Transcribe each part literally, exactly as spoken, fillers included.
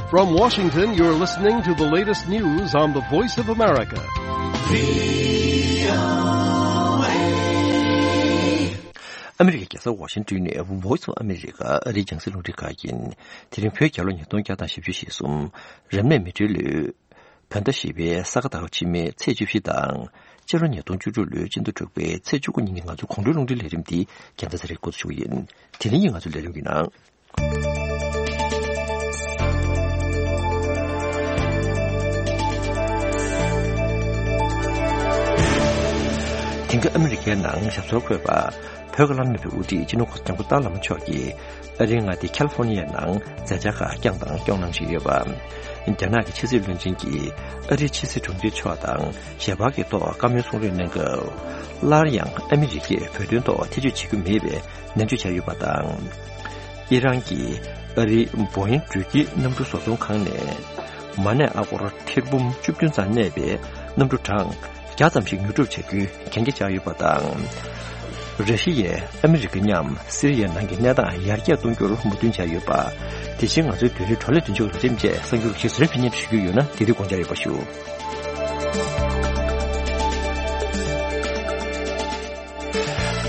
From Washington, you're listening to the latest news on the Voice of America. ཨ་མི་རི་ཀའི་རྒྱལ་ས་ཝ་ཤིང་ཏོན་ནས་Voice of America ཨ་རིའི་རྒྱང་སྲིང་རླུང་འཕྲིན་ཁང་ཡིན། དེ་རིང་བོད་རྒྱལ་ལོ་ཉིས་སྟོང་བརྒྱ་དང་བཞི་བཅུ་ཞེ་གསུམ། རབ་གནས་མེ་སྤྲེལ་ལོའི་བོད་ཟླ་བཞི་པའི་ས་ག་ཟླ་བ་ཕྱི་མའི་ཚེས་བཅུ་བཞི་དང་། སྤྱི་ལོ་ཉིས་སྟོང་བཅུ་དྲུག་ལོའི་སྤྱི་ཟླ་དྲུག་པའི་ཚེས་བཅུ་དགུ་ཉིན་གྱི་ང་ཚོའི་དགོང་དྲོའི་རླུང་འཕྲིན་ལས་རིམ་འདི་རྒྱལ་མཚན་ཚེ་རིང་འགོ་འཛུགས་ཞུ་གི་ཡིན། དེ་རིང་གི་ང་ཚོའི་ལས་རིམ་གྱི་ནང་། དེང་སྐབས་ཨ་མི་རི་ཀའི་ནང་ཞབས་སོར་འཁོད་པ། བོད་ཀྱི་བླ་ན་མེད་པའི་དབུ་ཁྲིད་སྤྱི་ནོར་གོང་ས་སྐྱབས་མགོན་ཏཱ་ལའི་བླ་མ་མཆོག་གིས་ཨ་རིའི་མངའ་སྡེ་ཁ་ལི་ཧྥོ་ནི་ཡའི་ནང་མཛད་འཆར་ཁག་བསྐྱངས་དང་སྐྱོང་གནང་བཞིན་ཡོད་པ། རྒྱ་ནག་གི་ཕྱི་སྲིད་བློན་ཆེན་གྱིས་ཨ་རིའི་ཕྱི་སྲིད་དྲུང་ཆེ་མཆོག་དང་ཞལ་པར་གྱི་ཐོག་བཀའ་མོལ་གསུང་རེས་གནང་སྐབས། སླར་ཡང་ཨ་མི་རི་ཀས་བོད་དོན་ཐོག་ཐེ་བྱུས་བྱེད་རྒྱུ་མེད་པའི་ནན་བརྗོད་བྱས་ཡོད་པ་དང་། ཨི་རན་གྱིས་ཨ་རིའི་བོ་ཨིན་འགྲུལ་སྐྱེལ་གནམ་གྲུ་བཟོ་ཚོང་ཁང་ནས་མ་གནས་ཨ་སྒོར་ཐེར་འབུམ་བཅུ་བདུན་ཙམ་གནས་པའི་གནམ་གྲུ་གྲངས་བརྒྱ་ཙམ་ཞིག་ཉོ་སྒྲུབ་བྱ་རྒྱུའི་གན་རྒྱ་བཅག་ཡོད་པ་དང་། ར་ཤི་ཡས་ཨ་མི་རི་ཀ་མཉམ་སི་རི་ཡའི་ནང་གི་གནས་སྟངས་ཡར་རྒྱས་གཏོང་རྒྱུར་མོས་མཐུན་བྱས་ཡོད་པ། དེ་བཞིན་ང་ཚོའི་བོད་རིགས་བགྲོ་གླེང་མདུན་ལྕོག་གི་ལས་རིམ་བཅས་གསར་འགྱུར་ཞིག་ཟུར་ཕེབས་སྙན་ཞུ་རྒྱུ་ཡོད་ན་དེ་དུས་དགོངས་འཇགས་ཡོད་པ་ཞུ།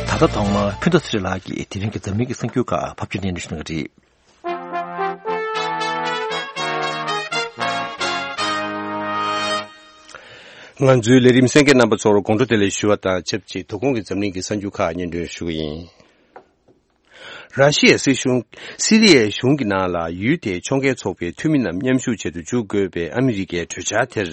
ད་ལྟ་ཐོག་མར་ཕུན་ཚོགས་ཚེ་རིང་ལགས་ཀྱིས་དེ་རིང་གི་འཛམ་གླིང་གི་གསར་འགྱུར་ཁག་ཕབ་སྒྱུར་སྙན་སྒྲོན་ཞུ་གནང་གི་རེད། ང་ཚོའི་ལས་རིམ་གསན་མཁན་རྣམ་པ་ཚོར་དགོང་དྲོ་བདེ་ལེགས་ཞུ་བ་དང་ཆབས་ཅིག་དོ་དགོང་གི་འཛམ་གླིང་གི་གསར་འགྱུར་ཁག་སྙན་སྒྲོན་ཞུ་གི་ཡིན། ར་ཤི་ཡའི་སྲིད་གཞུང་། སི་རི་ཡའི་གཞུང་གི་ནང་ལ་ཡུལ་དེའི་ཕྱོགས་འགལ་ཚོགས་པའི་འཐུས་མི་རྣམས་མཉམ་ཞུགས་བྱེད་དུ་འཇུག་དགོས་པའི་ཨ་མི་རི་ཀའི་གྲོས་འཆར་དེར།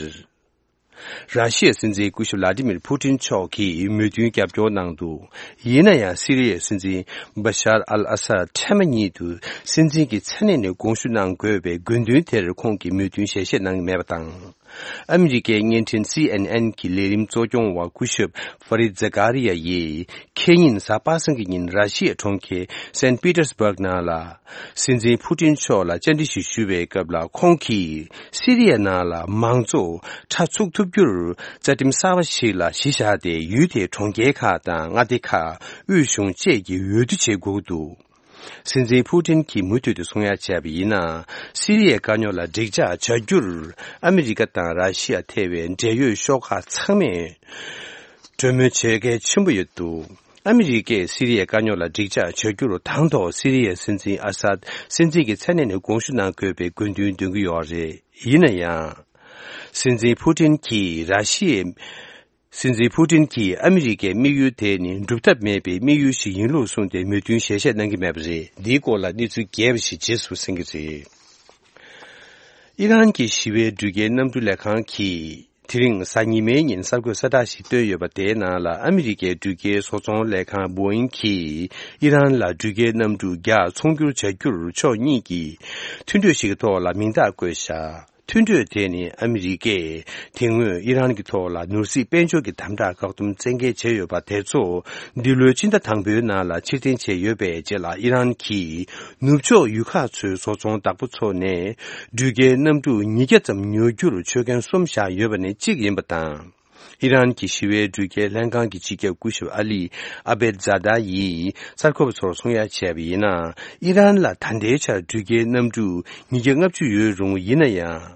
ར་ཤི་ཡའི་སྲིད་འཛིན་སྐུ་ཞབས་ལ་ཏི་མིར་ཕུ་ཏིན་མཆོག་གིས་མོས་མཐུན་རྒྱབ་སྐྱོར་གནང་འདུག་ཡིན་ན་ཡང་སི་རི་ཡའི་སྲིད་འཛིན་བ་ཤར་ཨལ་ཨ་སར་ཐེངས་མ་གཉིས་སུ་སྲིད་འཛིན་གྱི་མཚན་གནས་ནས་དགོངས་ཞུ་གནང་དགོས་པའི་དགོས་འདུན་དེར་ཁོང་གིས་མོས་མཐུན་ཞལ་བཞེས་གནང་མེད་པ་དང་། ཨ་མི་རི་ཀའི་བརྙན་འཕྲིན་སི་ཨེན་ཨེན་གྱི་ལས་རིམ་གཙོ་སྐྱོང་བ་སྐུ་ཞབས་ཧྥ་རིད་ཛ་ཀ་རི་ཡ་ཡིས་ཁེ་ཉིན་གཟའ་པ་སངས་ཀྱི་ཉིན་ར་ཤི་ཡའི་གྲོང་ཁྱེར་སན་པི་ཏར་སྦུག་ནང་ལ་སྲིད་འཛིན་ཕུ་ཏིན་མཆོག་ལ་བཅར་འདྲི་ཞིག་ཞུ་བའི་སྐབས་ལ་ཁོང་གིས་སི་རི་ཡ་ནང་ལ་མང་གཙོ་ཁྲ་ཚུགས་ཐུབ་རྒྱུར་རྩ་ཁྲིམས་གསར་བ་ཞིག་ལ་གཞི་བཞག་སྟེ་ཡུལ་དེའི་གྲོང་ཁྱེར་ཁག་དང་མངའ་སྡེ་ཁག་དབུས་གཞུང་བཅས་ཀྱིས་འོས་བསྡུ་བྱེད་དགོས་ཀྱི་འདུག་སྲིད་འཛིན་ཕུ་ཏིན་གྱིས་མུ་མཐུད་དུ་གསུང་ཡ་བྱས་པ་ཡིན་ན། སི་རི་ཡའི་དཀའ་རྙོག་ལ་འགྲིག་འཇགས་བྱ་རྒྱུར་ཨ་མི་རི་ཀ་དང་ར་ཤི་ཡ་ཐེ་བའི་འབྲེལ་ཡོད་ཤོག་ཁག་ཚང་མས་གྲོས་མོལ་བྱེད་གལ་ཆེན་པོ་ཡོད་འདུག་ཨ་མི་རི་ཀས་སི་རི་ཡའི་དཀའ་རྙོག་ལ་འགྲིག་འཇགས་བྱ་རྒྱུར་དང་ཐོག་སི་རི་ཡའི་སྲིད་འཛིན་ཨ་སཱད་སྲིད་འཛིན་གྱི་མཚན་གནས་ནས་དགོངས་ཞུ་གནང་དགོས་པའི་དགོས་འདུན་འདོན་གྱི་ཡོད་རེད། ཡིན་ན་ཡང་། སྲིད་འཛིན་ཕུ་ཏིན་གྱིས་ར་ཤི་ཡའི། སྲིད་འཛིན་ཕུ་ཏིན་གྱིས་ཨ་མི་རི་ཀའི་དམིགས་ཡུལ་དེ་ནི་སྒྲུབ་ཐབས་མེད་པའི་དམིགས་ཡུལ་ཞིག་ཡིན་ལུགས་གསུངས་ཏེ་མོས་མཐུན་ཞལ་བཞེས་གནང་གི་མེད་པ་རེད། འདིའི་སྐོར་ལ་གནས་ཚུལ་རྒྱས་པ་ཞིག་རྗེས་སུ་གསན་གྱི་རེད། ཨི་རན་གྱི་ཞི་བའི་འགྲུལ་སྐྱེལ་གནམ་གྲུ་ལས་ཁང་གིས་དེ་རིང་གཟའ་ཉི་མའི་ཉིན་གསར་འགོད་གསལ་བསྒྲགས་ཤིག་བཏོན་ཡོད་པ། དེའི་ནང་ལ་ཨ་མི་རི་ཀའི་འགྲུལ་སྐྱེལ་བཟོ་ཚོང་ལས་ཁང་བོ་ཨིན་གྱིས་ཨི་རན་ལ་འགྲུལ་སྐྱེལ་གནམ་གྲུ་བརྒྱ་ཚོང་སྒྱུར་བྱ་རྒྱུར་ཕྱོགས་གཉིས་ཀྱིས་མཐུན་གྲོས་ཤིག་གི་ཐོག་ལ་མིང་རྟགས་བཀོད་བཞག་མཐུན་གྲོས་དེ་ནི་ཨ་མི་རི་ཀས་དེ་སྔོན་ཨི་རན་གྱི་ཐོག་ལ་ནོར་སྲིད་དཔལ་འབྱོར་གྱི་དམ་དྲག་བཀག་སྡོམ་བཙན་འགེལ་བྱས་ཡོད་པ་དེ་ཚོ་འདི་ལོའི་སྤྱི་ཟླ་དང་པོའི་ནང་ལ་ཕྱིར་འཐེན་བྱས་ཡོད་པའི་རྗེས་ལ། ཨི་རན་གྱིས་ནུབ་ཕྱོགས་ཡུལ་ཁག་ཚོའི་བཟོ་ཚོང་བདག་པོ་ཚོ་ནས་འགྲུལ་སྐྱེལ་གནམ་གྲུ་ཉིས་བརྒྱ་ཙམ་ཉོ་རྒྱུར་ཆོད་མཁན་གསུམ་བཞག་ཡོད་པ་ནས་གཅིག་ཡིན་པ་དང་། ཨི་རན་གྱི་ཞི་བའི་འགྲུལ་སྐྱེལ་ལྷན་ཁང་གི་སྤྱི་ཁྱབ་སྐུ་ཞབས་ཨ་ལི་ཨ་བེད་ཛ་ད་ཡིས་གསར་འགོད་པ་ཚོར་གསུང་ཡ་བྱས་པ་ཡིན་ན། ཨི་རན་ལ་ད་ལྟའི་ཆར་འགྲུལ་སྐྱེལ་གནམ་གྲུ་ཉིས་བརྒྱ་ལྔ་བཅུ་ཡོད་རུང་། ཡིན་ན་ཡང་།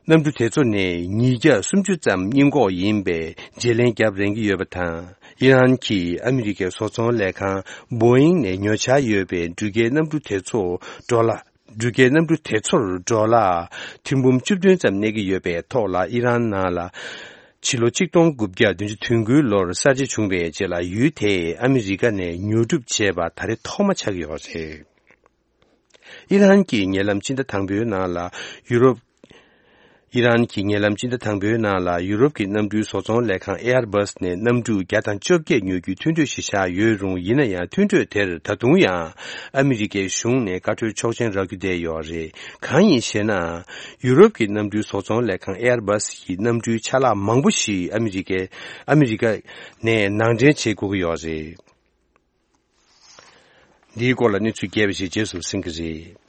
གནམ་གྲུ་དེ་ཚོ་ནས་ཉིས་བརྒྱ་སུམ་ཅུ་ཙམ་རྙིང་གོག་ཡིན་པའི་བརྗེ་ལེན་རྒྱབ་རན་གྱི་ཡོད་པ་དང་། ཨི་རན་གྱིས་ཨ་མི་རི་ཀའི་བཟོ་ཚོང་ལས་ཁང་བོ་ཨིང་ནས་ཉོ་འཆར་ཡོད་པའི་འགྲུལ་སྐྱེལ་གནམ་གྲུ་དེ་ཚོ་ཌོ་ལར། འགྲུལ་སྐྱེལ་གནམ་གྲུ་དེ་ཚོར་ཌོ་ལར་ཐེར་འབུམ་བཅུ་བདུན་ཙམ་གནས་ཀྱི་ཡོད་པའི་ཐོག་ལ། ཨི་རན་ནང་ལ་ཕྱི་ལོ་ཆིག་སྟོང་དགུ་བརྒྱ་བདུན་ཅུ་དོན་དགུའི་ལོར་གསར་བརྗེ་བྱུང་བའི་རྗེས་ལ། ཡུལ་དེས་ཨ་མི་རི་ཀ་ནས་ཉོ་སྒྲུབ་བྱས་པ་ད་རེས་ཐོག་མ་ཆགས་ཀྱི་ཡོད་རེད། ཨི་རན་གྱིས་ཉེ་ལམ་སྤྱི་ཟླ་དང་པོའི་ནང་ལ་ཡུ་རོབ། ཨི་རན་གྱིས་ཉེ་ལམ་སྤྱི་ཟླ་དང་པོའི་ནང་ལ་ཡུ་རོབ་ཀྱི་གནམ་གྲུའི་བཟོ་ཚོང་ལས་ཁང་ཨེ་ཨར་བྷ་སི་ནས་གནམ་གྲུ་བརྒྱ་དང་བཅོ་བརྒྱད་ཉོ་རྒྱུའི་མཐུན་གྲོས་ཤིག་བཞག་ཡོད་རུང་། ཡིན་ན་ཡང་མཐུན་གྲོས་དེར་ད་དུང་ཡང་ཨ་མི་རི་ཀའི་གཞུང་ནས་བཀའ་འཁྲོལ་ཆོག་མཆན་རག་རྒྱུ་བསྡད་ཡོད་རེད། གང་ཡིན་ཞེ་ན། ཡུ་རོབ་ཀྱི་གནམ་གྲུའི་བཟོ་ཚོང་ལས་ཁང་ཨེ་ཨར་བྷ་སི་ཡིས་གནམ་གྲུའི་ཆ་ལག་མང་པོ་ཞིག་ཨ་མི་རི་ཀའི་ཨ་མི་རི་ཀ་ནས་ནང་འདྲེན་བྱེད་དགོས་ཀྱི་ཡོད་རེད། འདིའི་སྐོར་ལ་གནས་ཚུལ་རྒྱས་པ་ཞིག་རྗེས་སུ་གསན་གྱི་རེད།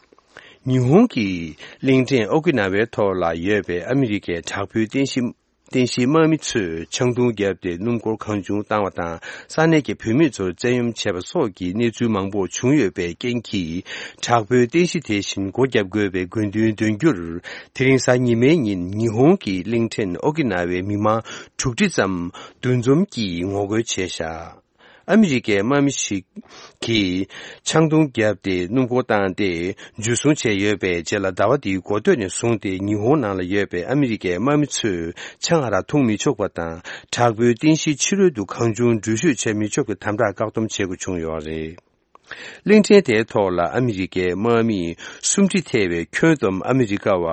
ཉི་ཧོང་གི་གླིང་ཕྲན་ཨོ་ཀི་ན་ཝའི་ཐོག་ལ་ཡོད་པའི་ཨ་མི་རི་ཀའི་དྲག་པོའི་རྟེན་གཞི་ རྟེན་གཞིའི་དམག་མི་ཚོས་ཆང་འཐུང་བརྒྱབ་སྟེ་སྣུམ་འཁོར་གང་བྱུང་བཏང་བ་དང་། ས་གནས་ཀྱི་བུད་མེད་ཚོར་བཙན་གཡེམ་བྱས་པ་སོགས་ཀྱི་གནས་ཚུལ་མང་པོ་བྱུང་ཡོད་པའི་རྐྱེན་གྱིས། དྲག་པོའི་རྟེན་གཞི་དེ་བཞིན་སྒོ་བརྒྱབ་དགོས་པའི་དགོས་འདུན་འདོན་རྒྱུར། དེ་རིང་གཟའ་ཉི་མའི་ཉིན་ཉི་ཧོང་གི་གླིང་ཕྲན་ཨོ་ཀི་ན་ཝའི་མི་མང་དྲུག་ཁྲི་ཙམ་འདུ་འཛོམས་ཀྱིས་ངོ་རྒོལ་བྱས་བཞག་ཨ་མི་རི་ཀའི་དམག་མི་ཞིག་གིས་ཆང་འཐུང་བརྒྱབ་སྟེ་སྣུམ་འཁོར་བཏང་སྟེ་འཇུ་བཟུང་བྱས་ཡོད་པའི་རྗེས་ལ། ཟླ་བ་འདིའི་འགོ་སྟོད་ནས་བཟུང་སྟེ་ཉི་ཧོང་ནང་ལ་ཡོད་པའི་ཨ་མི་རི་ཀའི་དམག་མི་ཚོས་ཆང་ཨ་རག་འཐུང་མི་ཆོག་པ་དང་། དྲག་པོའི་རྟེན་གཞིའི་ཕྱི་རོལ་དུ་གང་བྱུང་འགྲུལ་བཞུད་བྱེད་མི་ཆོག་པའི་དམ་དྲག་བཀག་སྡོམ་བྱེད་དགོས་བྱུང་ཡོད་རེད། གླིང་ཕྲན་དེའི་ཐོག་ལ་ཨ་མི་རི་ཀའི་དམག་མིས་སུམ་ཁྲི་ཐེ་བའི་ཁྱོན་བསྡོམས་ཨ་མི་རི་ཀ་བ་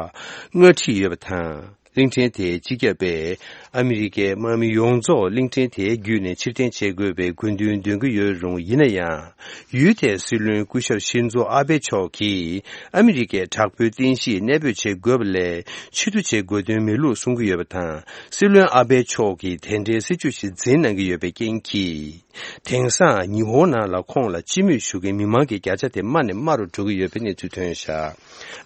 ལྔ་ཁྲི་ཡོད་པ་དང་། གླིང་ཕྲན་དེའི་སྤྱི་ཁྱབ་པས་ཨ་མི་རི་ཀའི་དམག་མི་ཡོངས་རྫོགས་གླིང་ཕྲན་དེའི་བརྒྱུད་ནས་ཕྱིར་འཐེན་བྱེད་དགོས་པའི་དགོས་འདུན་འདོན་གྱི་ཡོད་རུང་། ཡིན་ན་ཡང་། ཡུལ་དེའི་སྲིད་བློན་སྐུ་ཞབས་ཤིན་ཛོ་ཨ་བྷེ་མཆོག་གིས་ཨ་མི་རི་ཀའི་དྲག་པོའི་རྟེན་གཞིས་གནས་སྤོས་བྱེད་དགོས་པ་ལས་ཕྱིར་བསྡུ་བྱེད་དགོས་དོན་མེད་ལུགས་གསུང་གི་ཡོད་པ་དང་། སྲིད་བློན་ཨ་བྷེ་མཆོག་གིས་དེ་འདྲའི་སྲིད་ཇུས་ཤིག་འཛིན་གནང་གི་ཡོད་པའི་རྐྱེན་གྱིས། དེང་སང་ཉི་ཧོང་ནང་ལ་ཁོང་ལ་སྤྱི་མོས་ཞུ་མཁན་མི་མང་གི་བརྒྱ་ཆ་དེ་དམའ་ནས་དམའ་རུ་འགྲོ་གི་ཡོད་པའི་གནས་ཚུལ་ཐོན་བཞག་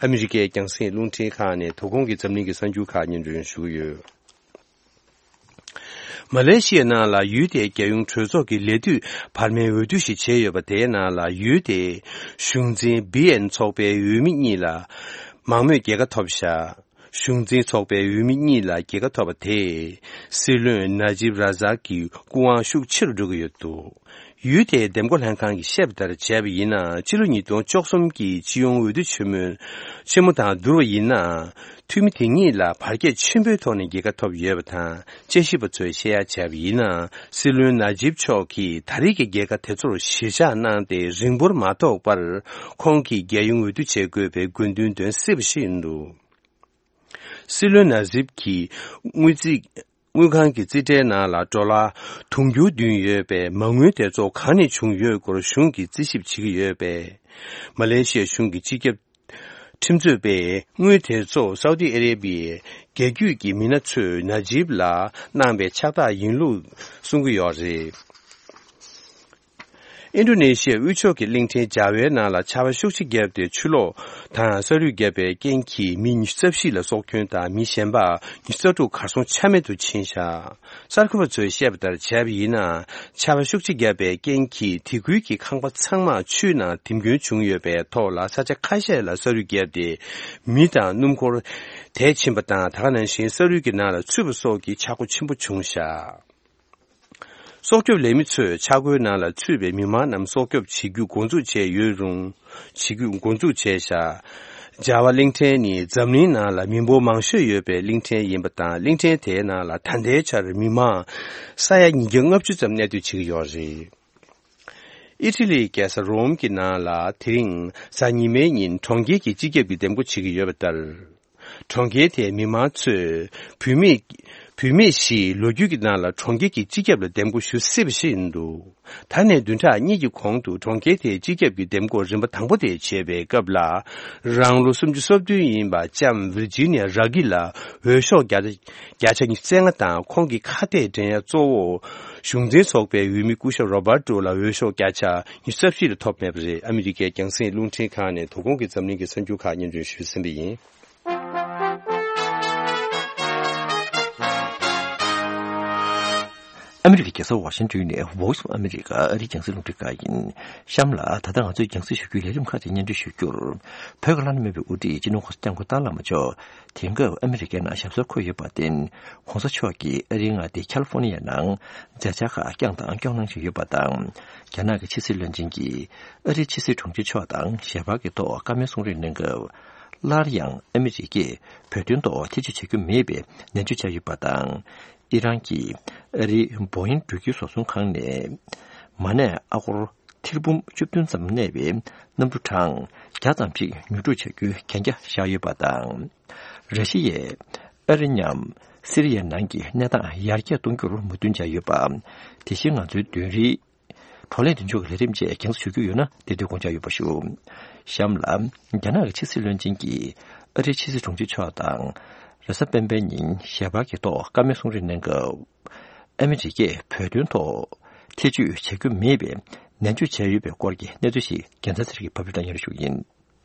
ཨ་མི་རི་ཀའི་རྒྱང་སྲིང་རླུང་འཕྲིན་ཁང་ནས་དོ་དགོང་གི་འཛམ་གླིང་གི་གསར་འགྱུར་ཁག་སྙན་སྒྲོན་ཞུ་གི་ཡོད། མ་ལེ་ཤི་ཡ་ནང་ལ་ཡུལ་དེའི་རྒྱལ་ཡོངས་གྲོས་ཚོགས་ཀྱི་ལས་དུས་བར་མའི་འོས་བསྡུ་ཞིག་བྱས་ཡོད་པ། དེའི་ནང་ལ་ཡུལ་དེའི་གཞུང་འཛིན་བི་ཨེན་ཚོགས་པའི་འོས་མི་གཉིས་ལ་མང་མོས་རྒྱལ་ཁ་ཐོབ་བཞག་གཞུང་འཛིན་ཚོགས་པའི་འོས་མི་གཉིས་ལ་རྒྱལ་ཁ་ཐོབ་པ་དེས་སྲིད་བློན་ན་ཇིབ་ར་ཛག་གི་སྐུ་དབང་ཤུགས་ཆེ་རུ་འགྲོ་གི་ཡོད་འདུག་ཡུལ་དེའི་འདེམས་བསྐོ་ལྷན་ཁང་གིས་བཤད་པ་ལྟར་བྱས་པ་ཡིན་ན། ཕྱི་ལོ་ཉིས་སྟོང་བཅུ་གསུམ་གྱི་སྤྱི་ཡོངས་འོས་བསྡུ་ཆེན་མོ་ཆེན་མོ་དང་བསྡུར་བ་ཡིན་ན། འཐུས་མི་དེ་གཉིས་ལ་བར་ཁྱད་ཆེན་པོའི་ཐོག་ནས་རྒྱལ་ཁ་ཐོབ་ཡོད་པ་དང་། དཔྱད་ཞིབ་པ་ཚོས་བཤད་ཡ་བྱས་པ་ཡིན་ན། སྲིད་བློན་ན་ཇིབ་མཆོག་གིས་ད་རེས་ཀྱི་རྒྱལ་ཁ་དེ་ཚོར་གཞིར་བཞག་གནང་སྟེ། རིང་པོར་མ་ཐོགས་པར་ཁོང་གིས་རྒྱལ་ཡོངས་འོས་བསྡུ་བྱེད་དགོས་པའི་དགོས་འདུན་འདོན་སྲིད་པ་ཞིག་ཡིན་འདུག་སྲིད་བློན་ན་ཟིབ་ཀྱིས་དངུལ་རྩིས་དངུལ་ཁང་གི་རྩིས་ཁྲའི་ནང་ལ་ཌོ་ལར་དུང་ཕྱུར་བདུན་ཡོད་པའི་མ་དངུལ་དེ་ཚོ་གང་ནས་བྱུང་ཡོད་སྐོར་གཞུང་གིས་རྩིས་ཞིབ་བྱེད་ཀྱི་ཡོད་པས། མ་ལེ་ཤི་ཡ་གཞུང་གི་སྤྱི་ཁྱབ་ཁྲིམས་རྩོད་པས་དངུལ་དེ་ཚོ་སའུ་ཏི་ཨ་རེ་བྷི་ཡའི་རྒྱལ་རྒྱུད་ཀྱི་མི་སྣ་ཚོས་ན་ཇིབ་ལ་གནང་པའི་ཕྱག་རྟགས་ཡིན་ལུགས་གསུང་གི་ཡོད་རེད། ཨིན་ཌོ་ནེ་ཤི་ཡའི་དབུས་ཕྱོགས་ཀྱི་གླིང་ཕྲན་ཇཱ་ཝའི་ནང་ལ་ཆར་པ་ཤུགས་ཆེ་བརྒྱབ་སྟེ། ཆུ་ལོག་དང་ས་རུད་བརྒྱབ་པའི་རྐྱེན་གྱིས་མི་ཉི་ཤུ་རྩ་བཞི་ལ་སྲོག་སྐྱོན་དང་། མི་གཞན་པ་ཉི་ཤུ་རྩ་དྲུག་གར་སོང་ཆ་མེད་དུ་ཕྱིན་བཞག་གསར་འགོད་པ་ཚོས་བཤད་པ་ལྟར་བྱས་པ་ཡིན་ན། ཆར་པ་ཤུགས་ཆེ་བརྒྱབ་པའི་རྐྱེན་གྱིས་དེ་ཁུལ་གྱི་ཁང་པ་ཚང་མ་ཆུའི་ནང་འཐིམ་སྐྱོན་བྱུང་ཡོད་པའི་ཐོག་ལ། ས་ཆ་ཁ་ཤས་ལ་ས་རུད་བརྒྱབ་སྟེ། མི་དང་སྣུམ་འཁོར་དེད་ཕྱིན་པ་དང་། ད་ག་ནང་བཞིན་ས་རུད་ཀྱི་ནང་ལ་ཚུད་པ་སོགས་ཀྱི་ཆག་སྒོ་ཆེན་པོ་བྱུང་བཞག་སྲོག་སྐྱོབ་ལས་མི་ཚོས་ཆག་སྒོའི་ནང་ལ་ཚུད་པའི་མི་མང་རྣམས་སྲོག་སྐྱོབ་བྱེད་རྒྱུ་འགོ་འཛུགས་བྱས་ཡོད་རུང་། བྱེད་རྒྱུ་འགོ་འཛུགས་བྱས་བཞག་ཇཱ་ཝ་གླིང་ཕྲན་ནི་འཛམ་གླིང་ནང་ལ་མི་འབོར་མང་ཤོས་ཡོད་པའི་གླིང་ཕྲན་ཡིན་པ་དང་། གླིང་ཕྲན་དེའི་ནང་ལ་ད་ལྟའི་ཆར་མི་མང་ས་ཡ་ཉིས་བརྒྱ་ལྔ་བཅུ་ཙམ་གནས་སྡོད་བྱེད་ཀྱི་ཡོད་རེད། ཨི་ཊ་ལིའི་རྒྱལ་ས་རོམ་གྱི་ནང་ལ་དེ་རིང་གཟའ་ཉི་མའི་ཉིན་གྲོང་ཁྱེར་གྱི་སྤྱི་ཁྱབ་ཀྱི་འདེམས་བསྐོ་བྱེད་ཀྱི་ཡོད་པ་ལྟར། གྲོང་ཁྱེར་དེའི་མི་མང་ཚོས་བུད་མེད་བུད་མེད་བཞིས་ལོ་རྒྱུས་ཀྱི་ནང་ལ་གྲོང་ཁྱེར་གྱི་སྤྱི་ཁྱབ་ལ་འདེམས་བསྐོ་ཞུ་སྲིད་པ་ཞིག་ཡིན་འདུག་ད་ནས་བདུན་ཕྲག་གཉིས་ཀྱི་གོང་དུ་གྲོང་ཁྱེར་དེའི་སྤྱི་ཁྱབ་ཀྱི་འདེམས་བསྐོ་རིམ་པ་དང་པོ་དེ་བྱེད་པའི་སྐབས་ལ། རང་ལོ་སུམ་ཅུ་སོ་བདུན་ཡིན་པ་ལྕམ་ཝིར་ཇི་ནི་ཡ་ར་གི་ལ་འོས་ཤོག་བརྒྱ་ཆ་བརྒྱ་ཆ་ཉི་ཤུ་རྩ་ལྔ་དང་། ཁོང་གི་ཁ་གཏད་འགྲན་ཡ་གཙོ་བོ་གཞུང་འཛིན་ཚོགས་པའི་འོས་མི་སྐུ་ཞབས་རོ་བར་ཏོ་ལ་འོས་ཤོག་བརྒྱ་ཆ་ཉི་ཤུ་རྩ་བཞི་ལས་ཐོབ་མེད་པ་རེད། ཨ་མི་རི་ཀའི་རྒྱང་སྲིང་རླུང་འཕྲིན་ཁང་ནས་དོ་དགོང་གི་འཛམ་གླིང་གི་གསར་འགྱུར་ཁག་སྙན་སྒྲོན་ཞུས་ཟིན་པ་ཡིན། ཨ་མི་རི་ཀའི་རྒྱལ་ས་ཝ་ཤིང་ཏོན་ནས་Voice of America ཨ་རིའི་རྒྱང་སྲིང་རླུང་འཕྲིན་ཁང་ཡིན། གཤམ་ལ་ད་ལྟ་ང་ཚོས་རྒྱང་སྲིང་ཞུ་རྒྱུའི་ལས་རིམ་ཁག་ཅིག་སྙན་སྒྲོན་ཞུ་རྒྱུར། བོད་ཀྱི་བླ་ན་མེད་པའི་དབུ་ཁྲིད་སྤྱི་ནོར་༸གོང་ས་༸སྐྱབས་མགོན་ཏཱ་བླ་མ་མཆོག་དེང་སྐབས་ཨ་མི་རི་ཀའི་ནང་ཞབས་སོར་འཁོད་ཡོད་པར་བརྟེན། ༸གོང་ས་མཆོག་གིས་ཨ་རིའི་མངའ་སྡེ་ཁ་ལི་ཧྥོ་ནི་ཡ་ནང་མཛད་འཆར་ཁག་བསྐྱངས་དང་སྐྱོང་གནང་བཞིན་ཡོད་པ་དང་། རྒྱ་ནག་གི་ཕྱི་སྲིད་བློན་ཆེན་གྱིས་ཨ་རིའི་ཕྱི་སྲིད་དྲུང་ཆེ་མཆོག་དང་ཞལ་པར་གྱི་ཐོག་བཀའ་མོལ་གསུང་རེས་གནང་སྐབས། སླར་ཡང་ཨ་མི་རི་ཀས་བོད་དོན་ཐོག་ཐེ་བྱུས་བྱ་རྒྱུ་མེད་པའི་ནན་བརྗོད་བྱས་ཡོད་པ་དང་། ཨི་རན་གྱིས་ཨ་རིའི་བོ་ཨིན་འགྲུལ་སྐྱེལ་བཟོ་ཚོང་ཁང་ནས་མ་ཎི་ཨ་སྒོར་ཐེར་འབུམ་བཅུ་བདུན་ཙམ་གནས་པའི་གནམ་གྲུ་གྲངས་བརྒྱ་ཙམ་ཞིག་ཉོ་སྒྲུབ་བྱ་རྒྱུའི་གན་རྒྱ་བཞག་ཡོད་པ་དང་། ར་ཤི་ཡས་ཨ་རི་མཉམ་སི་རི་ཡའི་ནང་གི་གནས་སྟངས་ཡར་རྒྱས་གཏོང་རྒྱུར་མོས་མཐུན་བྱས་ཡོད་པ། དེ་བཞིན་ང་ཚོའི་བདུན་རེའི་བགྲོ་གླེང་མདུན་ལྕོག་གི་ལས་རིམ་བཅས་རྒྱང་སྲིང་ཞུ་རྒྱུ་ཡོད་ན་དེ་དུས་དགོངས་འཇགས་ཡོད་པ་ཞུ། གཤམ་ལ་རྒྱ་ནག་གི་ཕྱི་སྲིད་བློན་ཆེན་གྱིས་ཨ་རིའི་ཕྱི་སྲིད་དྲུང་ཆེ་མཆོག་དང་རེས་གཟའ་སྤེན་པའི་ཉིན་ཞལ་པར་གྱི་ཐོག་བཀའ་མོལ་གསུང་རེས་གནང་སྐབས། ཨ་མི་རི་ཀས་བོད་དོན་ཐོག་ཐེ་བྱུས་བྱ་རྒྱུ་མེད་པའི་ནན་བརྗོད་བྱས་ཡོད་པའི་སྐོར་གྱི་གནས་ཚུལ་ཞིག་རྒྱལ་མཚན་ཚེ་རིང་གིས་ཕབ་ལེན་དང་སྙན་སྒྲོན་ཞུ་གི་ཡིན།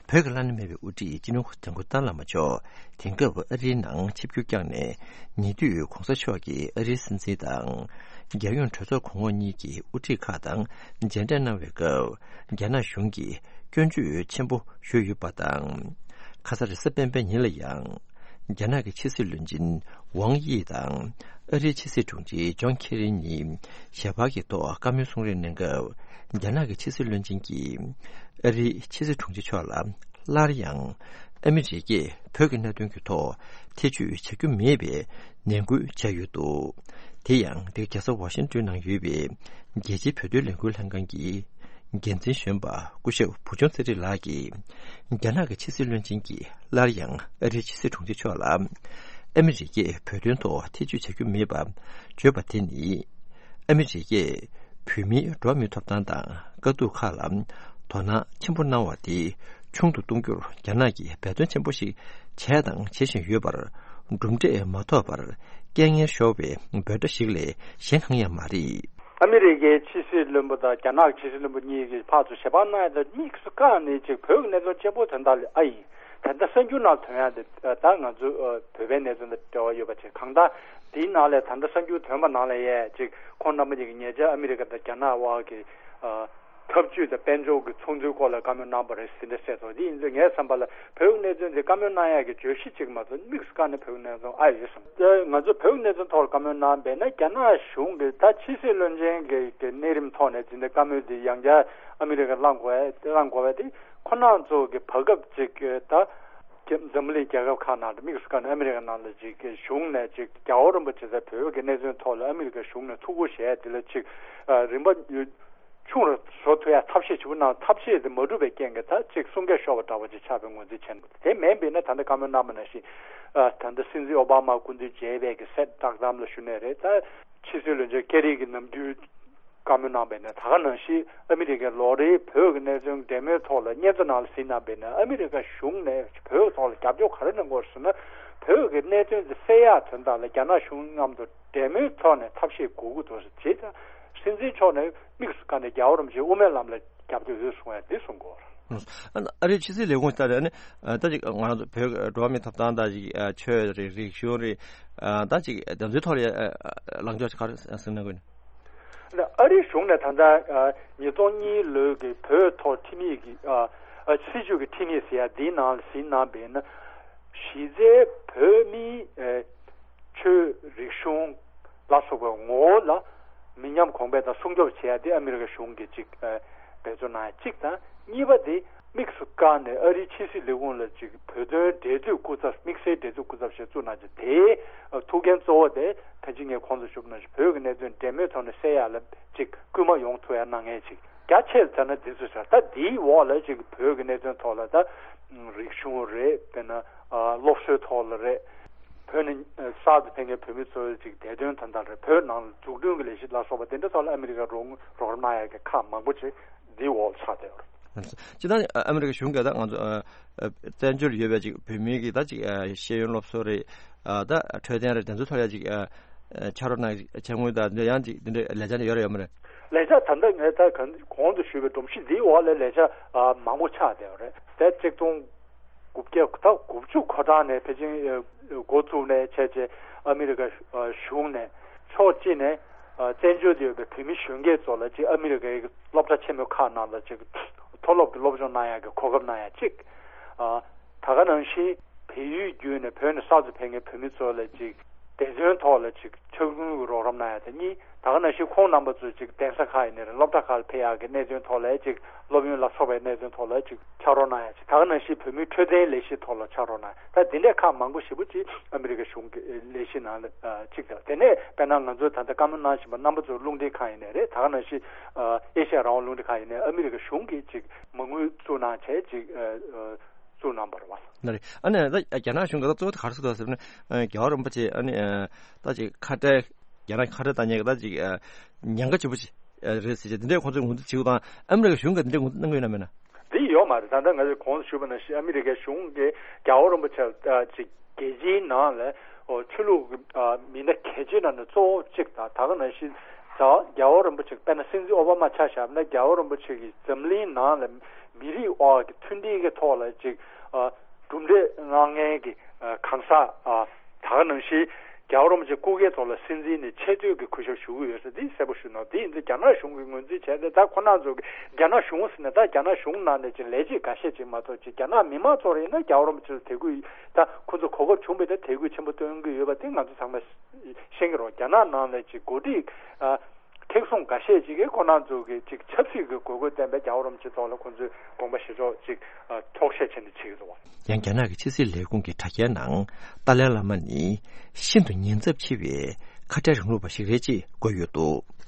བོད་ཀྱི་བླ་ན་མེད་པའི་དབུ་ཁྲིད་སྤྱི་ནོར་༧གོང་ས་༧སྐྱབས་མགོན་ཏཱ་ལའི་བླ་མ་མཆོག་དེང་སྐབས་ཨ་རིའི་ནང་ཆིབས་བསྒྱུར་བསྐྱངས་ནས། ཉེ་དུས་༧གོང་ས་མཆོག་གིས་ཨ་རིའི་སྲིད་འཛིན་དང་། རྒྱལ་ཡོངས་གྲོས་ཚོགས་གོང་འོག་གཉིས་ཀྱི་དབུ་ཁྲིད་ཁག་དང་མཇལ་འཕྲད་གནང་བའི་སྐབས། རྒྱ་ནག་གཞུང་གིས་སྐྱོན་བརྗོད་ཆེན་པོ་ཞུས་ཡོད་པ་དང་། ཁ་སང་རེས་གཟའ་སྤེན་པའི་ཉིན་ལ་ཡང་། རྒྱ་ནག་གི་ཕྱི་སྲིད་བློན་ཆེན་ཝང་དབྱི་དང་། ཨ་རིའི་ཕྱི་སྲིད་དྲུང་ཆེ་ཇོན་ཁེ་རི་གཉིས་ཞལ་པར་གྱི་ཐོག་བཀའ་མོལ་གསུང་རེས་གནང་སྐབས། རྒྱ་ནག་གི་ཕྱི་སྲིད་བློན་ཆེན་གྱིས། ཨ་རིའི་ཕྱི་སྲིད་དྲུང་ཆེ་མཆོག་ལ། སླར་ཡང་། ཨ་མི་རི་ཀས་བོད་ཀྱི་གནད་དོན་གྱི་ཐོག་ཐེ་བྱུས་བྱ་རྒྱུ་མེད་པའི་ནན་སྐུལ་བྱས་ཡོད་འདུག་དེ་ཡང་འདིར་རྒྱལ་ས་ཝ་ཤིང་ཏོན་ནང་ཡོད་པའི་རྒྱལ་སྤྱིའི་བོད་དོན་ལས་འགུལ་ལྷན་ཁང་གི་འགན་འཛིན་གཞོན་པ་སྐུ་ཞབས་བུ་ཆུང་ཚེ་རིང་ལགས་ཀྱིས། རྒྱ་ནག་གི་ཕྱི་སྲིད་བློན་ཆེན་གྱིས་སླར་ཡང་ཨ་རིའི་ཕྱི་སྲིད་དྲུང་ཆེ་མཆོག་ལ། ཨ་མི་རི་ཀས་བོད་དོན་ཐོག་ཐེ་བྱུས་བྱ་རྒྱུ་མེད་པ་བརྗོད་པ་དེ་ནི། ཨ་མི་རི་ཀས་བོད་མིའི་འགྲོ་བ་མིའི་ཐོབ་ཐང་དང་དཀའ་སྡུག་ཁག་ལ་དོ་སྣང་ཆེན་པོ་གནང་བ་དེ་ཆུང་དུ་གཏོང་རྒྱུར་རྒྱ་ནག་གིས་འབད་བརྩོན་ཆེན་པོ་ཞིག་བྱས་དང་བྱེད་བཞིན་ཡོད་པར། གྲུབ་འབྲས་མ་ཐོབ་པར་རྐྱེན་ངན་ཤོར་བའི་འབོད་སྒྲ་ཞིག་ལས་གཞན་གང་ཡང་མ་རེད། ཨ་མི་རི་ཀའི་ཕྱི་སྲིད་བློན་པོ་དང་རྒྱ་ནག་གི་ཕྱི་སྲིད་བློན་པོ་གཉིས་ཀྱིས་ཕར་ཚུར་ཞལ་པར་གནང་ཡ་དང་དམིགས་སུ་བཀར་ནས་ཅིག་བོད་ཀྱི་གནད་དོན་གཅིག་པོ་དོན་དག་ལ་ཨ་ཡིན། ད་ལྟ་གསར་འགྱུར་ནང་ཐོན་ཡ་དེ་ད་ང་ཚོ་ཨ་བོད་པའི་གནད་དོན་དང་འབྲེལ་བ་ཡོད་པ་ཅིག་གང་ལྟར་དེའི་ནང་ལས་ད་ལྟ་གསར་འགྱུར་ཐོན་པ་ནང་ལས་ཡས་ཅིག་ཁོང་རྣམ་པ་གཉིས་ཀྱིས་ཉེ་ཆར་ཨ་མི་རི་ཀ་དང་རྒྱ་ནག་དབར་གྱི་ཨ་འཐབ་ཇུས་དང་དཔལ་འབྱོར་གྱི་ཚོང་འབྲེལ་སྐོར་ལ་བཀའ་མོལ་གནང་པ་རེད་ཟེར་འདྲ་བཤད་སོང་། དེ་ཡིན་ཚེ་ངའི་བསམ་པ་ལ་བོད་ཀྱི་གནད་དོན་དེ་བཀའ་མོལ་གནང་ཡ་གི་བརྗོད་གཞི་གཅིག་མ་གཏོགས་དམིགས་སུ་བཀར་ནས་བོད་ཀྱི་གནད་དོན་ཨ་ཡོད་བསམ། ད་ང་ཚོ་བོད་ཀྱི་གནད་དོན་ཐོག་ལ་བཀའ་མོལ་གནང་བས་ན་རྒྱ་ནག་གཞུང་གི་ད་ཕྱི་སྲིད་བློན་ཆེན་གྱི་གི་གནས་རིམ་ཐོག་ནས་འཛིན་གྲྭ་བཀའ་མོལ་དེ་ཡང་བསྐྱར་ཨ་མི་རི་ཀར་བླང་དགོས་བླང་དགོས་པ་དེ་ཁོ་རང་ཚོ་གི་བར་སྐབས་ཅིག་གི་ད་འཛམ་བུ་གླིང་རྒྱལ་ཁབ་ཁག་ནང་དུ་དམིགས་སུ་བཀར་ནས་ཨ་མི་རི་ཀ་ནང་ལ་ཅིག་གི་གཞུང་ནས་ཅིག་རྒྱལ་བ་རིན་པོ་ཆེ་ཚ་བོད་ཀྱི་གནད་དོན་ཐོག་ལ་ཨ་མི་རི་ཀ་གཞུང་ནས་ཐུགས་ཁུར་བཞེས་དེ་ལ་ཅིག་རིམ་པ་ཆུང་རུ་བཟོ་ཐུབ་ཡ་ཐབས་ཤེས་ཞིག་གནང་ཐབས་ཤེས་དེ་མ་འགྲུབ་པའི་རྐྱེན་གྱིས་ད་ཅིག་གསུང་སྐད་ཤོར་བ་འདྲ་བོ་ཅིག་ཆགས་པའི་ངོས་འཛིན་བྱས་འདུག་དེ་མིན་པས་ན་ད་ལྟ་བཀའ་མོལ་གནང་བ་ནང་བཞིན་ད་ལྟ་སྲིད་འཛིན་ཨོ་བྷ་མ་སྐུ་མདུན་མཇལ་བའི་གི་གསལ་བསྒྲགས་གཏམ་ལ་ཞུ་ནས་རེད། ད་ཕྱི་སྲིད་བློན་ཆེན་ཀེ་རི་གི་ནམ་རྒྱུན་བཀའ་མོལ་གནང་བས་ན་ད་ག་ནང་བཞིན་ཨ་མི་རི་ཀའི་ལོ་རེའི་བོད་ཀྱི་གནད་དོན་འབྲེལ་མོལ་ཐོག་ལ་སྙན་ཐོ་ནང་ལ་གཟིགས་གནང་བས་ན་ཨ་མི་རི་ཀ་གཞུང་ནས་བོད་ཐོག་ལ་རྒྱབ་སྐྱོར་ག་རེ་གནང་དགོས་ཟེར་ན་བོད་ཀྱི་གནད་དོན་དེ་སེལ་ཡག་དོན་དག་ལ་རྒྱ་ནག་གཞུང་མཉམ་དུ་འབྲེལ་མོལ་ཐོག་ནས་ཐབས་ཤེས་དགོས་ཀྱི་འདུག་ཟེར་བྱས་ཙང་སྲིད་འཛིན་མཆོག་ནས་དམིགས་སུ་བཀར་ནས་རྒྱལ་བ་རིན་པོ་ཆེ་དབུ་མའི་ལམ་ལ་རྒྱབ་སྐྱོར་ཡོད་གསུང་བས་འདི་གསུང་དགོས། ཨ་རིའི་ཕྱི་སྲིད་ལས་ཁུངས་ལྟར་ནི་ད་ཅིག་ང་རང་ཚོ་བོད་འགྲོ་བ་མིའི་ཐོབ་ཐང་དང་ཅིག་ཆོས་རིག་རིག་གཞུང་རིག་ད་ཅིག་དེ་ཚོའི་ཐོག་ལ་ལངས་ཕྱོགས་ག་རེ་ཟིན་གནང་དགོས་ནི། ཨ་རིའི་གཞུང་ནས་ད་ལྟ་ཉིས་སྟོང་གཉིས་ལོའི་གི་བོད་ཐོག་ཁྲིམས་ཡིག་གི་སྲིད་བྱུས་ཀྱི་ཁྲིམས་ཡིག་ཟེར་ཡ་འདིའི་ནང་ལ་གཟིགས་གནང་བས་ན་གཞི་རྩའི་བོད་མིའི་ཆོས་རིག་གཞུང་ལ་སོགས་པའི་ངོ་བོ་ལ་མི་ཉམས་གོང་འཕེལ་དང་སྲུང་སྐྱོབ་བྱེད་ཡ་དེ་ཨ་མི་རི་ཀ་གཞུང་གིས་གཅིག་འབད་བརྩོན་གནང་ཡ་གཅིག་དང་། གཉིས་པ་དེ་དམིགས་སུ་བཀར་ནས་ཨ་རིའི་ཕྱི་སྲིད་ལས་ཁུངས་ལ་གཅིག་བོད་དོན་འབྲེལ་མཐུད་སྐུ་ཚབ་དམིགས་བསལ་འབྲེལ་མཐུད་སྐུ་ཚབ་ཞིག་བཙུགས་གནང་རྗེས་དེའི་ཐུགས་འགན་གཙོ་བོ་དེ་ཕལ་ཆེར་ངས་གོང་དུ་ཞུས་པ་ནང་བཞིན་བོད་ཀྱི་གནད་དོན་འབྲེལ་མོལ་ཐོག་ནས་སེལ་ཡ་ལ་གཅིག་སྐུལ་མ་ཡོང་ཐུབ་ཡ་གནང་མཁན་ཅིག་རྒྱ་ཆེར་བྱས་ན་འདི་ཚོ་ཟེར་ད་འདིའི་འོག་ལ་ཅིག་བོད་ཀྱི་གནད་དོན་ཐོག་ལ་ད་རིག་གཞུང་རེད། དཔེར་ན་སློབ་གསོའི་ཐོག་ལ་རེད། བོད་ནས་གསར་དུ་ཕེབས་མཁན་བོད་མི་ཚོའི་ཅིག་བདེ་དོན་དོན་དག་རེད། བོད་ནང་ལ་འཛུགས་སྐྲུན་གྱི་ལས་གཞི་ལ་སོགས་པ་དེ་འདྲ་ཐོག་ལ་ཨ་མི་རི་ཀ་རོགས་རོགས་རམ་གནང་ཡ་གི་ཁག་མང་པོ་ཅིག་འདིའི་འོག་ལ་ཆགས་བསྡད་ཡོད་རེད། སྤྱིར་བཏང་ཨ་མི་རི་ཀ་གཞུང་གིས་ད་ང་ཚོ་བཙན་བྱོལ་ཡོད་པའི་ཅིག་བོད་མི་གི་ད་ཅིག་ཤེས་ཡོན་སློབ་གསོ་རེད། ད་འཕྲོད་བསྟེན་རེད། དེ་ཚོ་ཐོག་ལ་ཅིག་ཕྱག་རོགས་གནང་ཕྱག་དངུལ་དང་དེ་ཡང་ཅིག་དེ་འདྲའི་ལས་འཆར་ཡོད་རེད་ཡོད་མ་རེད། ལས་འཆར་ད་ལྟ་ངས་ད་གང་གོང་དུ་ཞུས་པའི་སྒྲོམ་གཞི་འདིའི་འོག་ལ་ལས་འཆར་མང་པོ་ཆགས་བསྡད་ཡོད་རེད། དེ་གཅིག་སྟོང་དགུ་བརྒྱ་ད་དགུ་བཅུ་གོ་གྲངས་ནས་ཕལ་ཆེར་འགོ་བཙུགས་ནས་བྱས་རྗེས་ཨ་མི་རི་ཀ་གཞུང་ནས་ཕྱོགས་གཅིག་ནས་བཙན་བྱོལ་དུ་ཡོད་པའི་བོད་མི་གཞོན་སྐྱེས་ཚོ་ལ་ཅིག་ཨ་མི་རི་ཀའི་སློབ་གྲྭ་ཆེན་མོ་ཁག་ནང་ལ་ཅིག་མཐོ་སློབ་ཀྱི་སློབ་སྦྱོང་གནང་ཡག་གི་གོ་སྐབས་གནང་ཡག་གཅིག་ད་ག་ནང་བཞིན་བལ་ཡུལ་བརྒྱུད་ནས་བོད་ནས་གསར་དུ་ཕེབས་མཁན་བོད་མི་ཚོ་ལ་ཅིག་བདེ་དོན་ཐོག་ལ་ཅིག་ཕྱག་དངུལ་གྱི་རོགས་རམ་གནང་ཡ་དེ་གཉིས། ད་ག་ནང་བཞིན་ཁོང་རྣམ་པ་ཚོས་ཅིག་གདན་ས་ཁག་ཡིན་ནའི་རེད། སློབ་གྲྭ་ཁག་ལ་ཕེབས་ཡག་གི་གནད་དོན་ཐོག་ལ་ཅིག་སློབ་ཡོན་ལ་སོགས་པའི་གནད་དོན་ཐོག་ལ་ཅིག་ཕྱག་རོགས་གནང་ཡ་ཅིག་ད་ག་ནང་བཞིན་བོད་མིའི་འཕྲོད་བསྟེན་ལས་གཞི་ཐོག་ལ་ཕྱག་རོགས་གནང་ཡ། ད་འདི་འདྲའི་ཁག་མང་པོ་ཞེ་པོ་ཅིག་ཨ་མི་རི་ཀ་གཞུང་གི་ལས་གཞི་ནང་ལ་ཅིག་དང་། དེ་ནས་དཔེར་ན་ང་ཚོས་ད་ལྟ་བཀའ་མོལ་གནང་བཞིན་པ་རྣམ་པ་ཚོའི་རླུང་འཕྲིན་ཁང་ཡིན་ནའི་རེད། ད་ག་ནང་བཞིན་ཨེ་ཤ་ཡ་རང་དབང་རླུང་འཕྲིན་ཁང་ཡིན་ནའི་ཨ་མི་རི་ཀ་གཞུང་གིས་ཅིག་མ་དངུལ་བཙུགས་གནང་བྱས་ཅིག་བཙུགས་གནང་བ་རེད་བ། ན་རེད། ཨ་ནི་ད་རྒྱ་ནག་གཞུང་གིས་ད་གཙོ་བོ་དེ་ག་རེ་ཟེར་འདུག་ཟེར་ན། རྒྱལ་བ་རིན་པོ་ཆེ་ཨ་ནི་ད་ཅིག་ཁ་བྲལ། རྒྱ་ནག་ཁ་བྲལ་བཏང་མཁན་གྱི་ད་ཅིག་ཉེན་ཁ་ཆེན་པོ་ཅིག་རེད་ཟེར་བྱས་འདི་འདྲའི་ཁོང་ཚོས་ངོས་འཛིན་བྱེད་དགོས་དང་ཨ་མི་རི་ཀའི་གཞུང་གིས་འདི་འདྲའི་ངོས་འཛིན་གནང་གི་ཡོད་ན་མེད་ན། འདི་ཡོད་མ་རེད། ད་ལྟ་ང་ཚོས་གོང་དུ་ཞུས་པ་ནང་བཞིན་ཨ་མི་རི་ཀའི་གཞུང་གིས་རྒྱལ་བ་རིན་པོ་ཆེ་ལ་ད་ཅིག་རྒྱལ་སྤྱིའི་ནང་ལ་ཆོས་ལུགས་མི་སྣ་གལ་ཆེན་ནང་ནས་གཙོ་བོ་གཅིག་དང་ད་ག་ནང་བཞིན་ ད་རྒྱལ་བ་རིན་པོ་ཆེ་དཔེར་ན་སྲིད་འཛིན་ཨོ་བྷ་མ་ཆ་བཞག་ན་རྒྱལ་བ་རིན་པོ་ཆེ་གིས་འཛམ་གླིང་ནང་ལ་མི་རིགས་དབར་གྱི་མཐུན་སྒྲིལ་གྱི་ཐོག་ལ་ཅིག་ཨ་གྲུབ་འབྲས་མངགས་མཁན་གྱི་ཨ་གང་ཟག་ཨ་ད་ག་ནང་བཞིན་རྒྱལ་བ་རིན་པོ་ཆེ་སྐུ་སྒེར་ཐོག་ལ་སྲིད་འཛིན་ནས་ཆེ་བསྟོད་ཀྱི་གུས་ཞབས་ཞུ་གི་ཡོད་ཟེར་འདི་གསལ་པོ་ཞུ་གནང་། འདི་ཡིན་ཚེ་རྒྱ་ནག་གཞུང་གིས་ངོས་འཛིན་བྱས་ཏེ་ད་ཁོ་རང་ཚོ་གི་རྒྱ་ནག་གཞུང་ཟེར་ན་ད་རྒྱ་ནག་གཞུང་ནང་ནས་ཅིག་ལས་བྱེད་འགའ་ཤས་ཅིག་མ་གཏོགས་ཅིག་རྒྱ་ནག་མི་མང་ཚོ་རེ་ཡིན་ན་རྒྱལ་བ་རིན་པོ་ཆེ་ལ་དད་གུས་ད་ཁོ་ཚོ་གོ་སྐབས་བྱུང་བས་ད་དད་གུས་ཆེན་པོ་སྟོན་གྱི་ཡོད་པ་དེ་ང་ཚོ་ཚང་མས་ཤེས་ཀྱི་རེད། རྒྱ་ནག་ནང་ལ་ཅིག་འགོ་ཁྲིད་ཨ་མཁྲེགས་བཟུང་འགའ་ཤས་ཅིག་གིས་ཁོ་རང་ཚོ་གི་ཅིག་ཆབ་སྲིད་ཀྱི་དགོས་མཁོ་བསྟན་པའི་རྒྱལ་བ་རིན་པོ་ཆེ་ཐོག་ལ་ཁོ་ཚོས་དགོངས་པ་བཞེས་ཕྱོགས་ཅིག་ཨ་འཁྱོག་བཤད་བྱས་ནས་བྱེད་ཀྱི་འདུག་བ། ཡང་རྒྱ་ནག་གི་ཕྱི་སྲིད་ལས་ཁུངས་ཀྱི་དྲ་རྒྱའི་ནང་ཏཱ་ལའི་བླ་མ་ནི་ཤིན་ཏུ་ཉེན་ཚབས་ཆེ་བའི་ཁ་བྲལ་རིང་ལུགས་པ་ཞིག་རེད་ཅེས་བཀོད་ཡོད་འདུག།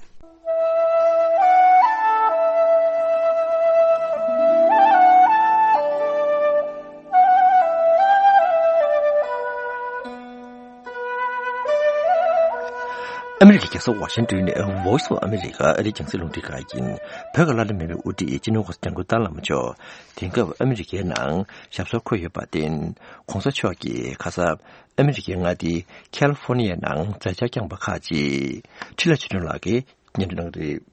ཨ་མི་རི་ཀའི་རྒྱལ་ས་ཝ་ཤིང་ཏོན་ནས་Voice of America ཨ་རིའི་རྒྱང་སྲིང་རླུང་འཕྲིན་ཁང་ཡིན། བོད་ཀྱི་བླ་ན་མེད་པའི་དབུ་ཁྲིད་སྤྱི་ནོར་༧གོང་ས་༧སྐྱབས་མགོན་ཏཱ་ལའི་བླ་མ་མཆོག་དེང་སྐབས་ཨ་མི་རི་ཀའི་ནང་ཞབས་སོར་འཁོད་ཡོད་པར་བརྟེན། ༸གོང་ས་མཆོག་གིས་ཁ་སང་ཨ་མི་རི་ཀའི་མངའ་སྡེ་ཁ་ལི་ཧྥོ་ནི་ཡའི་ནང་མཛད་འཆར་བསྐྱངས་པ་ཁག་ཅིག་འཕྲིན་ལས་ཆོས་སྒྲོན་ལགས་ཀྱིས་སྙན་སྒྲོན་གནང་གི་རེད།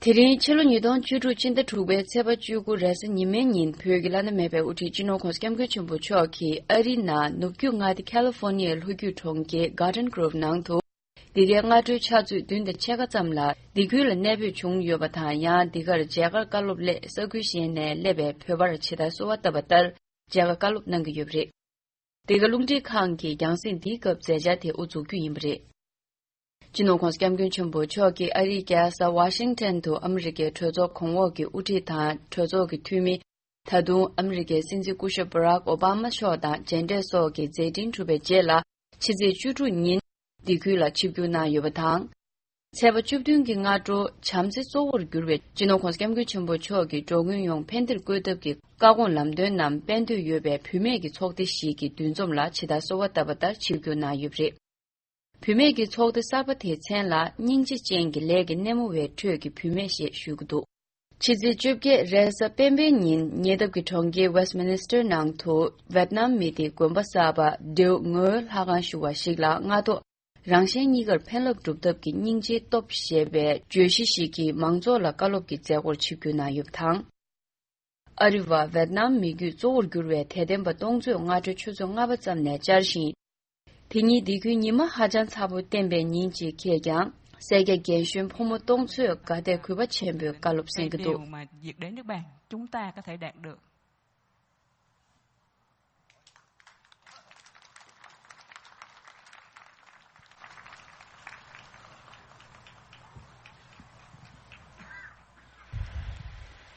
དེ་རིང་ཕྱི་ལོ་ཉིས་སྟོང་བཅུ་དྲུག་ཕྱི་ཟླ་དྲུག་པའི་ཚེས་པ་བཅུ་དགུ་རེས་གཟའ་ཉི་མའི་ཉིན་བོད་ཀྱི་བླ་ན་མེད་པའི་དབུ་ཁྲིད་སྤྱི་ནོར་༸གོང་ས་༸སྐྱབས་མགོན་ཆེན་པོ་མཆོག་གིས་ཨ་རིའི་ནང་ནུབ་རྒྱུད་མངའ་སྡེ་ཁ་ལི་ཧྥོ་ནི་ཡའི་ལྷོ་རྒྱུད་གྲོང་ཁྱེར་Garden Grove ནང་དུ། འདི་གའི་སྔ་དྲོའི་ཕྱག་ཚོད་བདུན་དང་ཕྱེད་ཀ་ཙམ་ལ་འདི་ཁུལ་ལ་གནས་སྤོས་བྱུང་ཡོད་པ་དང་། ཡང་འདི་གར་མཇལ་ཁར་བཀའ་སློབ་སླད་ས་ཁུལ་གཞན་ནས་སླེབས་པའི་བོད་པར་ཇི་ལྟར་གསོལ་བ་བཏབ་པ་ལྟར་མཇལ་ཁ་བཀའ་སློབ་གནང་གི་ཡོད་པ་རེད། འདི་ག་རླུང་འཕྲིན་ཁང་གི་རྒྱང་སྲིང་འདིའི་སྐབས་མཛད་འཆར་དེ་དབུ་འཛུགས་རྒྱུ་ཡིན་པ་རེད། སྤྱི་ནོར་༸གོང་ས་༸སྐྱབས་མགོན་ཆེན་པོ་མཆོག་གིས་ཨ་རིའི་རྒྱལ་ས་ཝ་ཤིང་ཊོན་དུ་ཨ་མི་རི་ཀའི་གྲོས་ཚོགས་གོང་འོག་གི་དབུ་ཁྲིད་དང་གྲོས་ཚོགས་ཀྱི་འཐུས་མི། ད་དུང་ཨ་མི་རི་ཀའི་སྲིད་འཛིན་སྐུ་ཞབས་Barack Obama་མཆོག་དང་མཇལ་འཕྲད་སོགས་ཀྱི་མཛད་འཕྲིན་གྲུབ་པའི་རྗེས་ལ། ཕྱི་ཚེས་བཅུ་དྲུག་ཉིན་འདི་ཁུལ་ལ་ཆིབས་བསྒྱུར་གནང་ཡོད་པ་དང་། ཚེས་པ་བཅུ་བདུན་གྱི་སྔ་དྲོ་བྱམས་བརྩེ་གཙོ་བོར་གྱུར་བའི་སྤྱི་ནོར་༸གོང་ས་༸སྐྱབས་མགོན་ཆེན་པོ་མཆོག་གིས་འགྲོ་མགོན་ཡོངས་ཕན་བདེར་བཀོད་ཐབས་ཀྱི་བཀའ་དགོངས་ལམ་སྟོན་ནམ་དཔལ་འདོད་ཡོད་པའི་བུད་མེད་ཀྱི་ཚོགས་སྡེ་ཞིག་གི་འདུ་འཛོམས་ལ་ཇི་ལྟར་གསོལ་བ་བཏབ་པ་ལྟར་ཆིབས་བསྒྱུར་གནང་ཡོད་པ་རེད། བུད་མེད་ཀྱི་ཚོགས་སྡེ་གསར་པ་དེའི་མཚན་ལ་སྙིང་རྗེ་ཅན་གྱི་ལས་ཀྱི་སྣེ་མོ་བའི་ཁྲོད་ཀྱི་བུད་མེད་ཞེས་ཞུ་གི་འདུག། ཕྱི་ཚེས་བཅོ་བརྒྱད་རེས་གཟའ་སྤེན་པའི་ཉིན་ཉེ་འདབས་ཀྱི་གྲོང་ཁྱེར་Westminster་ནང་དུ་ཝེད་ནམ་མི་སྡེའི་དགོན་པ་གསར་པ་ཌེའུ་ངོའི་ལྷ་ཁང་ཞུ་བ་ཞིག་ལ་སྔ་ཐོག་རང་གཞན་གཉིས་ཀར་ཕན་རླབས་སྒྲུབ་ཐབས་ཀྱི་སྙིང་རྗེའི་སྟོབས་ཞེས་པའི་བརྗོད་གཞི་ཞིག་གིས་མང་ཚོགས་ལ་བཀའ་སློབ་ཀྱི་མཛད་སྒོར་ཆིབས་བསྒྱུར་གནང་ཡོད་པ་དང་། ཨ་རི་བ་ཝེད་ནམ་མི་རྒྱུད་གཙོ་བོར་གྱུར་བའི་དད་ལྡན་པ་སྟོང་ཚོས་སྔ་དྲོའི་ཆུ་ཚོད་ལྔ་པ་ཙམ་ནས་བཅར་ཞིང་། དེ་ཉིད་འདི་ཁུལ་ཉི་མ་ཧ་ཅང་ཚ་པོ་བསྟན་པའི་ཉིན་ཅིག་ཁེལ་ཀྱང་། སེར་སྐྱ་རྒན་གཞོན་ཕོ་མོ་སྟོང་ཚོས་དགའ་དད་གུས་པ་ཆེན་པོས་བཀའ་སློབ་གསན་གྱི་འདུག།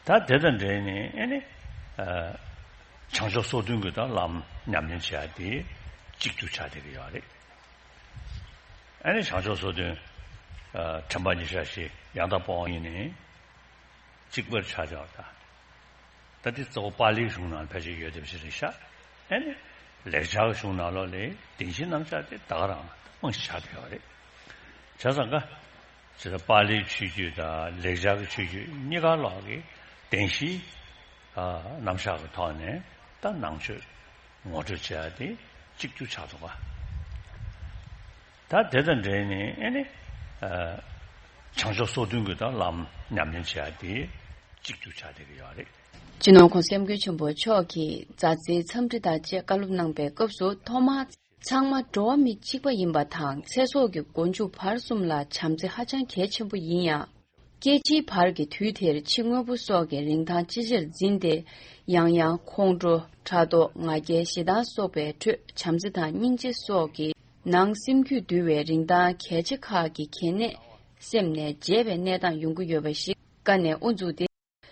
ད་དེ་དང་འབྲེལ་ནས་ཨེ་ནི་ཨ་བྱང་ཕྱོགས་སོ་བདུན་གྱི་ད་ལམ་ཉམས་ལེན་བྱེད་ཡ་དེ་གཅིག་གྱུར་ཆགས་བསྡད་ཀྱི་ཡོད་རེད། ཨེ་ནི་བྱང་ཕྱོགས་སོ་བདུན་ཨ་དྲན་པ་ཉེར་བཞག་བཞི་ཡང་དག་པ་དབང་ཡིན་ནི་གཅིག་པར་ཆགས་བཞག་པ་དང་། ད་ལྟའི་གཙོ་བོ་པཱ་ལིའི་གཞུང་ནང་ཕལ་ཆེར་ཡོད་བསྡད་པ་ཞིག་རེད་ཤག། ཨེ་ནི་ལེགས་སྦྱར་གྱི་གཞུང་ནང་ལོགས་ལ་བདེན་བཞིའི་རྣམ་གཞག་དེ་ད་ག་རང་རྨང་གཞི་ཆགས་བསྡད་ཡོད་རེད། བྱས་ཙང་ཀ་ཇི་ལྟར་པཱ་ལིའི་ཆོས་བརྒྱུད་དང་ལེགས་སྦྱར་གྱི་ཆོས་བརྒྱུད་གཉིས་ཀ་ལོགས་ཀྱི་བདེན་བཞིའི་ཨ་རྣམ་གཞག་གི་ཐོག་ནས་ད་ནང་ཆོས་ངོ་སྤྲོད་བྱས་ཏེ་གཅིག་གྱུར་ཆགས་འདུག་ག། ད་དེ་དང་འབྲེལ་ནས་ཨེ་ནི་ཨ་བྱང་ཕྱོགས་སོ་བདུན་གྱི་ད་ལམ་ཉམས་ལེན་བྱས་ཏེ་གཅིག་གྱུར་ཆགས་བསྡད་ཀྱི་ཡོད་རེད། སྤྱི་ནོར་༸གོང་ས་༸སྐྱབས་མགོན་ཆེན་པོ་མཆོག་གིས་མཛའ་བརྩེའི་འཚམས་འདྲི་དང་བཅས་བཀའ་སློབ་གནང་པའི་སྐབས་སུ་ཐོག་མར། ཚང་མ་འགྲོ་བ་མི་གཅིག་པ་ཡིན་པ་དང་ཚེ་སྲོག་གི་མགོ་མཇུག་བར་གསུམ་ལ་བྱམས་བརྩེ་ཧ་ཅང་གལ་ཆེན་པོ་ཡིན་ཡང་། སྐྱེ་འཆིའི་བར་གྱི་དུས་དེར་ཕྱི་དངོས་པོ་སོགས་ཀྱི་རིན་ཐང་ཅི་ཆེར་འཛིན་ཏེ། ཡང་ཡང་ཁོང་ཁྲོ། ཕྲག་དོག་ང་རྒྱལ་ཞེ་སྡང་སོགས་པའི་ཁྲོད་བྱམས་བརྩེ་དང་སྙིང་རྗེ་སོགས་ཀྱི་ནང་སེམས་རྒྱུད་འདུལ་བའི་རིན་ཐང་གལ་ཆེ་ཁག་གི་གལ་གནད་སེམས་ནས་བརྗེད་པའི་གནས་སྟངས་ཡོང་གི་ཡོད་པ་ཞིག་བཀའ་ནས་དབུ་འཛུགས་ཏེ།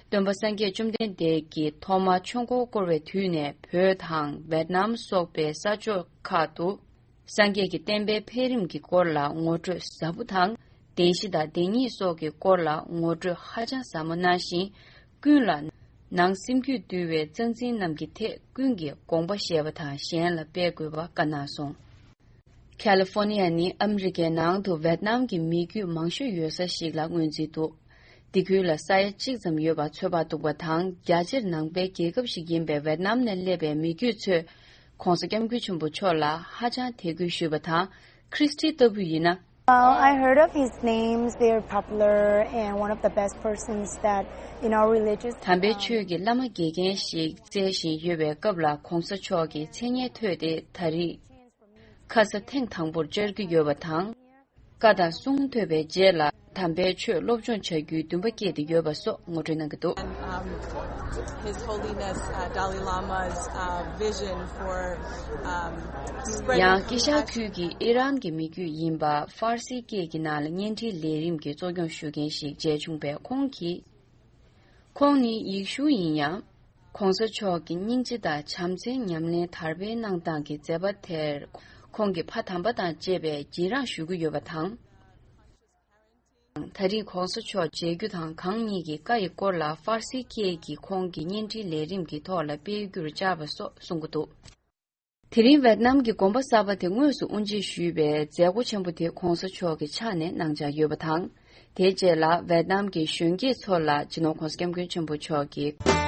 སྟོན་པ་སངས་རྒྱས་བཅོམ་ལྡན་འདས་ཀྱིས་ཐོག་མར་ཆོས་འཁོར་བསྐོར་བའི་དུས་ནས་བོད་དང་ཝེད་ནམ་སོགས་པའི་ས་ཕྱོགས་ཁག་ཏུ་སངས་རྒྱས་ཀྱི་བསྟན་པའི་འཕེལ་རིམ་གྱི་སྐོར་ལ་ངོ་སྤྲོད་ཟབ་པོ་དང་བདེན་བཞི་དང་བདེན་གཉིས་སོགས་ཀྱི་སྐོར་ལ་ངོ་སྤྲོད་ཧ་ཅང་ཟབ་མོ་གནང་ཞིང་། ཀུན་ལ་ནང་སེམས་རྒྱུད་འདུལ་བའི་རྩ་འཛིན་རྣམས་ཀྱི་ཐད་ཀུན་གྱིས་དགོངས་པ་བཞེས་པ་དང་གཞན་ལ་སྤེལ་དགོས་པ་བཀའ་གནང་སོང་། ཁ་ལི་ཧྥོ་ནི་ཡ་ནི་ཨ་མི་རི་ཀའི་ནང་དུ་ཝེད་ནམ་གྱི་མི་རྒྱུད་མང་ཤོས་ཡོད་ས་ཞིག་ལ་ངོས་འཛིན་འདུག། འདི་ཁུལ་ལ་ས་ཡ་གཅིག་ཙམ་ཡོད་པ་ཚོད་དཔག་འདུག་པ་དང་། རྒྱ་ཆེར་ནང་པའི་རྒྱལ་ཁབ་ཞིག་ཡིན་པའི་ཝེད་ནམ་ནས་སླེབས་པའི་མི་རྒྱུད་ཚོས་༸གོང་ས་༸སྐྱབས་མགོན་ཆེན་པོ་མཆོག་ལ་ཧ་ཅང་དད་གུས་ཞུས་པ་དང་། ཁྲི་སི་ཊི་ལྟ་བུ་ཡིན་ན། Well, I heard of his names. They're popular and one of the best persons that in our religious, དམ་པའི་um, ཆོས་ཀྱི་བླ་མ་དགེ་རྒན་ཞིག་བཙལ་བཞིན་ཡོད་པའི་སྐབས་ལ་གོང་ས་མཆོག་གི་མཚན་སྙན་ཐོས་ཏེ་ད་རེས་ཁ་ས་ཐེངས་དང་པོར་བཅར་གྱི་ཡོད་པ་དང་། བཀའ་དང་གསུང་ཐོས་པའི་རྗེས་ལ་དམ་པའི་ཆོས་སློབ་སྦྱོང་བྱ་རྒྱུའི་འདུན་པ་སྐྱེས་ཏེ་ཡོད་པ་སོགས་ངོ་སྤྲོད་གནང་གི་འདུག། And, um, His Holiness, uh, Dalai Lama's, uh, vision for, um, spreading ཡང་ཀེ་ཤ་ཁུལ་གྱི་ཨི་རན་གྱི་མི་རྒྱུད་ཡིན་པ་ཧྥ་ར་སི་སྐད་ཀྱི་ནང་ལ་བརྙན་འཕྲིན་ལས་རིམ་གྱི་གཙོ་སྐྱོང་ཞུ་མཁན་ཞིག་མཇལ་བྱུང་བས། ཁོང་གིས། ཁོང་ནི་ཡེ་ཤུ་ཡིན་ཡང་། གོང་ས་མཆོག་གི་སྙིང་རྗེ་དང་བྱམས་བརྩེའི་ཉམས་ལེན་དར་སྤེལ་གནང་སྟངས་ཀྱི་མཛད་པ་དེར་ཁོང་གི་ཕ་དམ་པ་དང་བཅས་པས་རྗེས་འབྲང་ཞུ་གི་ཡོད་པ་དང་། ད་རེས་གོང་ས་མཆོག་མཇལ་རྒྱུ་དང་། གང་ཉིད་ཀྱི་བཀའ་ཡི་སྐོར་ལ་ཧྥ་ར་སིའི་སྐད་ཀྱི་ཁོང་གི་བརྙན་འཕྲིན་ལས་རིམ་གྱི་ཐོག་ལ་སྤེལ་རྒྱུར་བཅར་བ་སོགས་གསུང་གི་འདུག། དེ་རིང་ཝེད་ནམ་གྱི་དགོན་པ་གསར་པ་དེ་དངོས་སུ་དབུ་འབྱེད་ཞུས་པའི་མཛད་སྒོ་ཆེན་པོ་དེ་གོང་ས་མཆོག་གི་ཕྱག་ནས་གནང་འཆར་ཡོད་པ་དང་། དེའི་རྗེས་ལ་ཝེད་ནམ་གྱི་གཞོན་སྐྱེས་ཚོ་ལ་སྤྱི་ནོར་༸གོང་ས་༸སྐྱབས་མགོན་ཆེན་པོ་མཆོག་གིས།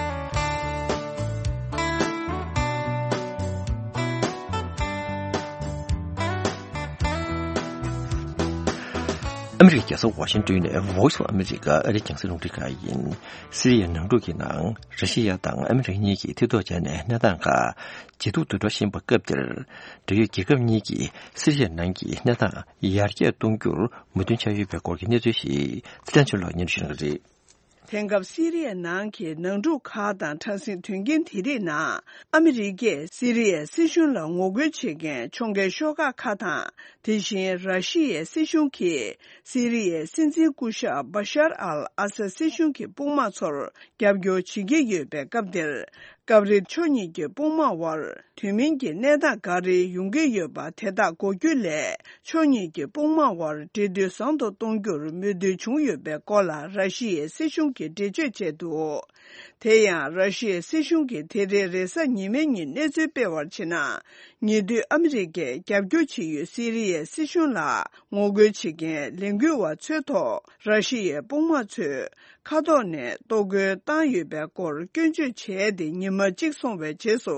ཨ་མི་རི་ཀའི་རྒྱལ་ས་ཝ་ཤིང་ཏོན་ནས་Voice of America ཨ་རིའི་རྒྱང་སྲིང་རླུང་འཕྲིན་ཁང་ཡིན། སི་རི་ཡའི་ནང་འཁྲུག་གི་ནང་ར་ཤི་ཡ་དང་ཨ་མི་རི་ཀ་གཉིས་ཀྱིས་མཐིལ་རྟོགས་བྱས་ནས་གནས་སྟངས་ཁག་ཇེ་སྡུག་ཏུ་འགྲོ་བཞིན་པའི་སྐབས་འདིར། འབྲེལ་ཡོད་རྒྱལ་ཁབ་གཉིས་ཀྱིས་སི་རི་ཡའི་ནང་གི་གནས་སྟངས་ཡར་རྒྱས་གཏོང་རྒྱུར་མོས་མཐུན་ཆགས་ཡོད་པའི་སྐོར་གྱི་གནས་ཚུལ་ཞིག་ཚེ་བརྟན་ཆོས་ལགས་སྙན་སྒྲོན་ཞུ་གནང་གི་རེད། དེང་སྐབས་སི་རི་ཡའི་ནང་གི་ནང་འཁྲུག་ཁག་དང་དྲག་ཟིང་དོན་རྐྱེན་དེ་རིགས་ནང་ཨ་མི་རི་ཀས་སི་རི་ཡའི་སྲིད་གཞུང་ལ་ངོ་རྒོལ་བྱེད་མཁན་ཕྱོགས་འགལ་ཤོག་ཁག་ཁག་དང་། དེ་བཞིན་ར་ཤི་ཡའི་སྲིད་གཞུང་གིས་སི་རི་ཡའི་སྲིད་འཛིན་སྐུ་ཞབས་བ་ཤར་ཨལ་ཨ་སད་སྲིད་གཞུང་གི་དཔུང་དམག་ཚོར་རྒྱབ་སྐྱོར་བྱེད་ཀྱི་ཡོད་པའི་སྐབས་འདིར། སྐབས་རེ་ཕྱོགས་གཉིས་ཀྱི་དཔུང་དམག་དབར་དུས་མིན་གྱི་གནས་སྟངས་འགའ་རེ་ཡོང་གི་ཡོད་པ་དེ་དག་འགོག་རྒྱུ་ལས། ཕྱོགས་གཉིས་ཀྱི་དཔུང་དམག་དབར་འབྲེལ་མཐུད་བཟང་དུ་གཏོང་རྒྱུར་མོས་མཐུན་བྱུང་ཡོད་པའི་སྐོར་ལ་ར་ཤི་ཡའི་སྲིད་གཞུང་གིས་འགྲེལ་བརྗོད་བྱས་འདུག། དེ་ཡང་ར་ཤི་ཡའི་སྲིད་གཞུང་གིས་དེ་རིང་རེས་གཟའ་ཉི་མའི་ཉིན་གནས་ཚུལ་སྤེལ་བར་བྱས་ན། ཉེ་དུས་ཨ་མི་རི་ཀས་རྒྱབ་སྐྱོར་བྱེད་ཡུལ་སི་རི་ཡའི་སྲིད་གཞུང་ལ་ངོ་རྒོལ་བྱེད་མཁན་ལས་འགུལ་བ་ཚོའི་ཐོག་ར་ཤི་ཡའི་དཔུང་དམག་ཚོས་མཁའ་ཐོག་ནས་གཏོར་རྒོལ་བཏང་ཡོད་པའི་སྐོར་སྐྱོན་བརྗོད་བྱས་ཏེ། ཉི་མ་གཅིག་སོང་བའི་རྗེས་སུ་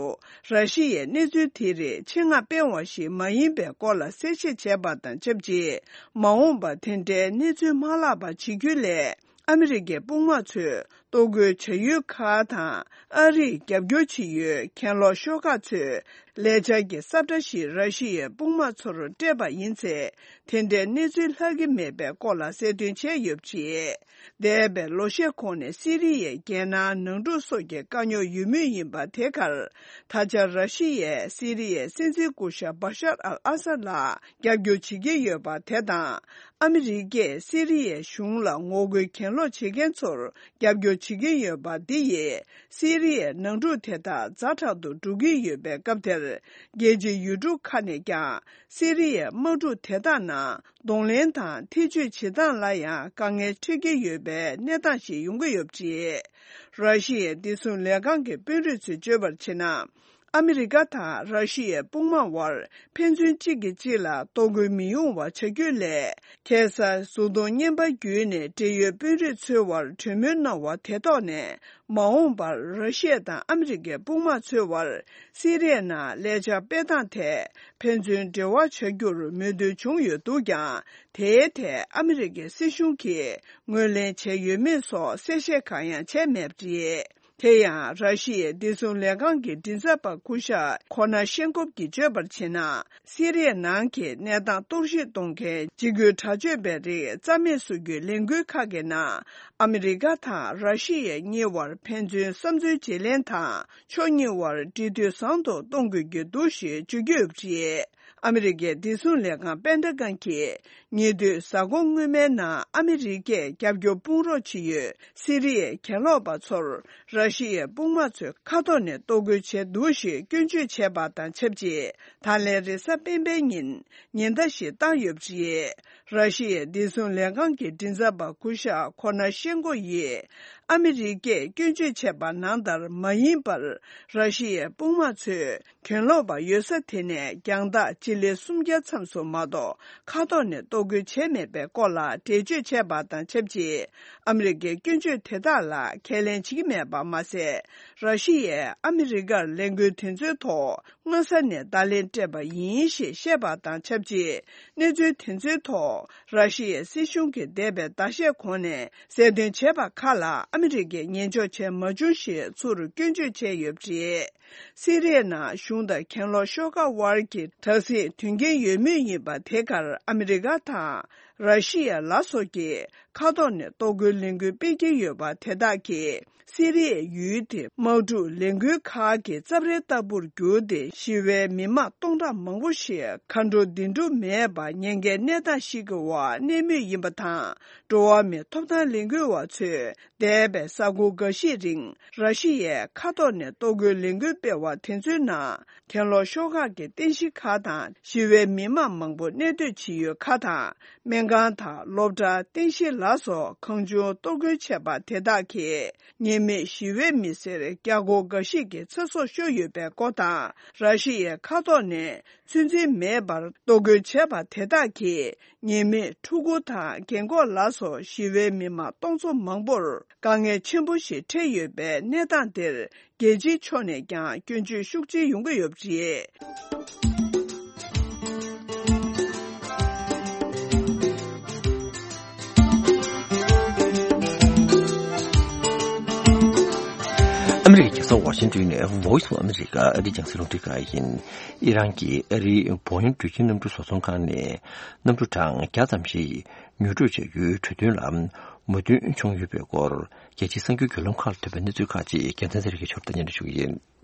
ར་ཤི་ཡས་གནས་ཚུལ་དེ་རིགས་ཆེད་མངགས་སྤེལ་བ་ཞིག་མ་ཡིན་པའི་སྐོར་ལ་གསལ་བཤད་བྱས་པ་དང་ཆབས་ཅིག། མ་འོངས་པར་དེ་འདྲའི་གནས་ཚུལ་མ་ལྷག་པ་བྱེད་རྒྱུ་ལས། ཨ་མི་རི་ཀའི་དཔུང་དམག་ཚོས་གཏོར་རྒོལ་བྱ་ཡུལ་ཁག་དང་། ཨ་རིས་རྒྱབ་སྐྱོར་བྱེད་ཡུལ་གྱེན་ལོག་ཤོག་ཁག་ཚོས་ལས་འཆར་གྱི་ས་བཀྲ་ཞིག་ར་ཤི་ཡའི་དཔུང་དམག་ཚོར་སྤྲད་པ་ཡིན་ཚེ། དེ་འདྲའི་གནས་ཚུལ་ལྷག་གི་མེད་པའི་སྐོར་ལ་གསལ་སྟོན་བྱས་ཡོད་པ་རེད། འདས་པའི་ལོ་ཤས་གོང་ནས་སི་རི་ཡའི་རྒྱལ་ནང་ནང་འཁྲུག་སོགས་ཀྱི་དཀའ་རྙོག་ཡོད་མུས་ཡིན་པ་དེ་གར། ད་ཆ་ར་ཤི་ཡས་སི་རི་ཡའི་སྲིད་འཛིན་སྐུ་ཞབས་བ་ཤར་ཨལ་ཨ་སད་ལ་རྒྱབ་སྐྱོར་བྱེད་ཀྱི་ཡོད་པ་དེ་དང་། ཨ་མི་རི་ཀས་སི་རི་ཡའི་གཞུང་ལ་ངོ་རྒོལ་གྱེན་ལོག་བྱེད་མཁན་ཚོར་རྒྱབ་སྐྱོར་བྱེད་ཀྱི་ཡོད་པ་འདི་ཡིས། སི་རི་ཡའི་ནང་འཁྲུག་དེ་དག་ཛ་དྲག་ཏུ་འགྲོ་གི་ཡོད་པའི་སྐབས་དེར། རྒྱལ་སྤྱིའི་ཡུལ་གྲུ་ཁག་ནས་ཀྱང་སི་རི་ཡའི་དམག་འཁྲུག་དེ་དག་ནང་གདོང་ལེན་དང་ཐེ་བྱུས་བྱེད་སྟངས་ལ་ཡང་དཀའ་ངལ་འཕྲད་ཀྱི་ཡོད་པའི་གནས་སྟངས་ཤིག་ཡོང་གི་ཡོད་པ་རེད། ར་ཤི་ཡའི་བདེ་སྲུང་ལས་ཁང་གི་དཔོན་རིགས་ཚོས་བརྗོད་པར་བྱས་ན། ཨ་མི་རི་ཀ་དང་ར་ཤི་ཡའི་དཔུང་དམག་དབར་ཕན་ཚུན་གཅིག་གིས་གཅིག་ལ་གཏོར་རྒོལ་མི་ཡོང་བ་བྱ་རྒྱུ་ལས། ཁ་སང་གཟུགས་མཐོང་བརྙན་པར་བརྒྱུད་ནས་འབྲེལ་ཡོད་དཔོན་རིགས་ཚོའི་དབར་གྲོས་མོལ་གནང་བ་དེ་ཐོག་ནས། མ་འོངས་པར་ར་ཤི་ཡ་དང་ཨ་མི་རི་ཀའི་དཔུང་དམག་ཚོའི་དབར་སི་རི་ཡའི་ནང་ལས་འཆར་སྤེལ་སྟངས་ཐད་ཕན་ཚུན་འབྲེལ་བ་བྱ་རྒྱུར་མོས་མཐུན་བྱུང་ཡོད་འདུག་ཀྱང་། དེའི་ཐད་ཨ་མི་རི་ཀའི་སྲིད་གཞུང་གིས་ངོས་ལེན་བྱས་ཡོད་མེད་སོགས་གསལ་བཤད་གང་ཡང་བྱས་མེད་པ་རེད། དེ་ཡང་། ར་ཤི་ཡའི་བདེ་སྲུང་ལས་ཁང་གི་མགྲིན་ཚབ་པ་སྐུ་ཞབས་ཁོ་ན་ཤེན་ཀོབ་ཀྱིས་བརྗོད་པར་བྱས་ན། སི་རི་ཡའི་ནང་གི་གནས་སྟངས་གཏོར་བཤིག་གཏོང་མཁན་འཇིགས་སྐུལ་དྲག་སྤྱོད་པའི་རིགས་རྩ་མེད་བཟོ་རྒྱུའི་ལས་འགུལ་ཁག་གི་ནང་། ཨ་མི་རི་ཀ་དང་ར་ཤི་ཡ་གཉིས་དབར་ཕན་ཚུན་བསམ་ཚུལ་བརྗེ་ལེན་དང་། ཕྱོགས་གཉིས་དབར་འབྲེལ་མཐུད་བཟང་དུ་གཏོང་དགོས་ཀྱི་འདུག་ཞེས་བརྗོད་ཀྱི་ཡོད་པ་རེད། ཨ་མི་རི་ཀའི་བདེ་སྲུང་ལས་ཁང་པེན་ཏ་གོན་གྱིས། ཉེ་དུས་གཟའ་འཁོར་སྔོན་མའི་ནང་ཨ་མི་རི་ཀས་རྒྱབ་སྐྱོར་དཔུང་རོགས་བྱེད་ཡུལ་སི་རི་ཡའི་གྱེན་ལོག་པ་ཚོར་ར་ཤི་ཡའི་དཔུང་དམག་ཚོས་མཁའ་ཐོག་ནས་གཏོར་རྒོལ་བྱས་འདུག་ཞེས་སྐྱོན་བརྗོད་བྱས་པ་དང་ཆབས་ཅིག། ད་ལན་རེས་གཟའ་སྤེན་པའི་ཉིན་ཉེན་བརྡ་ཞིག་བཏང་ཡོད་པ་རེད། ར་ཤི་ཡའི་བདེ་སྲུང་ལས་ཁང་གི་མགྲིན་ཚབ་པ་སྐུ་ཞབས་ཁོ་ན་ཤེན་ཀོ་ཡིས། ཨ་མི་རི་ཀས་སྐྱོན་བརྗོད་བྱས་པ་ནང་ལྟར་མ་ཡིན་པར། ར་ཤི་ཡའི་དཔུང་དམག་ཚོས་གྱེན་ལོག་པ་ཡོད་ས་དེ་ནས་རྒྱང་ཐག་སྤྱི་ལེ་སུམ་བརྒྱ་མཚམས་སུ་མ་གཏོགས་མཁའ་ཐོག་ནས་གཏོར་རྒོལ་བྱས་མེད་པའི་སྐོར་ལ་འགྲེལ་བརྗོད་བྱས་པ་དང་ཆབས་ཅིག། ཨ་མི་རི་ཀའི་སྐྱོན་བརྗོད་དེ་དག་ལ་ཁས་ལེན་བྱེད་ཀྱི་མེད་པ་མ་ཟད། ར་ཤི་ཡས་ཨ་མི་རི་ཀར་ལས་འགུལ་དེ་ཚོའི་ཐོག་མངོན་གསལ་ནས་བརྡ་ལན་སྤྲད་པ་ཡིན་ཞེས་བཤད་པ་དང་ཆབས་ཅིག། གནས་ཚུལ་དེ་ཚོའི་ཐོག་ ར་ཤི་ཡའི་སྲིད་གཞུང་གིས་འདས་པའི་ཟླ་ཤས་གོང་ནས་གསལ་སྟོན་བྱས་པ་ཁག་ལ་ཨ་མི་རི་ཀས་ཉན་འཇོག་བྱས་མ་བྱུང་ཞེས་ཚུར་སྐྱོན་བརྗོད་བྱས་ཡོད་པ་རེད། སི་རི་ཡའི་ནང་གཞུང་དང་གྱེན་ལོག་ཤོག་ཁག་དབར་གྱི་དྲག་ཟིང་དོན་རྐྱེན་ཡོད་མུས་ཡིན་པ་དེ་གར་ཨ་མི་རི་ཀ་དང་ར་ཤི་ཡ་ལ་སོགས་ཀྱིས་མཁའ་ཐོག་ནས་གཏོར་རྒོལ་ལས་འགུལ་སྤེལ་གྱི་ཡོད་པ་དེ་དག་གིས་སི་རི་ཡའི་ཡུལ་དེ་དམག་འཁྲུག་ལས་འགུལ་ཁག་གི་རྩབ་ཧྲལ་ལྟ་བུར་གྱུར་ཏེ་ཞི་བའི་མི་མང་སྟོང་ཕྲག་མང་པོ་ཞིག་མཁའ་འགྲོ་འདི་འགྲུབ་མེད་པར་ཉེན་ཁའི་གནས་སྟངས་ཤིག་གི་འོག་གནས་མུས་ཡིན་པ་དང་། འགྲོ་བ་མིའི་ཐོབ་ཐང་ལས་འགུལ་བ་ཚོས་འདས་པའི་གཟའ་འཁོར་འགའ་ཞིག་རིང་ར་ཤི་ཡའི་མཁའ་ཐོག་ནས་གཏོར་རྒོལ་ལས་འགུལ་སྤེལ་བ་དེ་ཚོའི་ནང་གྱེན་ལོག་ཤོག་ཁག་གི་རྟེན་གཞི་ཁག་དང་ཞི་བའི་མི་མང་མང་པོ་གནས་སྡོད་བྱེད་ཡུལ་ཁག་དང་སྨན་ཁང་དང་སློབ་གྲྭ་རྟེན་གཞི་ལ་སོགས་གང་བྱུང་གཏོར་རྒོལ་བྱས་པ་དེ་དག་གིས་ཉེས་མེད་ཞི་བའི་མི་སེར་བརྒྱ་སྐོར་འགའ་ཞིག་གི་ཚེ་སྲོག་ཤོར་ཡོད་པའི་སྐོར་དང་ར་ཤི་ཡའི་མཁའ་ཐོག་ནས་ཚོད་འཛིན་མེད་པར་གཏོར་རྒོལ་བྱས་པ་དེ་དག་གིས་ཉེས་མེད་ཕྲུ་གུ་དང་རྒན་འཁོགས་ལ་སོགས་ཞི་བའི་མི་མང་སྟོང་ཚོ་མང་པོར་དཀའ་ངལ་ཆེན་པོ་ཞིག་འཕྲད་ཡོད་པའི་གནས་སྟངས་དེར་རྒྱལ་སྤྱིའི་ཕྱོགས་ནས་ཀྱང་སྐྱོན་བརྗོད་ཤུགས་ཆེ་ཡོང་གི་ཡོད་པ་རེད། ཨ་མི་རི་ཀའི་རྒྱལ་ས་ཝ་ཤིང་ཏོན་ནས་Voice of America ཨ་རིའི་རྒྱང་སྲིང་རླུང་འཕྲིན་ཁང་ཡིན། ཨི་རན་གྱིས་ཨ་རིའི་བོ་ཡིན་འགྲུལ་སྐྱེལ་གནམ་གྲུ་བཟོ་ཚོང་ཁང་ནས་གནམ་གྲུ་གྲངས་བརྒྱ་ཙམ་ཞིག་ཉོ་སྒྲུབ་བྱ་རྒྱུའི་གྲོས་མཐུན་ལ་མོས་མཐུན་བྱུང་ཡོད་པའི་སྐོར། རྒྱལ་སྤྱིའི་གསར་འགྱུར་བརྒྱུད་ལམ་ཁག་ལ་ཐོན་པའི་གནས་ཚུལ་ཁག་ཅིག་རྒྱལ་མཚན་ཚེ་རིང་གིས་ཕྱོགས་སྒྲིག་སྙན་སྒྲོན་ཞུ་གི་ཡིན།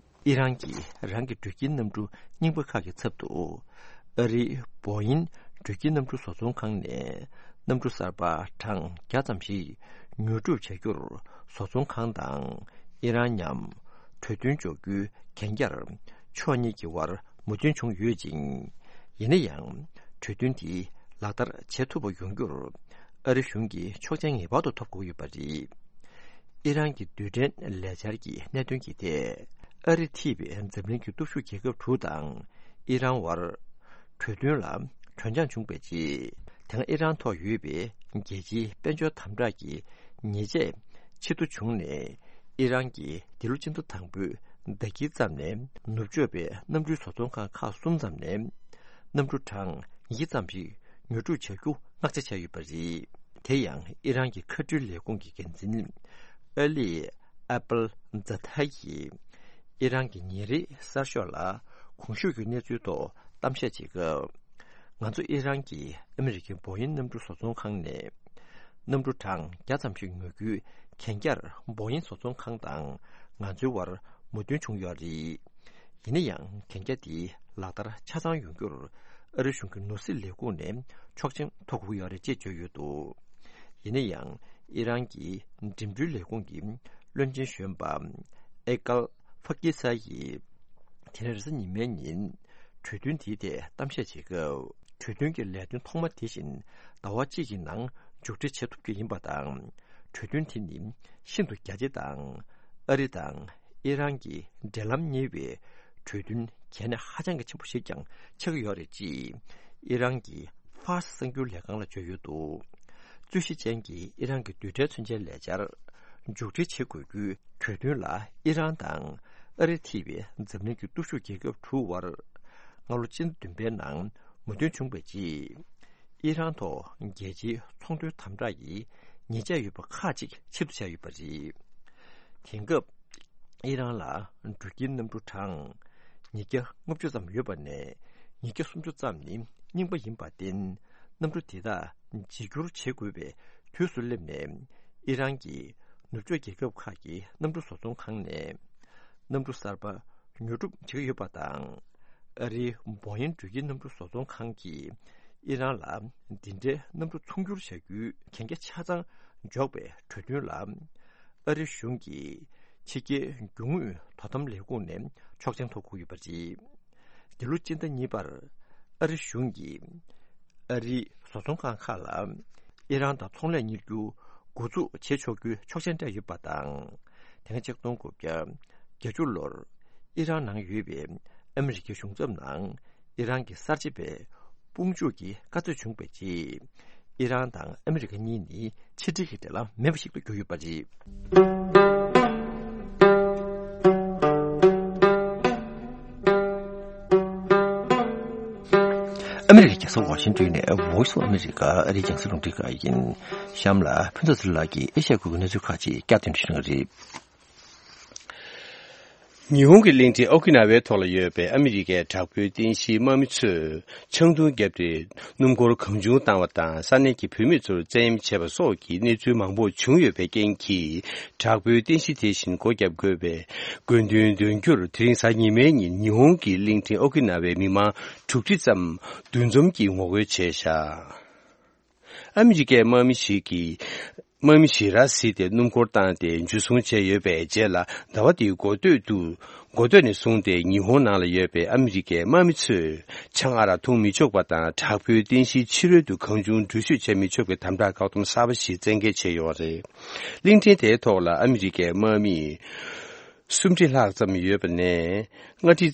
ཨི་རན་གྱིས་རང་གི་འགྲུལ་སྐྱེལ་གནམ་གྲུ་རྙིང་པ་ཁག་གི་ཚབ་ཏུ། ཨ་རིའི་བོ་ཡིན་འགྲུལ་སྐྱེལ་གནམ་གྲུ་བཟོ་ཚོང་ཁང་ནས་གནམ་གྲུ་གསར་པ་གྲངས་བརྒྱ་ཙམ་ཞིག་ཉོ་སྒྲུབ་བྱ་རྒྱུར་བཟོ་ཚོང་ཁང་དང་ཨི་རན་མཉམ་གྲོས་མཐུན་འཇོག་རྒྱུའི་གན་རྒྱར་ཕྱོགས་གཉིས་ཀྱི་དབར་མོས་མཐུན་བྱུང་ཡོད་ཅིང་། ཡིན་ན་ཡང་། གྲོས་མཐུན་དེ་ལག་བསྟར་བྱེད་ཐུབ་པ་ཡོང་རྒྱུར་ཨ་རི་གཞུང་གིས་ཆོག་མཆན་ངེས་པར་དུ་ཐོབ་དགོས་ཡོད་པ་རེད། ཨི་རན་གྱི་རྡུལ་ཕྲན་ལས་འཆར་གྱི་གནད་དོན་གྱི་ཐད། ཨ་རི་འཐུས་པའི་འཛམ་གླིང་གི་སྟོབས་ཤུགས་རྒྱལ་ཁབ་དྲུག་དང་ཨི་རན་བར་གྲོས་མཐུན་ལ་གྲོས་འཆམ་བྱུང་བའི་རྗེས། དེ་སྔ་ཨི་རན་ཐོག་ཡོད་པའི་རྒྱལ་སྤྱིའི་དཔལ་འབྱོར་དམ་དྲག་གི་ཉེས་ཆད་ཕྱིར་བསྡུ་བྱུང་ནས། ཨི་རན་གྱིས་འདི་ལོ་སྤྱི་ཟླ་དང་པོའི་ཟླ་དཀྱིལ་ཙམ་ནས་ནུབ་ཕྱོགས་པའི་གནམ་གྲུའི་བཟོ་ཚོང་ཁང་ཁག་གསུམ་ཙམ་ནས་གནམ་གྲུ་གྲངས་ཉིས་བརྒྱ་ཙམ་ཞིག་ཉོ་སྒྲུབ་བྱ་རྒྱུ་མངགས་ཆ་བྱས་ཡོད་པ་རེད། དེ་ཡང་ཨི་རན་གྱི་མཁའ་འགྲུལ་ལས་ཁུངས་ཀྱི་འགན་འཛིན་ཨ་ལི་ཨ་པལ་ཛ་ཐ་ཡིས་ཨི་རན་གྱི་ཉིན་རེའི་གསར་ཤོག་ལ་གོང་ཞུས་ཀྱི་གནས་ཚུལ་ཐོག་གཏམ་བཤད་བྱེད་སྐབས། ང་ཚོ་ཨི་རན་གྱི་ཨ་མི་རི་ཀའི་བོ་ཡིན་གནམ་གྲུ་བཟོ་ཚོང་ཁང་ནས་གནམ་གྲུ་གྲངས་བརྒྱ་ཙམ་ཞིག་ཉོ་རྒྱུའི་གན་རྒྱར་བོ་ཡིན་བཟོ་ཚོང་ཁང་དང་ང་ཚོའི་བར་མོས་མཐུན་བྱུང་ཡོད་རེད། ཡིན་ན་ཡང་གན་རྒྱ་དེ་ལག་བསྟར་ཆ་ཚང་ཡོང་རྒྱུར་ཨ་རི་གཞུང་གི་ནོར་སྲིད་ལས་ཁུངས་ནས་ཆོག་མཆན་ཐོབ་དགོས་ཡོད་རེད་ཅེས་བརྗོད་ཡོད་འདུག་ཡིན་ན་ཡང་ཨི་རན་གྱི་འགྲིམ་འགྲུལ་ལས་ཁུངས་ཀྱི་བློན་ཆེན་གཞོན་པ་ཨེ་ཀལ་ཧྥ་ཀི་ས་ཡིས། དེ་རིང་རེས་གཟའ་ཉི་མའི་ཉིན་གྲོས་མཐུན་དེའི་ཐད་གཏམ་བཤད་བྱེད་སྐབས། གྲོས་མཐུན་གྱི་ལས་དོན་ཐོག་མ་དེ་བཞིན་ཟླ་བ་གཅིག་གི་ནང་མཇུག་སྒྲིལ་བྱེད་ཐུབ་རྒྱུ་ཡིན་པ་དང་། གྲོས་མཐུན་དེ་ནི་ཤིན་ཏུ་རྒྱ་ཆེ་དང་། ཨ་རི་དང་ཨི་རན་གྱི་འབྲེལ་ལམ་གཉེར་བའི་གྲོས་མཐུན་གལ་གནད་ཧ་ཅང་གི་ཆེན་པོ་ཞིག་ཀྱང་ཆགས་ཀྱི་ཡོད་རེད་ཅེས་ཨི་རན་གྱི་ཧྥ་ར་སི་གསར་འགྱུར་ལས་ཁང་ལ་བརྗོད་ཡོད་འདུག་རྩོད་གཞི་ཅན་གྱི་ཨི་རན་གྱི་རྡུལ་ཕྲན་མཚོན་ཆའི་ལས་འཆར་མཇུག་སྒྲིལ་བྱེད་དགོས་རྒྱུའི་གྲོས་མཐུན་ལ་ཨི་རན་དང་ཨ་རི་ཐེ་བའི་འཛམ་གླིང་གི་སྟོབས་ཤུགས་རྒྱལ་ཁབ་དྲུག་དབར་སྔ་ལོ་སྤྱི་ཟླ་བདུན་པའི་ནང་མོས་མཐུན་བྱུང་བའི་རྗེས། ཨི་རན་ཐོག་རྒྱལ་སྤྱིའི་ཚོང་དོན་དམ་དྲག་གི་ཉེས་ཆད་ཡོད་པ་ཁག་ཅིག་ཕྱིར་བསྡུ་བྱས་ཡོད་པ་རེད། དེང་སྐབས་ཨི་རན་ལ་འགྲུལ་སྐྱེལ་གནམ་གྲུ་གྲངས་ཉིས་བརྒྱ་ལྔ་བཅུ་ཙམ་ཡོད་པ་ནས་ཉིས་བརྒྱ་སུམ་ཅུ་ཙམ་ནི་རྙིང་པ་ཡིན་པར་བརྟེན། གནམ་གྲུ་དེ་དག་བརྗེ་སྒྱུར་བྱེད་དགོས་པའི་དུས་སུ་སླེབས་ནས། ཨི་རན་གྱི་ནུབ་ཕྱོགས་རྒྱལ་ཁབ་ཁག་གི་གནམ་གྲུ་བཟོ་ཚོང་ཁང་ནས་གནམ་གྲུ་གསར་པ་ཉོ་སྒྲུབ་བྱེད་ཀྱི་ཡོད་པ་དང་། ཨ་རིའི་བོ་ཡིན་འགྲུལ་སྐྱེལ་གནམ་གྲུ་བཟོ་ཚོང་ཁང་གིས་ཨི་རན་ལ་འདི་འདྲའི་གནམ་གྲུ་ཚོང་སྒྱུར་བྱ་རྒྱུའི་གན་རྒྱ་ཆ་ཚང་འཇོག་པའི་གྲོས་མཐུན་ལ། ཨ་རི་གཞུང་གི་ཕྱི་རྒྱལ་རྒྱུ་དངོས་དོ་དམ་ལས་ཁུངས་ནས་ཆོག་མཆན་ཐོབ་དགོས་ཡོད་པ་རེད། འདི་ལོ་སྤྱི་ཟླ་གཉིས་པར་ཨ་རི་གཞུང་གིས་ཨ་རིའི་བཟོ་ཚོང་ཁང་ཁག་ལ་ཨི་རན་དང་ཚོང་ལས་གཉེར་རྒྱུ་འགོ་འཛུགས་བྱེད་ཆོག་རྒྱུའི་ཆོག་མཆན་སྤྲད་ཡོད་པ་དང་། དེ་སྔ་ཆིག་སྟོང་དགུ་བརྒྱ་བརྒྱད་ཅུ་ལོར་ཨི་རན་ནང་ཡོད་པའི་ཨ་མི་རི་ཀའི་གཞུང་ཚབ་ནང་ཨི་རན་གྱི་གསར་བརྗེ་པའི་དཔུང་འཇུག་གི་བཀའ་སྩལ་བྱུང་བའི་རྗེས། ཨི་རན་དང་ཨ་མི་རི་ཀ་གཉིས་ནི་ཕྱི་འབྲེལ་གྱི་འབྲེལ་ལམ་མེད་པ་ཞིག་ཏུ་གྱུར་ཡོད་པ་རེད། ཨ་མི་རི་ཀའི་རྒྱལ་ས་ཝ་ཤིང་ཏོན་ནས་Voice of America ཨ་རིའི་རྒྱང་སྲིང་རླུང་འཕྲིན་ཁང་ཡིན། གཤམ་ལ་ཕུན་ཚོགས་ཚེ་རིང་ལགས་ཀྱིས་ཨེ་ཤ་ཡ་ཁུལ་གྱི་གནས་ཚུལ་ཁག་ཅིག་བསྐྱར་ཟློས་ཞུ་གནང་གི་རེད། ཉི་ཧོང་གི་གླིང་ཕྲན་ཨོ་ཀི་ན་ཝའི་ཐོག་ལ་ཡོད་པའི་ཨ་མི་རི་ཀའི་དྲག་པོའི་རྟེན་གཞིའི་དམག་མི་ཚོས་ཆང་འཐུང་བརྒྱབ་སྟེ་སྣུམ་འཁོར་གང་བྱུང་བཏང་བ་དང་ས་གནས་ཀྱི་བུད་མེད་ཚོར་བཙན་གཡེམ་བྱས་པ་སོགས་ཀྱི་གནས་ཚུལ་མང་པོ་བྱུང་ཡོད་པའི་རྐྱེན་གྱིས། དྲག་པོའི་རྟེན་གཞི་དེ་བཞིན་སྒོ་བརྒྱབ་དགོས་པའི་དགོས་འདུན་འདོན་རྒྱུར། དེ་རིང་གཟའ་ཉི་མའི་ཉིན་ཉི་ཧོང་གི་གླིང་ཕྲན་ཨོ་ཀི་ན་ཝའི་མི་མང་དྲུག་ཁྲི་ཙམ་འདུ་འཛོམས་ཀྱིས་ངོ་རྒོལ་བྱས་བཞག་ཨ་མི་རི་ཀའི་དམག་མི་ཞིག་གིས། དམག་མི་ཞིག་ར་བཟི་སྟེ་སྣུམ་འཁོར་བཏང་སྟེ་འཇུ་བཟུང་བྱས་ཡོད་པའི་རྗེས་ལ། ཟླ་བ་འདིའི་འགོ་སྟོད་དུ། འགོ་སྟོད་ནས་བཟུང་སྟེ་ཉི་ཧོང་ནང་ལ་ཡོད་པའི་ཨ་མི་རི་ཀའི་དམག་མི་ཚོས་ཆང་ཨ་རག་འཐུང་མི་ཆོག་པ་དང་། དྲག་པོའི་རྟེན་གཞིའི་ཕྱི་རོལ་དུ་གང་བྱུང་འགྲུལ་བཞུད་བྱེད་མི་ཆོག་པའི་དམ་དྲག་བཀག་སྡོམ་གསར་པ་ཞིག་བཙན་འགེལ་བྱས་ཡོད་པ་རེད། གླིང་ཕྲན་དེའི་ཐོག་ལ་ཨ་མི་རི་ཀའི་དམག་མི་སུམ་ཁྲི་ལྷག་ཙམ་ཡོད་པ་ནས་ལྔ་ཁྲི་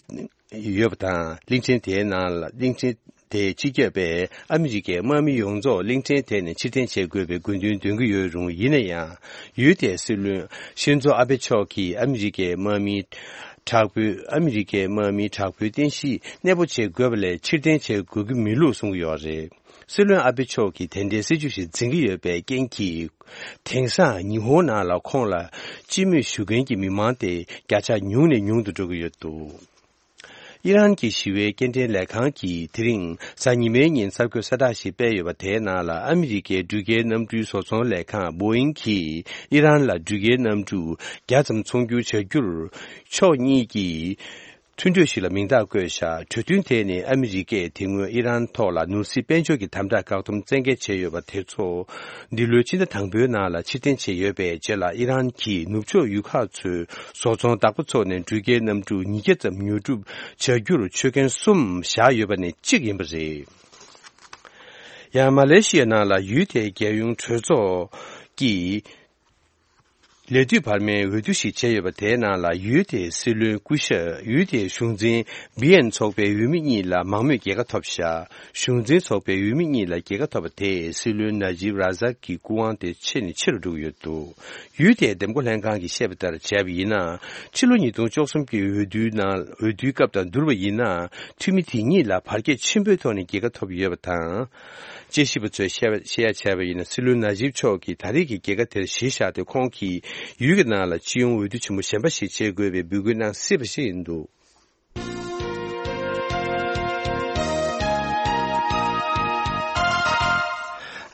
ཡོད་པ་དང་། གླིང་ཕྲན་དེའི་ནང་ལ། གླིང་ཕྲན་དེའི་སྤྱི་ཁྱབ་པས་ཨ་མི་རི་ཀའི་དམག་མི་ཡོངས་རྫོགས་གླིང་ཕྲན་དེ་ནས་ཕྱིར་འཐེན་བྱེད་དགོས་པའི་དགོས་འདུན་འདོན་གྱི་ཡོད་རུང་། ཡིན་ན་ཡང་། ཡུལ་དེའི་སྲིད་བློན་ཤིན་ཛོ་ཨ་བྷེ་མཆོག་གིས་ཨ་མི་རི་ཀའི་དམག་མི། དྲག་པོའི། ཨ་མི་རི་ཀའི་དམག་མི་དྲག་པོའི་རྟེན་གཞི་གནས་སྤོ་བྱེད་དགོས་པ་ལས་ཕྱིར་འཐེན་བྱེད་དགོས་ཀྱི་མེད་ལུགས་གསུང་གི་ཡོད་རེད། སྲིད་བློན་ཨ་བྷེ་མཆོག་གིས་དེ་འདྲའི་སྲིད་ཇུས་ཤིག་འཛིན་གྱི་ཡོད་པའི་རྐྱེན་གྱིས། དེང་སང་ཉི་ཧོང་ནང་ལ་ཁོང་ལ་སྤྱི་མོས་ཞུ་མཁན་གྱི་མི་མང་དེ་བརྒྱ་ཆ་ཉུང་ནས་ཉུང་དུ་འགྲོ་གི་ཡོད་འདུག་ཨི་རན་གྱི་ཞི་བའི་སྐྱེལ་འདྲེན་ལས་ཁང་གིས་དེ་རིང་གཟའ་ཉི་མའི་ཉིན་གསར་འགོད་གསལ་བསྒྲགས་ཤིག་སྤེལ་ཡོད་པ། དེའི་ནང་ལ་ཨ་མི་རི་ཀའི་འགྲུལ་སྐྱེལ་གནམ་གྲུའི་བཟོ་ཚོང་ལས་ཁང་བོ་ཨིང་གིས་ཨི་རན་ལ་འགྲུལ་སྐྱེལ་གནམ་གྲུ་བརྒྱ་ཙམ་ཚོང་སྒྱུར་བྱ་རྒྱུར་ཕྱོགས་གཉིས་ཀྱིས་མཐུན་གྲོས་ཤིག་ལ་མིང་རྟགས་བཀོད་བཞག་གྲོས་མཐུན་དེ་ནི་ཨ་མི་རི་ཀས་དེ་སྔོན་ཨི་རན་ཐོག་ལ་ནོར་སྲིད་དཔལ་འབྱོར་གྱི་དམ་དྲག་བཀག་སྡོམ་བཙན་འགེལ་བྱས་ཡོད་པ་དེ་ཚོ། འདི་ལོའི་ཕྱི་ཟླ་དང་པོའི་ནང་ལ་ཕྱིར་འཐེན་བྱས་ཡོད་པའི་རྗེས་ལ། ཨི་རན་གྱིས་ནུབ་ཕྱོགས་ཡུལ་ཁག་ཚོའི་བཟོ་ཚོང་བདག་པོ་ཚོ་ནས་འགྲུལ་སྐྱེལ་གནམ་གྲུ་ཉིས་བརྒྱ་ཙམ་ཉོ་སྒྲུབ་བྱ་རྒྱུར་ཆོད་མཁན་གསུམ་བཞག་ཡོད་པ་ནས་གཅིག་ཡིན་པ་རེད། ཡང་མ་ལེ་ཤི་ཡའི་ནང་ལ་ཡུལ་དེའི་རྒྱལ་ཡོངས་གྲོས་ཚོགས་ཀྱིས། ལས་དུས་བར་མའི་འོས་བསྡུ་ཞིག་བྱས་ཡོད་པ། དེའི་ནང་ལ་ཡུལ་དེའི་སྲིད་བློན་སྐུ་ཞབས། ཡུལ་དེའི་གཞུང་འཛིན་བི་ཨེན་ཚོགས་པའི་འོས་མི་གཉིས་ལ་མང་མོས་རྒྱལ་ཁ་ཐོབ་བཞག་གཞུང་འཛིན་ཚོགས་པའི་འོས་མི་གཉིས་ལ་རྒྱལ་ཁ་ཐོབ་པ་དེས་སྲིད་བློན་ན་ཇིབ་ར་ཟག་གི་སྐུ་དབང་དེ་ཆེ་ནས་ཆེ་རུ་འགྲོ་གི་ཡོད་འདུག་ཡུལ་དེའི་འདེམས་བསྐོ་ལྷན་ཁང་གིས་བཤད་པ་ལྟར་བྱས་པ་ཡིན་ན། ཕྱི་ལོ་ཉིས་སྟོང་བཅུ་གསུམ་གྱི་འོས་བསྡུའི་ནང་། འོས་བསྡུའི་སྐབས་དང་བསྡུར་བ་ཡིན་ན། འཐུས་མི་དེ་གཉིས་ལ་བར་ཁྱད་ཆེན་པོའི་ཐོག་ནས་རྒྱལ་ཁ་ཐོབ་ཡོད་པ་དང་། དཔྱད་ཞིབ་པ་ཚོས་བཤད་བཤད་ཡ་བྱས་པ་ཡིན་ན། སྲིད་བློན་ན་ཇིབ་མཆོག་གིས་ད་རེས་ཀྱི་རྒྱལ་ཁ་དེར་གཞི་བཞག་སྟེ། ཁོང་གིས་ཡུལ་གྱི་ནང་ལ་སྤྱི་ཡོངས་འོས་བསྡུ་ཆེན་མོ་གཞན་པ་ཞིག་བྱེད་དགོས་པའི་འབོད་སྐུལ་གནང་སྲིད་པ་ཞིག་ཡིན་འདུག་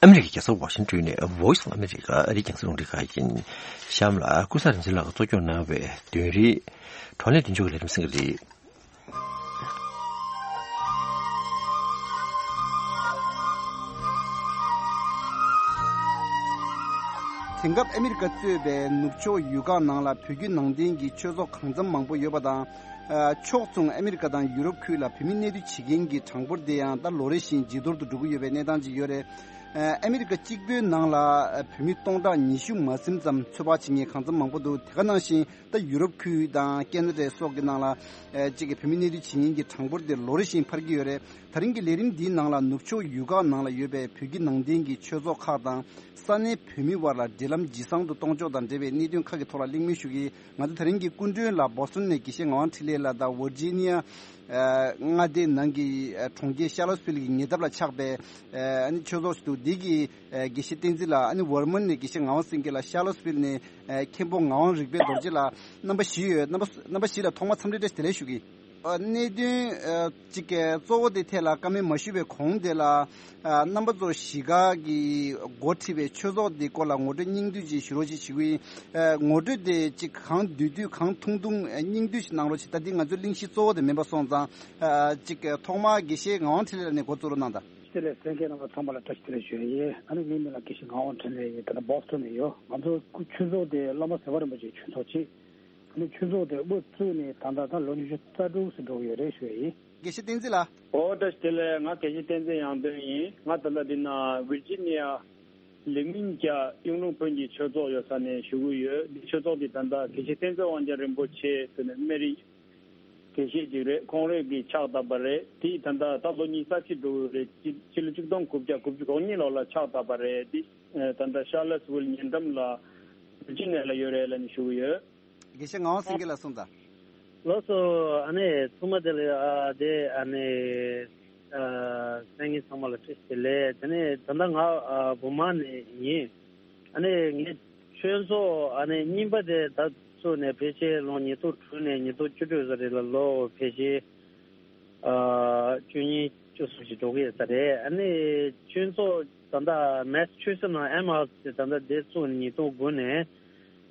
ཨ་མི་རི་ཀའི་རྒྱལ་ས་ཝ་ཤིང་ཏོན་ནས་Voice of America ཨ་རིའི་རྒྱང་སྲིང་རླུང་འཕྲིན་ཁང་ཡིན། གཤམ་ལ་ཀུན་བཟང་རིག་འཛིན་ལགས་ཀྱིས་གཙོ་སྐྱོང་གནང་བའི་དོན་རིག་བགྲོ་གླེང་མདུན་ལྕོག་གི་ལས་རིམ་གསན་གྱི་རེད། དེང་སྐབས་ཨ་མི་རི་ཀ་གཙོས་པའི་ནུབ་ཕྱོགས་ཡུལ་ཁག་ནང་ལ་བོད་བརྒྱུད་ནང་བསྟན་གྱི་ཆོས་ཚོགས་གང་འཚམ་མང་པོ་ཡོད་པ་དང་། ཕྱོགས་མཚུངས་ཨ་མི་རི་ཀ་དང་ཡུ་རོབ་ཁུལ་ལ་བོད་མི་གནས་སྡོད་བྱེད་མཁན་གྱི་གྲངས་འབོར་དེ་ཡང་ད་ལོ་རེ་བཞིན་ཇེ་མཐོར་དུ་འགྲོ་གི་ཡོད་པའི་གནས་སྟངས་ཅིག་ཡོད་རེད། ཨ་མི་རི་ཀ་གཅིག་པུའི་ནང་ལ་བོད་མི་སྟོང་ཕྲག་ཉི་ཤུ་མ་ཟིན་ཙམ་ཚོད་དཔག་བྱེད་མཁན་གང་འཚམ་མང་པོ་འདུག་དེ་ག་ནང་བཞིན་ད་ཡུ་རོབ་ཁུལ་དང་ཁེ་ན་ཌ་སོགས་ཀྱི་ནང་ལ་ཨ་གཅིག་གི་བོད་མི་གནས་སྡོད་བྱེད་མཁན་གྱི་གྲངས་འབོར་དེ་ལོ་རེ་བཞིན་འཕར་གྱི་ཡོད་རེད། ད་རིང་གི་ལས་རིམ་འདིའི་ནང་ལ་ནུབ་ཕྱོགས་ཡུལ་ཁག་ནང་ལ་ཡོད་པའི་བོད་ཀྱི་ནང་བསྟན་གྱི་ཆོས་ཚོགས་ཁག་དང་ས་གནས་བོད་མི་དབར་ལ་འབྲེལ་ལམ་ཇེ་བཟང་དུ་གཏོང་ཕྱོགས་དང་འབྲེལ་བའི་གནད་དོན་ཁག་གི་ཐོག་ལ་གླེང་མོལ་ཞུ་གི། ང་ཚོ་དེ་རིང་གི་སྐུ་མགྲོན་ལ་བོ་སི་ཊོན་ནས་དགེ་བཤེས་ངག་དབང་འཕྲིན་ལས་ལགས་དང་། ཝར་ཇི་ནི་ཡ་མངའ་སྡེའི་ནང་གི་གྲོང་ཁྱེར་ཤར་ལོ་སི་ཝིལ་གྱི་ཉེ་འདབས་ལ་ཆགས་པའི་ཨ་ནི་ཆོས་ཚོགས་ཤིག་འདུག་འདི་གི་དགེ་བཤེས་བསྟན་འཛིན་ལགས། ཨ་ནི་ཝར་མོན་ནས་དགེ་བཤེས་ངག་དབང་སེང་གེ་ལགས། ཤར་ལོ་སི་ཝིལ་ནས་མཁན་པོ་ངག་དབང་རིག་པའི་རྡོ་རྗེ་ལགས། རྣམ་པ་བཞི་ཡོད། རྣམ་པ་རྣམ་པ་བཞི་ལ་ཐོག་མར་འཚམས་འདྲི་བཀྲ་ཤིས་བདེ་ལེགས་ཞུ་གི། གནད་དོན་གཅིག་གཙོ་བོ་དེ་ཐད་ལ་བཀའ་མོལ་མ་ཞུས་པའི་གོང་དེ་ལ། རྣམ་པ་ཚོ་གཞིས་ཀ་གི་འགོ་ཁྲིད་པའི་ཆོས་ཚོགས་དེ་སྐོར་ལ་ངོ་སྤྲོད་སྙིང་བསྡུས་ཅིག་ཞུ་རོགས་ཅིག་ཞུ་གི་ཡིན། ངོ་སྤྲོད་དེ་གཅིག་གང་བསྡུས་བསྡུས་གང་ཐུང་ཐུང་སྙིང་བསྡུས་ཤིག་གནང་རོགས་ཅིག་ད་ལྟའི་ང་ཚོའི་གླེང་གཞི་གཙོ་བོ་དེ་མིན་པ་སོང་ཙང་། གཅིག་ཐོག་མར་དགེ་བཤེས་ངག་དབང་འཕྲིན་ལས་ལགས་ནས་འགོ་བཙུགས་རོགས་གནང་དང་། བདེ་ལེགས། གསན་མཁན་རྣམ་པ་ཚང་མ་ལ་བཀྲ་ཤིས་བདེ་ལེགས་ཞུ་ཡ་ཡིན། ཨ་ནི་ངའི་མིང་ལ་དགེ་བཤེས་ངག་དབང་འཕྲིན་ལས་ཡིན། ད་ལྟ་བོ་སི་ཊོན་ནས་ཡོད། ང་ཚོ་ཆོས་ཚོགས་དེ་བླ་མ་ཟེར་བ་རིན་པོ་ཆེའི་ཆོས་ཚོགས་ཅིག་ཨ་ནི་ཆོས་ཚོགས་དེ་དབུ་བཙུགས་ནས་ད་ལྟ་ད་ལོ་ཉི་ཤུ་རྩ་དྲུག་ཙམ་འགྲོ་གི་ཡོད་རེད་ཞུ་ཡ་ཡིན། དགེ་བཤེས་བསྟན་འཛིན་ལགས། ཨོ་བཀྲ་ཤིས་བདེ་ལེགས། ང་དགེ་བཤེས་བསྟན་འཛིན་དབྱངས་སྟོན་ཡིན། ང་ད་ལྟ་འདི་ན་ཝིར་ཇི་ནི་ཡ་ལིག་མིན་རྒྱ་གཡུང་དྲུང་བོན་གྱི་ཆོས་ཚོགས་ཡོད་ས་ནས་ཞུ་གི་ཡོད། འདི་ཆོས་ཚོགས་འདི་ད་ལྟ་དགེ་བཤེས་བསྟན་འཛིན་དབང་རྒྱལ་རིན་པོ་ཆེ་ཟེར་ནས་སྨན་རིའི་དགེ་བཤེས་ཅིག་རེད། ཁོང་རང་གིས་ཕྱག་བཏབ་པ་རེད། དེ་ད་ལྟ་ད་ལོ་ཉི་ཤུ་རྩ་གཅིག་འགྲོ་གི་རེད། སྤྱི་སྤྱི་ལོ་ཆིག་སྟོང་དགུ་བརྒྱ་དགུ་བཅུ་གོ་གཉིས་ལོ་ལ་ཕྱག་བཏབ་པ་རེད། དེ་ད་ལྟ་ཤར་ལོ་སི་ཝིལ་ཉེ་འགྲམ་ལ་ཝིར་ཇི་ནི་ཡ་ལ་ཡོད་རེད་ལབ་ནས་ཞུ་གི་ཡོད། དགེ་བཤེས་ངག་དབང་སེང་གེ་ལགས་གསུངས་དང་། ལགས་སོ། ཨ་ནི་ཚང་མ་དེ་ལ་ཨ་དེ་ཨ་ནི་ ཨ། གསན་མཁན་ཚང་མ་ལ་བཀྲ་ཤིས་བདེ་ལེགས། དེ་ནས་ད་ལྟ་ང་ཨ་བུར་མ་ནས་ཡིན། ཨ་ནི་ངའི་ཆོས་ཚོགས་ཨ་ནི་རྙིང་པ་དེ་ད་བཙུགས་ནས་ཕལ་ཆེར་ལོ་ཉིས་སྟོང་དྲུག་ནས་ཉིས་སྟོང་བཅུ་དྲུག་ཙམ་རེད་ལ། ལོ་ཕལ་ཆེར་ཨ་བཅུ་གཉིས་བཅུ་གསུམ་ཞིག་འགྲོ་གི་ཡོད་ས་རེད། ཨ་ནི་ཆོས་ཚོགས་ད་ལྟ་མེ་སི་ཆུ་སེ་ནང་ཨེམ་ཧའུ་སི་དེ་ད་ལྟ་དེ་བཙུགས་ནས་ཉིས་སྟོང་དགུ་ནས་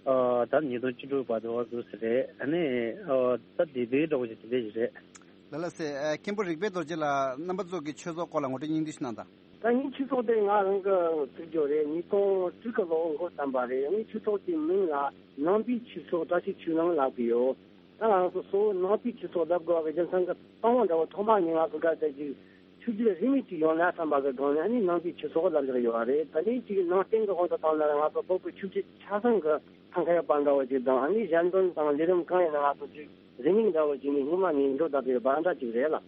ཨ་ད་ཉིས་སྟོང་བཅུ་དྲུག་བར་དུ་འོ་འདུག་ས་རེད། ཨ་ནི་ཨ་ད་དེ་དུས་འདྲ་བོ་ཞིག་དེ་འདྲ་ཞིག་རེད། ལ་ལ་སེ། ཨ། མཁན་པོ་རིག་པའི་རྡོ་རྗེ་ལགས་རྣམ་པ་ཚོ་གི་ཆོས་ཚོགས་སྐོར་ལ་ངོ་སྤྲོད་སྙིང་བསྡུས་ཤིག་གནང་དང་། ད་ངའི་ཆོས་ཚོགས་དེ་ང་རང་གི་བཙུགས་རྒྱུ་རེད། ཉིས་སྟོང་དྲུག་གི་ལོ་འགོ་བརྩམས་པ་རེད། ངའི་ཆོས་ཚོགས་ཀྱི་མིང་ལ་ནང་པའི་ཆོས་ཚོགས་བཀྲ་ཤིས་ཆོས་གླིང་ལབ་ཀྱི་ཡོད། ད་ང་རང་ཚོ་གཙོ་བོ་ནང་པའི་ཆོས་ཚོགས་ལབ་དགོས་པའི་རྒྱུ་མཚན་གྱི་རྟགས་མ་འདྲ་བོ་ཐོག་མ་ཉིད་ང་ཚོ་ག་ཚད་ཅིག་ཆོས་བརྒྱུད་རིས་མེད་ཅིག་ཡོང་ན་བསམ་པ་གི་སྒང་ནས་ཨ་ནི་ནང་པའི་ཆོས་ཚོགས་ལབ་བཞག་ཡོད་རེད། ད་ནི་ཅིག་ནང་བསྟན་གྱི་དབང་དུ་བཏང་ན་ང་ཚོ་བོད་ཀྱི་ཆོས་བརྒྱུད་ཆ་ཚང་གི་ཐང་ཁ་ཡོད་པ་འདྲ་བོ་ཅིག་དང་། ཨ་ནི་གཞན་དོན་དང་ལས་རིམ་གང་ཡིན་ན་ང་ཚོ་ཅིག་རིང་མིན་འདྲ་བོ་ཅིག་ནི་སྔོན་མ་ནས་འགྲོ་བསྡད་པའི་བར་འདྲ་ཅིག་རེད་ལ།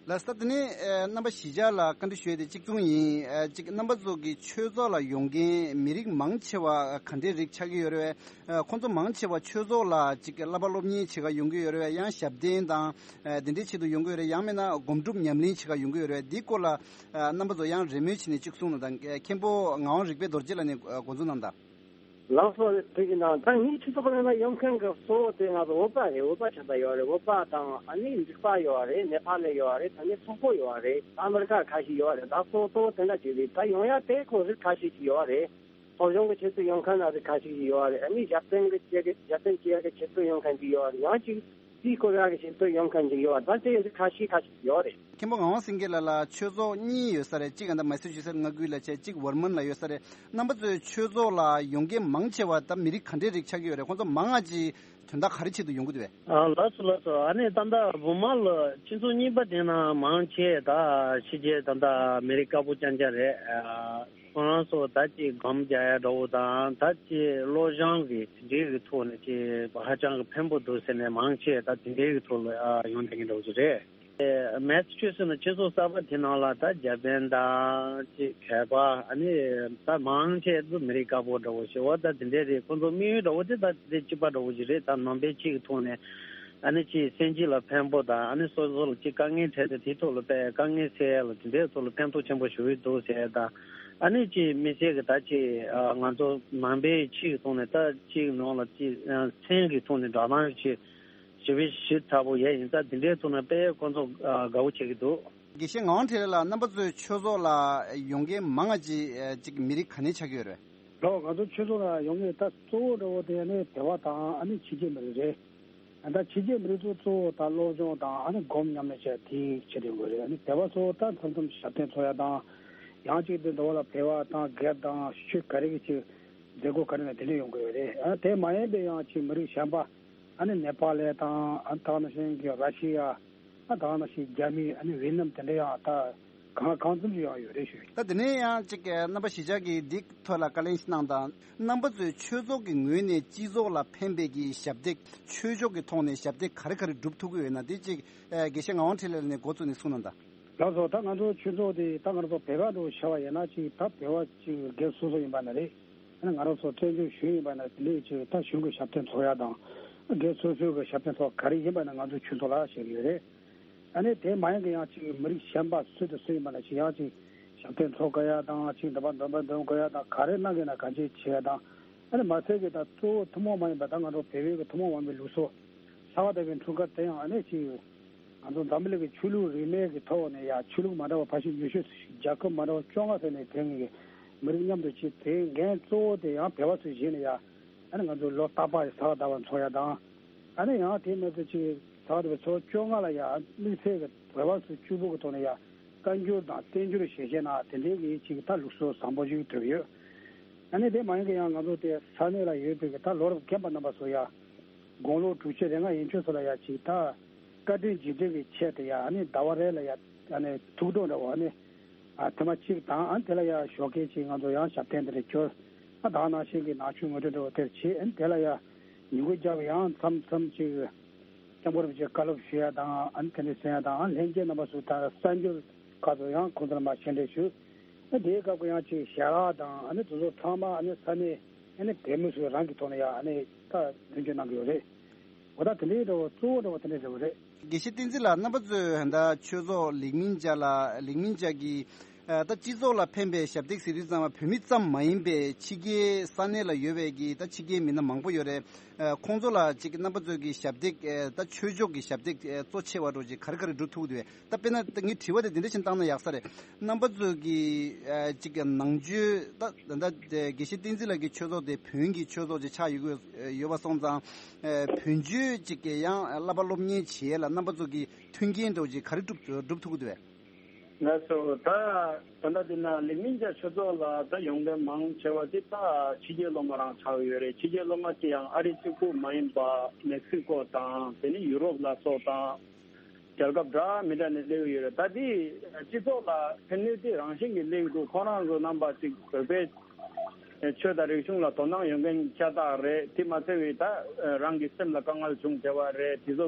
ལགས་སོ། དེ་ནས་ཨ་རྣམ་པ་གཞིས་ཆགས་ལ་བཀའ་འདྲི་ཞུ་ཡས་དེ་གཅིག་མཚུངས་ཡིན། ཨ་གཅིག་རྣམ་པ་ཚོ་གི་ཆོས་ཚོགས་ལ་ཡོང་མཁན་མི་རིགས་མང་ཆེ་བ་ག་འདྲའི་རིགས་ཆགས་ཀྱི་ཡོད་རེད་པས། ཨ་ཁོང་ཚོ་མང་ཆེ་བ་ཆོས་ཚོགས་ལ་ཅིག་བསླབ་པ་སློབ་གཉེར་བྱེད་ག་ཡོང་གི་ཡོད་རེད་པས། ཡང་ཞབས་བརྟན་དང་ཨ་དེ་འདྲའི་ཆེད་དུ་ཡོང་གི་ཡོད་རེད། ཡང་མིན་ན་སྒོམ་སྒྲུབ་ཉམས་ལེན་བྱེད་ག་ཡོང་གི་ཡོད་རེད་པས། འདིའི་སྐོར་ལ་ཨ་རྣམ་པ་ཚོ་ཡང་རེ་སྨོན་བྱས་ནས་གཅིག་གསུངས་གནང་དང་། མཁན་པོ་ངག་དབང་རིག་པའི་རྡོ་རྗེ་ལགས་ནས་ཨ་འགོ་འཛུགས་གནང་དང་། ལགས་སོ། དེ་གི་ནང་ད་ངའི་ཆོས་ཚོགས་ནང་ཡོང་མཁན་གྱི་གཙོ་བོ་དེ་ང་ཚོ་བོད་པ་རེད། བོད་པ་ཆགས་ས་ཡོད་རེད། བོད་པ་དང་ཨ་ནི་འབྲུག་པ་ཡོད་རེད། ནེ་པ་ལི་ཡོད་རེད། ད་ནི་སོག་པོ་ཡོད་རེད། ཨ་མི་རི་ཀ་ཁ་ཤས་ཡོད་རེད། ད་གཙོ་བོ་གཙོ་བོ་དེ་འདྲ་ཅིག་རེད། ད་ཡོང་ཡ་དེ་ཁོ་རིགས་ཁ་ཤས་ཅིག་ཡོད་རེད། སློབ་སྦྱོང་གི་ཆེད་དུ་ཡོང་མཁན་ན་རིགས་ཁ་ཤས་ཅིག་ཡོད་རེད། ཨ་ནི་ཞབས་བརྟན་གྱི་བྱེད་གི་ཞབས་བརྟན་བྱེད་ཡ་གི་ཆེད་དུ་ཡོང་མཁན་ཅིག་ཡོད་རེད། ཡང་ཅིག་དེའི་སྐོར་ཡག་གི་ཞིག་ཏུ་ཡོང་མཁན་ཅིག་ཡོད་པ། ད་དེ་ཡིན་དུས་ཁ་ཤས་ཁ་ཤས་ཡོད་རེད། མཁན་པོ་ངག་དབང་སེང་གེ་ལགས་ལ་ཆོས་ཚོགས་གཉིས་ཡོད་ས་རེད། གཅིག་ཨ་ད་མ་སི་ཆུ་སེ་ཊི་མངའ་ཁུལ་ལ་བྱས། གཅིག་ཝར་མོན་ལ་ཡོད་ས་རེད། རྣམ་པ་ཚོའི་ཆོས་ཚོགས་ལ་ཡོང་མཁན་མང་ཆེ་བ་ད་མི་རིགས་ག་འདྲའི་རིགས་ཆགས་ཀྱི་ཡོད་རེད། ཁོང་ཚོ་མང་ང་ཅིག་དོན་དག་ག་རེ་ཆེད་དུ་ཡོང་གི་འདུག་པས། ཨ་ལགས་སོ་ལགས་སོ། ཨ་ནི་ད་ལྟ་བུར་མ་ལ་སྤྱི་ཚོགས་གཉིས་པ་དེ་ན་མང་ཆེ་ད་ཕྱི་རྒྱལ་ད་ལྟ་མི་རིགས་དཀར་པོ་རྐྱང་རྐྱང་རེད། ཨ། ཁོ་རང་ཚོ་ད་ཅིག་སྒོམ་རྒྱག་ཡ་འདྲ་བོ་དང་། ད་ཅིག་སློབ་སྦྱོང་གི་དེ་འདྲའི་གི་ཐོག་ནས་ཅིག་ཧ་ཅང་གི་ཕན་པོ་འདུག་ཟེར་ནས་མང་ཆེ་ད་དེ་འདྲའི་གི་ཐོག་ལ་ཨ་ཡོང་བསྡད་མཁན་འདྲ་བོ་ཅིག་རེད། ཨེ་མེ་སི་ཆུ་སེ་ཊི་ནང་སྤྱི་ཚོགས་གསར་པ་དེ་ནང་ལ་ད་འཇར་པན་དང་ཅིག་བོད་པ། ཨ་ནི་ད་མང་ཆེ་ཚོ་མི་རིགས་དཀར་པོ་འདྲ་བོ་ཞིག་འོ་ད་དེ་འདྲའི་རེད། ཁོང་ཚོ་དམིགས་ཡུལ་འདྲ་བོ་དེ་ད་དེ་འདྲའི་གཅིག་པ་འདྲ་བོ་ཞིག་རེད། ད་ནང་པའི་ཆོས་ཀྱི་ཐོག་ནས། ཨ་ནི་ཅིག་སེམས་ཅན་ལ་ཕན་པོ་དང་། ཨ་ནི་སོ་སོ་ལ་ཅིག་དཀའ་ངལ་འཕྲད་དེ་དེའི་ཐོག་ལ་དཔེ་དཀའ་ངལ་སེལ་ཡ་ལ་དེ་འདྲའི་ཐོག་ལ་ཕན་ཐོགས་ཆེན་པོ་ཞུ་གི་འདུག་ཟེར་ཡ་དང་། ཨ་ནི་ཅིག་དམིགས་བསལ་གྱི་ད་ཅིག་ཨ་ང་ཚོ་ནང་པའི་ཆོས་ཀྱི་ཐོག་ནས་ད་ཅིག་ནང་ལ་ཅིག་ཨ་སེམས་ཀྱི་ཐོག་ནས་འདྲ་མཉམ་ཅིག་ཞི་བའི་ཞི་ཚ་པོ་ཡས་ཡིན་ཙང་དེ་འདྲའི་ཐོག་ནས་དཔེ་ཁོང་ཚོ་ཨ་དགའ་བོ་བྱེད་ཀྱི་འདུག། དགེ་བཤེས་ངག་དབང་འཕྲིན་ལས་ལགས། རྣམ་པ་ཚོའི་ཆོས་ཚོགས་ལ་ཡོང་མཁན་མང་ང་ཅིག་ཨ་ཅིག་མི་རིགས་ག་ནས་ཆགས་ཀྱི་ཡོད་རེད། ལགས། ང་ཚོ་ཆོས་ཚོགས་ལ་ཡོང་མཁན་ད་གཙོ་བོ་འདྲ་བོ་དེ་ནི་བོད་པ་དང་ཨ་ནི་ཕྱི་རྒྱལ་མི་རིགས་རེད། ད་ཕྱི་རྒྱལ་མི་རིགས་ཚོ་གཙོ་བོ་ད་སློབ་སྦྱོང་དང་ཨ་ནི་སྒོམ་ཉམས་ལེན་བྱས་དེའི་ཆེད་དུ་ཡོང་གི་རེད། ཨ་ནི་བོད་པ་ཚོ་ད་མཚམས་མཚམས་ཞབས་བརྟན་འཚོགས་ཡ་དང་། ཡང་གཅིག་དེ་འདྲ་བོ་ལ་བོད་པ་དང་སྒེར་དང་ཆོས་ག་རེ་གི་ཆེད་མཛད་སྒོ་ག་རེ་ན་དེ་འདྲ་ཡོང་གི་ཡོད་རེད། ཨ་དེ་མ་ཡིན་པའི་ཡང་ཅིག་མི་རིགས་གཞན་པ་ཨ་ནི་ནེ་པ་ལི་དང་ཨ་ད་ནང་བཞིན་གྱི་ར་ཤི་ཡ། ཨ་ད་ག་ནང་བཞིན་རྒྱ་མི་ཨ་ནི་ཝེ་ནམ་དེ་འདྲ་ཡང་ད་གང་གང་འཚམ་ཞིག་ཡང་ཡོད་རེད་ཞུ། ད་དེ་ནས་ཡང་ཅིག་རྣམ་པ་གཞིས་ཆགས་ཀྱིས་འདི་ཐོག་ལ་བཀའ་ལན་ཞིག་གནང་དང་། རྣམ་པ་ཚོས་ཆོས་ཚོགས་ཀྱི་ངོས་ནས་སྤྱི་ཚོགས་ལ་ཕན་པའི་གི་ཞབས་འདེགས། ཆོས་ཕྱོགས་ཀྱི་ཐོག་ནས་ཞབས་འདེགས་ག་རེ་ག་རེ་སྒྲུབ་ཐུབ་ཀྱི་ཡོད་ན། དེ་ཅིག་དགེ་བཤེས་ངག་དབང་འཕྲིན་ལས་ནས་འགོ་བཙུགས་ནས་གསུངས་གནང་དང་། ལགས་སོ། ད་ང་ཚོ་ཆོས་ཚོགས་དེ་ད་ང་ཚོ་བོད་པ་འདྲ་བོ་བྱས་པ་ཡིན་ན་ཅིག་ད་བོད་པ་ཅིག་སྒེར་སོ་སོ་ཡིན་པ་ན་རེད། ཨ་ནི་ང་རང་ཚོ་བཙན་བྱོལ་གཞུང་ཡིན་པ་ན་དེ་འདྲའི་ཅིག་ད་གཞུང་གི་ཞབས་བརྟན་ཚོགས་ཡ་དང་། སྒེར་སོ་སོའི་གི་ཞབས་བརྟན་ཚོགས་ག་རེ་ཡིན་པ་ན་ང་ཚོའི་ཆོས་ཚོགས་ལ་བྱེད་ཀྱི་ཡོད་རེད། ཨ་ནི་དེ་མ་ཡིན་གི་ཡང་ཅིག་མི་རིགས་གཞན་པ་སུ་དང་སུ་ཡིན་པ་ན་ཅིག་ཡང་ཅིག་ཞབས་བརྟན་ཚོགས་དགོས་ཡ་དང་། ཅིག་འདོན་པ་འདོན་པ་འདོན་དགོས་ཡ་དང་། ག་རེ་གནང་གི་ན་ག་ཅིག་བྱེད་ཡ་དང་། ཨ་ནི་མ་ཚད་གི་ད་གཙོ་བོ་ཐུན་མོང་མ་ཡིན་པ་ད་ང་ཚོ་བོད་པའི་གི་ཐུན་མོང་མ་ཡིན་པའི་ལུགས་སྲོལ། ལྷ་བ་དགའ་བའི་འཁྲུངས་སྐར་དེ་ཡང་ཨ་ནི་ཅིག་ང་ཚོ་འཛམ་བུ་གླིང་གི་ཆོས་ལུགས་རིས་མེད་ཀྱི་ཐོག་ནས་ཡ་ཆོས་ལུགས་མ་འདྲ་བ་ཕལ་ཆེར་ཉི་ཤུ་ཙམ་ཞིག་རྒྱལ་ཁབ་མ་འདྲ་བ་བཅོ་ལྔ་ཙམ་ནས་ཕེབས་མཁན་གྱི་མི་རིགས་མཉམ་དུ་ཅིག་དེ་འགན་གཙོ་བོ་དེ་ཡང་བོད་པ་ཚོས་བཞེས་ནས་ཡ། ཨ་ནི་ང་ཚོ་ལོ་རྟག་པར་གཟའ་ཟླ་བར་འཚོགས་ཡ་དང་། ཨ་ནི་ཡང་དེ་མ་ཚད་ཅིག་གཟའ་ཟླ་བའི་ཚོ་བཅོ་ལྔ་ལ་ཡ་དམིགས་བསལ་གྱི་བོད་པ་ཚོ་གཅིག་པུ་གི་ཐོག་ནས་ཡ་བཀའ་འགྱུར་དང་བསྟན་འགྱུར་ཞལ་བཞེས་གནང་། དེ་འདྲའི་གི་ཅིག་ད་ལུགས་སྲོལ་བཟང་པོ་ཞིག་གྲུབ་ཡོད། ཨ་ནི་དེ་མ་ཡིན་གི་ཡང་ང་ཚོ་དེ་ས་གནས་ལ་ཡོད་པའི་གི་ད་ལོ་རབས་རྒན་པ་རྣམ་པ་ཚོ་ཡ་དགུང་ལོ་དྲུག་ཅུ་རེ་ལྔ་ཡན་ཆོད་ཚོ་ལ་ཡ་ཅིག་ད་བཀའ་དྲིན་རྗེས་དྲན་གྱི་ཆེད་དུ་ཡ་ཨ་ནི་ཟླ་བ་རེ་ལ་ཡ་ཨ་ནི་ཐུགས་སྤྲོ་འདྲ་བོ་ཨ་ནི་ཨ་ཐེངས་མ་གཅིག་དང་། ཨ་ནི་དེ་ལ་ཡ་ཞོགས་ཀས་ཅིག་ང་ཚོ་ཡང་ཞབས་བརྟན་དེ་འདྲ་འཁྱོལ། ཨ་ད་ག་ནང་བཞིན་གྱི་ནང་ཆོས་ངོ་སྤྲོད་འདྲ་བོ་དེར་བྱེད། ཨ་ནི་དེ་ལ་ཡ་ཉིན་གུང་རྒྱབ་ཡང་མཚམས་མཚམས་ཅིག་སྐྱབས་མགོན་རིན་པོ་ཆེ་བཀའ་སློབ་ཞུ་ཡ་དང་། ཨ་ནི་དེ་འདྲ་གསན་ཡ་དང་། ཨ་ལྷན་རྒྱས་རྣམ་པ་ཚོ་དང་གསར་འབྱོར་ཁག་ཚོ་ཡང་ཁོང་ཚོར་མ་ཞལ་འདྲི་ཞུ། ཨ་དེའི་སྐབས་ཀྱི་ཡང་ཅིག་ཞལ་ལག་དང་། ཨ་ནི་དེ་ཚོ་ཚང་མ་ཨ་ནི་ས་གནས་ཨ་ནི་བོད་མི་ཚོས་རང་གི་ཐོག་ནས་ཡ་ཨ་ནི་ད་མདུན་སྐྱོད་གནང་གི་ཡོད་རེད། འོ་ད་དེ་འདྲའི་འདྲ་བོ་གཙོ་བོ་འདྲ་བོ་དེ་འདྲ་རེད་བ་རེད། དགེ་བཤེས་བསྟན་འཛིན་ལགས། རྣམ་པ་ཚོས་ད་ཆོས་ཚོགས་ལིག་མིན་ཇ་ལ་ལིག་མིན་ཇ་གི་ཨ་ད་སྤྱི་ཚོགས་ལ་ཕན་པའི་ཞབས་སྟེགས་ཟེར་དུས་ཙམ་པ་བོད་མི་ཙམ་མ་ཡིན་པའི་ཕྱི་རྒྱལ་ས་གནས་ལ་ཡོད་པའི་གི་ད་ཕྱི་རྒྱལ་མི་སྣ་མང་པོ་ཡོད་རེད། ཨ་ཁོང་ཚོ་ལ་ཅིག་རྣམ་པ་ཚོས་གི་ཞབས་སྟེགས་ཨ་ད་ཆོས་ཕྱོགས་ཀྱི་ཞབས་སྟེགས་ཨ་གཙོ་ཆེ་བ་འདྲ་ཅིག་ག་རེ་ག་རེ་སྒྲུབ་ཐུབ་འདུག་ད་དཔེར་ན་ད་ངའི་དྲི་བ་དེ་འདི་འདྲ་ཞིག་བཏང་ན་ཡག་ས་རེད། རྣམ་པ་ཚོས་ཀྱི་ཨ་ཅིག་ནང་ཆོས་ད་ད་ད་དགེ་བཤེས་བསྟན་འཛིན་ལགས་ཀྱི་ཆོས་ཚོགས་དེ་བོན་གྱི་ཆོས་ཚོགས་ཅིག་ཆགས་ཡོད་ཀྱི་ཡོད་པ་སོང་ཙང་། ཨ་བོན་ཆོས་ཅིག་གི་ཡང་བསླབ་པ་སློབ་གཉེར་བྱེད་ཡས་ལ་རྣམ་པ་ཚོ་གི་མཐུན་རྐྱེན་འདྲ་ཅིག་ག་རེ་སྒྲུབ་སྒྲུབ་ཐུབ་ཀྱི་འདུག་གས། ལགས་སོ། ད་ད་ལྟ་འདི་ན་ལིག་མིན་ཇ་ཆོས་ཚོགས་ལ་ད་ཡོང་མཁན་མང་ཆེ་བ་དེ་ད་ཕྱི་རྒྱལ་སློབ་མ་རང་ཆགས་ཡོད་རེད། ཕྱི་རྒྱལ་སློབ་མ་དེ་ཡང་ཨ་རི་གཅིག་པུ་མ་ཡིན་པ་མེག་སི་ཀོ་དང་དེ་ནི་ཡུ་རོབ་ལ་སོགས་དང་རྒྱལ་ཁབ་འདྲ་མི་འདྲ་ནས་སླེབས་ཡོད་རེད། ད་དེ་སྤྱི་ཚོགས་ལ་ཕན་ནུས་དེ་རང་བཞིན་གྱིས་སླེབས་འདུག་ཁོ་རང་ཚོ་རྣམ་པ་ཅིག་བོད་པའི་ཆོས་དང་རིག་གཞུང་ལ་དོ་སྣང་ཡོད་མཁན་ཤ་སྟག་རེད། དེ་མ་ཚད་པའི་ད་རང་གི་སེམས་ལ་དཀའ་ངལ་བྱུང་བྱས་པ་རེད། དེ་ཚོ་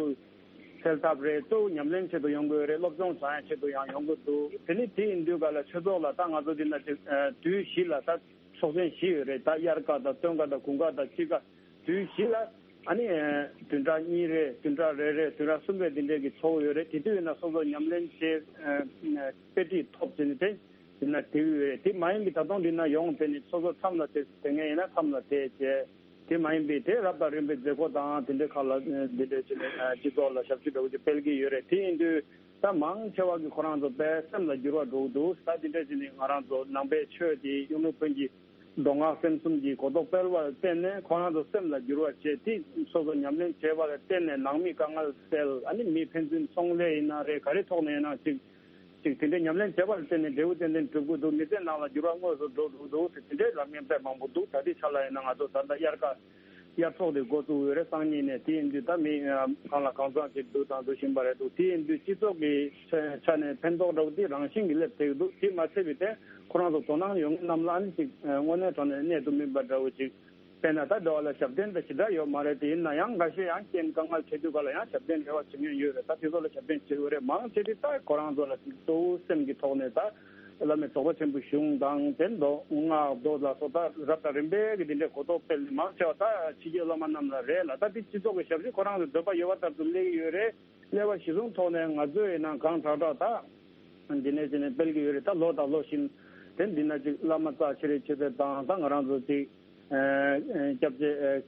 སེལ་ཐབས་རེད། གཙོ་བོ་ཉམས་ལེན་ཆེད་དུ་ཡོང་དགོས་རེད། སློབ་སྦྱོང་བྱ་ཡ་ཆེད་དུ་ཡང་ཡོང་གི་འདུག་དེ་ནི་དེ་ཡིན་དུས་ག་ལ་ཆོས་ཚོགས་ལ་ད་ང་ཚོ་འདི་ན་ཅིག་དུས་བཞི་ལ་ད་ཚོགས་ཆེན་བཞི་ཡོད་རེད། ད་དབྱར་ཁ་དང་སྟོན་ཁ་དང་དགུན་ཁ་དང་དཔྱིད་ཁ་དུས་བཞི་ལ་ཨ་ནི་བདུན་ཕྲག་གཉིས་རེ་བདུན་ཕྲག་རེ་རེ་བདུན་ཕྲག་གསུམ་རེ་འདི་འདྲས་ཀྱི་ཚོགས་ཡོད་རེད། དེ་དུས་ཡིན་ན་སོ་སོ་ཉམས་ལེན་བྱེད་དཔེ་ཁྲིད་ཐོབ་ཟིན་ཏེ་འདི་ན་དེ་ཡོད་རེད། དེ་མ་ཡིན་པའི་ད་དུང་འདི་ན་ཡོང་དེ་ནི་སོ་སོ་མཚམས་ལ་དེ་དེ་ངས་ཡིན་ན་མཚམས་ལ་དེ་བྱས། དེ་མ་ཡིན་པའི་དེ་རབ་དང་རིམ་པའི་མཛད་སྒོ་དང་དེ་འདྲའི་ཁག་ལ་འདི་འདྲའི་ཆེད་ནས་སྤྱི་ཚོགས་ལ་ཞབས་ཞུ་འདྲ་བོ་ཅིག་སྤེལ་གྱི་ཡོད་རེད། དེ་ཡིན་དུས་ད་མང་ཆེ་བ་གི་ཁོ་རང་ཚོ་དཔེ་སེམས་ལ་འགྱུར་བ་འགྲོ་གི་འདུག་ད་དེ་འདྲ་ཅིག་ནི་ང་རང་ཚོ་ནང་པའི་ཆོས་དེ་གཡུང་དྲུང་བོན་གྱི་མདོ་སྔགས་སེམས་གསུམ་གྱི་གོ་རྟོགས་སྤེལ་བར་བརྟེན་ནས་ཁོ་རང་ཚོ་སེམས་ལ་འགྱུར་བ་བྱས་ཏེ་སོ་སོ་ཉམས་ལེན་བྱས་པ་ལ་བརྟེན་ནས་ནང་མི་དཀའ་ངལ་སེལ། ཨ་ནི་མི་ཕན་ཚུན་ཚོང་ལས་ཡིན་ན་རེད། ག་རེ་ཐོག་ནས་ཡིན་ན་ཅིག་ཅིག་དེ་འདྲའི་ཉམས་ལེན་བྱས་པ་ལ་བརྟེན་ནས་འབྲས་བུ་ཏན་ཏན་འགྲུབ་ཀྱི་འདུག་མི་ཚེ་ནང་ལ་འགྱུར་བ་དངོས་སུ་འགྲོ་ཐུབ་ཀྱི་འདུག་ཟེར་དེ་འདྲའི་ལབ་མཁན་དཔེ་མང་པོ་འདུག་ད་ལྟའི་ཆ་ལ་ཡིན་ན་ང་ཚོ་ད་ལྟ་དབྱར་ཁ་དབྱར་ཚོགས་དེ་འགོ་བཙུགས་ཡོད་རེད། སང་ཉིན་ནས། དེ་ཡིན་དུས་ད་མི་ཨ་གང་ལ་གང་འཚམ་ཅིག་འདུག་དང་འདུག་བཞིན་པ་རེད་འདུག་དེ་ཡིན་དུས་སྤྱི་ཚོགས་ཀྱི་ཆ་ཆ་ནས་ཕན་ཐོགས་འདྲ་བོ་དེ་རང་བཞིན་གྱིས་སླེབས་བསྡད་ཀྱི་འདུག་དེ་མ་ཚད་པའི་ཐད་ཁོ་རང་ཚོ་དོ་སྣང་ཡོང་མཁན་རྣམས་ལ་ཨ་ནི་ཅིག་དངོས་གནས་དྲང་གནས་གནད་དུ་སྨིན་པ་འདྲ་བོ་ཅིག་དཔེར་ན་ད་འགྲོ་བ་ལ་ཞབས་བརྟན་དང་ཞེ་དྲག་ཡོད་མ་རེད། དེ་ཡིན་ན་ཡང་འགའ་ཤས་ཡང་རྐྱེན་དཀའ་ངལ་འཕྲད་དུས་ག་ལ་ཡང་ཞབས་བརྟན་རེ་བ་བྱེད་མཁན་ཡོད་རེད། ད་དེ་ཚོ་ལ་ཞབས་བརྟན་བྱེད་དགོས་རེད། མང་ཆེ་དེ་ད་ཁོ་རང་ཚོ་ལ་གཙོ་བོ་སེམས་ཀྱི་ཐོག་ནས་ད་བླ་མའི་རྫོགས་པ་ཆེན་པོའི་གཞུང་དང་དེ་མདོ་སྔགས་མདོ་ལ་སོགས་ད་རབ་དང་རིམ་པས་ཀྱི་དེ་འདྲའི་གོ་རྟོགས་སྤེལ་ནས་མང་ཆེ་བ་ད་ཕྱི་རྒྱལ་སློབ་མ་རྣམས་ལ་རེད་ལ། ད་དེ་སྤྱི་ཚོགས་ཀྱི་ཞབས་ཞུ་ཁོ་རང་ཚོ་འདོད་པ་ཡོད་པ་ལྟར་དུ་སླེབས་ཀྱི་ཡོད་རེད། སླེབས་པ་གཞི་བཟུང་ཐོག་ནས་ང་ཚོས་ཡིན་ན་གང་དྲག་དྲག་ད་འདི་ནས་ཅི་ནས་སྤེལ་གྱི་ཡོད་རེད། ད་ལོ་དང་ལོ་བཞིན་དེ་འདི་ན་ཅིག་བླ་མ་རྩ་ཆེ་རེ་ཆེ་ཚད་དང་ད་ང་རང་ཚོ་ཅིག་སྐྱབས་རྗེ་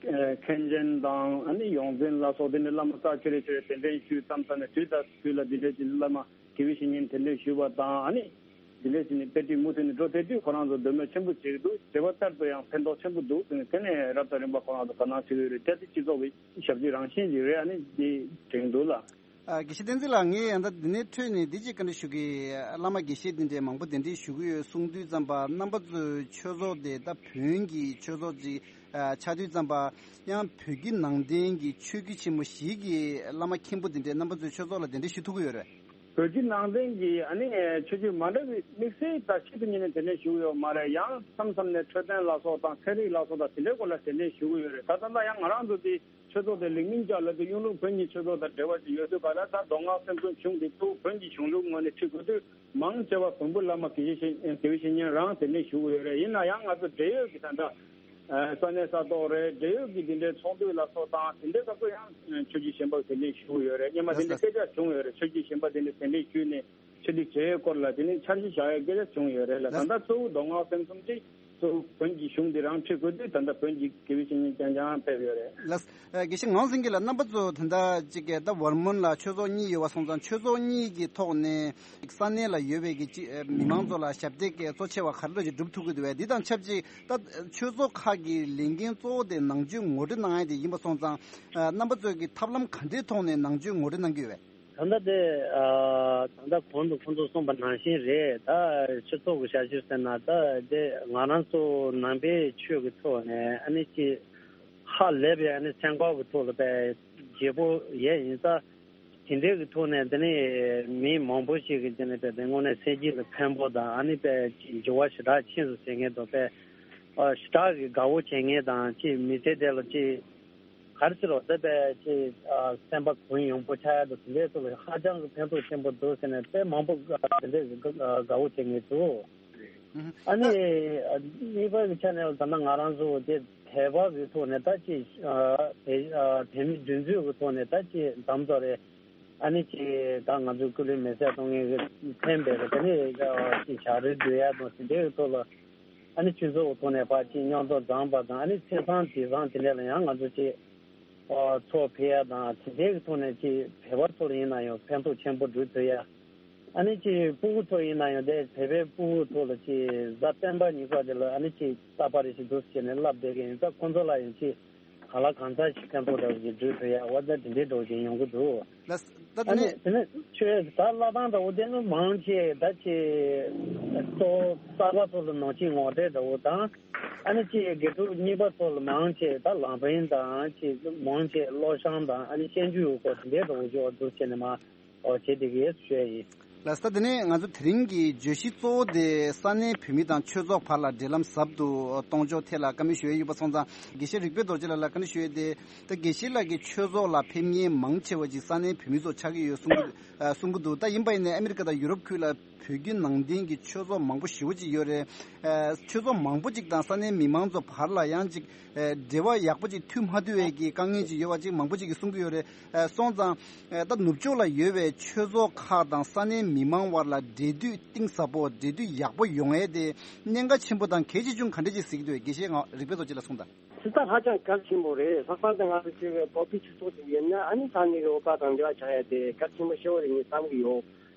མཁན་ཆེན་དང་ཨ་ནི་ཡོངས་འཛིན་ལ་སོགས་དེ་འདྲའི་བླ་མ་རྩ་ཆེ་རེ་ཆེ་རེ་གདན་འདྲེན་ཞུས་མཚམས་མཚམས་ནས་དུས་དང་དུས་ལ་འདི་འདྲའི་ཅིག་བླ་མ་དགེ་བའི་བཤེས་གཉེན་གདན་འདྲེན་ཞུས་པ་དང་ཨ་ནི་འདི་འདྲའི་ཅིག་ནི་དཔེ་ཁྲིད་མུ་མཐུད་ནས་འགྲོ་བསྡད་དུས་ཁོ་རང་ཚོ་འདོད་མོས་ཆེན་པོ་བྱེད་ཀྱི་འདུག་བྱེད་པ་ལྟར་དུ་ཡང་ཕན་ཐོགས་ཆེན་པོ་འདུག་ཟེར་ནས་དེ་ནས་རབ་དང་རིམ་པ་ཁོ་རང་ཚོ་དོ་སྣང་བྱེད་ཀྱི་ཡོད་རེད། དེ་དེ་སྤྱི་ཚོགས་ཀྱི་ཞབས་ཕྱི་རང་བཞིན་ཞིག་རེད། ཨ་ནི་འདི་དྲན་འདུག་ལ། ཨ། དགེ་བཤེས་བསྟན་འཛིན་ལགས། ངས་ཡང་ད་འདི་ནས་འཕྲོས་ནས་འདི་གཅིག་བཀའ་འདྲི་ཞུ་གི། བླ་མ་དགེ་བཤེས་འདི་འདྲའི་མང་པོ་གདན་འདྲེན་ཞུ་གི་ཡོད་གསུངས་དུས་ཙམ་པ་རྣམ་པ་ཚོའི་ཆོས་ཚོགས་དེ་ད་བོན་གྱི་ཆོས་ཚོགས་ཅིག་ཨ་ཆགས་དུས་ཙམ་པ་ཡང་བོད་བརྒྱུད་ནང་བསྟན་གྱི་ཆོས་བརྒྱུད་ཆེན་མོ་བཞི་གི་བླ་མ་མཁན་པོ་འདི་འདྲའི་རྣམ་པ་ཚོའི་ཆོས་ཚོགས་ལ་གདན་འདྲེན་ཞུ་ཐུབ་ཀྱི་ཡོད་རེད། བོད་བརྒྱུད་ནང་བསྟན་གྱི་ཨ་ནི་ཆོས་བརྒྱུད་མ་འདྲ་བའི་དམིགས་བསལ་ད་ཆེད་དུ་གཉེར་ནས་གདན་འདྲེན་ཞུ་གི་ཡོད་མ་རེད། ཡང་མཚམས་མཚམས་ནས་འཕྲོད་བསྟེན་ལ་སོགས་དང་ཚན་རིག་ལ་སོགས་དང་དེ་འདྲའི་སྐོར་ལ་གདན་འདྲེན་ཞུ་གི་ཡོད་རེད། ད་ད་ལྟ་ཡང་ང་རང་ཚོ་དེ། ཆོས་ཚོགས་དེ་ལིག་མིན་ཅ་ལ་དེ་གཡུང་དྲུང་བོན་གྱི་ཆོས་ཚོགས་དང་འབྲེལ་བ་ཅིག་ཡོད་དུས་ག་ལ་ད་མདོ་སྔགས་སེམས་གསུམ་གཞུང་དེ་གཙོ་བོ་བོན་གྱི་གཞུང་ལུགས་ངོས་ནས་ཁྲིད་དགོས་དུས་མང་ཆེ་བ་བོན་པོ་བླ་མ་དགེ་བཤེས་དགེ་བའི་བཤེས་གཉེན་རང་གདན་འདྲེན་ཞུ་གི་ཡོད་རེད། ཡིན་ན་ཡང་ང་ཚོ་འབྲེལ་ཡོད་ཀྱི་ད་ལྟ་ས་གནས་ས་ཐོག་རེད། འབྲེལ་ཡོད་ཀྱི་དེ་འདྲའི་ཚོགས་འདུ་ལ་སོགས་དང་དེ་འདྲའི་སྐབས་སུ་ཡང་ཆོས་བརྒྱུད་གཞན་པ་གདན་འདྲེན་ཞུ་གི་ཡོད་རེད། སྔོན་མ་དེ་འདྲའི་སྐད་ཆ་བྱུང་ཡོད་རེད། ཆོས་བརྒྱུད་གཞན་པ་དེ་འདྲའི་གདན་འདྲེན་ཞུས་ནས། ཆོས་ལུགས་བྱེད་ཡས་སྐོར་ལ་དེ་ནི་འཆར་གཞི་བཞག་ཡས་སྐད་ཆ་བྱུང་ཡོད་རེད་ལ། ད་ལྟ་གཙོ་བོ་མདོ་སྔགས་སེམས་གསུམ་དེ་གཙོ་བོ་བོན་གྱི་གཞུང་འདི་རང་ཁྲིད་དགོས་དུས་ད་ལྟ་བོན་གྱི་དགེ་བའི་བཤེས་གཉེན་རྐྱང་རྐྱང་ཕེབས་ཡོད་རེད། ལགས། ཨ། དགེ་བཤེས་ངག་དབང་སེང་གེ་ལགས། རྣམ་པ་ཚོ་ད་ལྟ་ཅིག་གི་ད་ཝར་མོན་ལ་ཆོས་ཚོགས་གཉིས་ཡོད་པ་སོང་ཙང་ཆོས་ཚོགས་གཉིས་ཀྱི་ཐོག་ནས་ས་གནས་ལ་ཡོད་པའི་གི་ཅིག་མི་མང་ཚོ་ལ་ཞབས་སྟེགས་གཙོ་ཆེ་བ་ག་རེ་ཅིག་སྒྲུབ་ཐུབ་ཀྱི་འདུག་བས། འདི་དང་ཆབས་ཅིག་ད་ཆོས་ཚོགས་ཁག་གི་ལས་འགན་གཙོ་བོ་དེ་ནང་ཆོས་ངོ་སྤྲོད་གནང་ཡས་དེ་ཡིན་པ་སོང་ཙང་། ཨ། རྣམ་པ་ཚོས་ཀྱི་ཐབས་ལམ་ག་འདྲའི་ཐོག་ནས་ནང་ཆོས་ངོ་སྤྲོད་གནང་གི་ཡོད་བས། ད་ལྟ་དེ་ཨ་ད་ལྟ་གོང་དུ་ཁོང་ཚོས་གསུངས་པ་ནང་བཞིན་རེད། ད་སྤྱི་ཚོགས་ཀྱི་ཞབས་ཞུ་ཟེར་ན་ད་དེ་ང་རང་ཚོ་ནང་པའི་ཆོས་ཀྱི་ཐོག་ནས་ཨ་ནི་ཅིག་ཧ་ལས་པའི་ཨ་ནི་སེམས་ཁམས་ཀྱི་ཐོག་ལ་དཔེ་བརྗེ་པོ་ཡས་ཡིན་ཙང་དེ་འདྲའི་གི་ཐོག་ནས་དེ་ནི་མི་མང་པོ་ཞིག་གིས་དེ་ནི་དཔེ་དེ་དངོས་གནས་སེམས་ཅན་ལ་ཕན་པོ་དང་ཨ་ནི་དཔེ་འགྱུར་བ་ཞེ་དྲག་ཕྱིན་སོང་ཟེར་མཁན་དང་དཔེ་ཨ་ཞེ་དྲག་གི་དགའ་བོ་བྱེད་མཁན་དང་ཅིག་མི་ཚེ་དེ་ལ་ཅིག་ག་རེ་ཟེར་རོ། དེ་དཔེ་ཅིག་ཨ་སེམས་པ་གུང་ཡངས་པོ་ཆགས་ཡག་དང་དེ་འདྲའི་ཐོག་ལ་ཧ་ཅང་གི་ཕན་ཐོགས་ཆེན་པོ་འདུག་ཟེར་ནས་དཔེ་མང་པོ་ཨ་དེ་འདྲའི་གི་ཨ་དགའ་བོ་བྱེད་མཁན་འདུག་ཨ་ནི་ཨ་གཉིས་པ་གི་ཆ་ནས་ད་ལྟ་ང་རང་ཚོ་དེ་དད་པ་གི་ཐོག་ནས་ད་ཅིག་ཨ་དད་ཨ་དད་མོས་འདུན་འཛོམས་གི་ཐོག་ནས་ད་ཅིག་དམ་དུ་རེད། ཨ་ནི་ཅིག་ད་ང་ཚོའི་སྐུ་ལུས་མེ་སྲེག་གཏོང་མཁན་གྱི་ཕན་པའི་དེ་ནི་ཅིག་བྱ་རིགས་འདུལ་ཡ་དང་དེ་འདྲའི་ཐོག་ལ་ཨ་ནི་ཆོས་ཚོགས་ཐོག་ནས་ཕར་ཅིག་མཉམ་དུ་བགྲངས་པ་དང་ཨ་ནི་ཚེས་བཟང་དུས་བཟང་དེ་འདྲ་ལ་ཡང་ང་ཚོ་ཅིག་ཚོགས་ཕེབས་ཡ་དང་དེ་འདྲའི་ཐོག་ནས་ཅིག་བོད་པ་ཚོ་ལ་ཡིན་ན་ཡང་ཕན་ཐོགས་ཆེན་པོ་འགྲོ་ཐུབ་ཡ། ཨ་ནི་ཅིག་སྤུ་གུ་ཚོ་ཡིན་ན་ཡང་དེ་བོད་པའི་སྤུ་གུ་ཚོ་ལ་ཅིག་གཟའ་སྤེན་པ་ཉི་ཤུ་དེ་ལ་ཨ་ནི་ཅིག་རྟག་པར་རེ་ཞིག་འདུག་ཟེར་ནས་བསླབ་བསྡད་མཁན་ཡིན་ཙང་ཁོང་ཚོ་ལ་ཡང་ཅིག་གང་ལ་གང་འཚམ་ཞིག་ཕན་ཐོགས་འདྲ་བོ་ཞིག་འགྲོ་ཐུབ་ཡ་འོ་ད་དེ་འདྲའི་འདྲ་བོ་ཞིག་ཡོང་གི་འདུག་ལགས། ད་དེ་ཨ་ནི་ནས་དེ་ནས་ཆོས་ད་བསླབ་སྟངས་འདྲ་བོ་དེ་ནི་མང་ཆེ་ད་ཅིག་གཙོ་བོ་གསར་པ་ཚོ་ལ་ནང་ཆེན་ངོ་སྤྲོད་འདྲ་བོ་དང་ཨ་ནི་ཅིག་དགེ་ཕྲུག་གཉིས་པ་ཚོ་ལ་མང་ཆེ་ད་ལམ་རིམ་དང་ཅིག་མང་ཆེ་བློ་བྱང་དང་ཨ་ནི་བཤད་རྒྱུ་ཡོད་སྐོར་དེ་འདྲའི་འདྲ་བོ་ཞིག་འོ་འདུག་བྱས་ནས་མ། ཨོ་བྱེད་བསྡད་ཀྱི་ཡོད་ཞུ་ཡ་ཡིན། ལགས་སོ། ད་དེ་ནས་ང་ཚོ་དེ་རིང་གི་བརྗོད་གཞི་གཙོ་བོ་དེ་ས་གནས་བོད་མི་དང་ཆོས་ཚོགས་བར་ལ་འབྲེལ་ལམ་ཟབ་ཏུ་གཏོང་ཕྱོགས་ཐད་ལ་བཀའ་མོལ་ཞུ་ཡ་ཡོད་པ་སོང་ཙང་དགེ་བཤེས་རིག་པའི་རྡོ་རྗེ་ལགས་ལ་བཀའ་འདྲི་ཞུ་ཡ་དེ། ད་དགེ་བཤེས་ལགས་ཀྱིས་ཆོས་ཚོགས་ལ་ཕེབས་མཁན་མང་ཆེ་བ་ཅིག་ས་གནས་བོད་མི་ཚོ་ཆགས་ཀྱི་ཡོད་གསུང་གི་ཨ་གསུང་གི་འདུག་ད་ཡིན་པ་ཡིན་ནའི་ཨ་མི་རི་ཀ་དང་ཡུ་རོབ་ཁུལ་ལ་བོད་བརྒྱུད་ནང་བསྟན་གྱི་ཆོས་ཚོགས་མང་པོ་ཞེ་པོ་ཅིག་ཡོད་རེད། ཨ་ཆོས་ཚོགས་མང་པོ་ཅིག་དང་ས་གནས་མི་མང་ཚོ་བར་ལ་ཡང་ཅིག་ཨ་འབྲེལ་བ་ཡག་པོ་ཅིག་མཐུད་མ་ཐུབ་པའི་གི་དཀའ་ངལ་ཅིག་ཡོད་པ་ཅིག་མང་པོ་ཅིག་གིས་གསུང་གི་ཡོད་རེད། ཨ་སོང་ཙང་། ཨ་ད་ནུབ་ཕྱོགས་ལ་ཡོད་པའི་ཆོས་ཚོགས་ཁག་དང་ས་གནས་མི་མང་བར་ལ་འབྲེལ་མཐུད་གཏིང་ཟབ་པོ་འབྲེལ་མཐུད་ཡག་པོ་ཡོང་ཡས་དེ་གནད་འགག་ཆེན་པོ་དང་གལ་ཆེ་ཆུང་ག་འདྲ་ཅིག་གཟིགས་འདུག་དགེ་བཤེས་ང་རིག་པའི་རྡོ་རྗེ་ལ་གསུངས་དང་། ཇི་ལྟར་ཧ་ཅང་གལ་ཆེན་པོ་རེད། ལྷག་པར་དུ་ང་ཚོ་ཅིག་བོད་པའི་ཆོས་ཚོགས་ཅིག་ཡིན་ན་ཨ་ནི་ས་གནས་ཀྱི་བོད་པ་དང་འབྲེལ་བ་ཆགས་ཡ་དེ་གལ་ཆེན་པོ་ཞེ་པོ་རེད་ངས་བསམ་གྱི་ཡོད།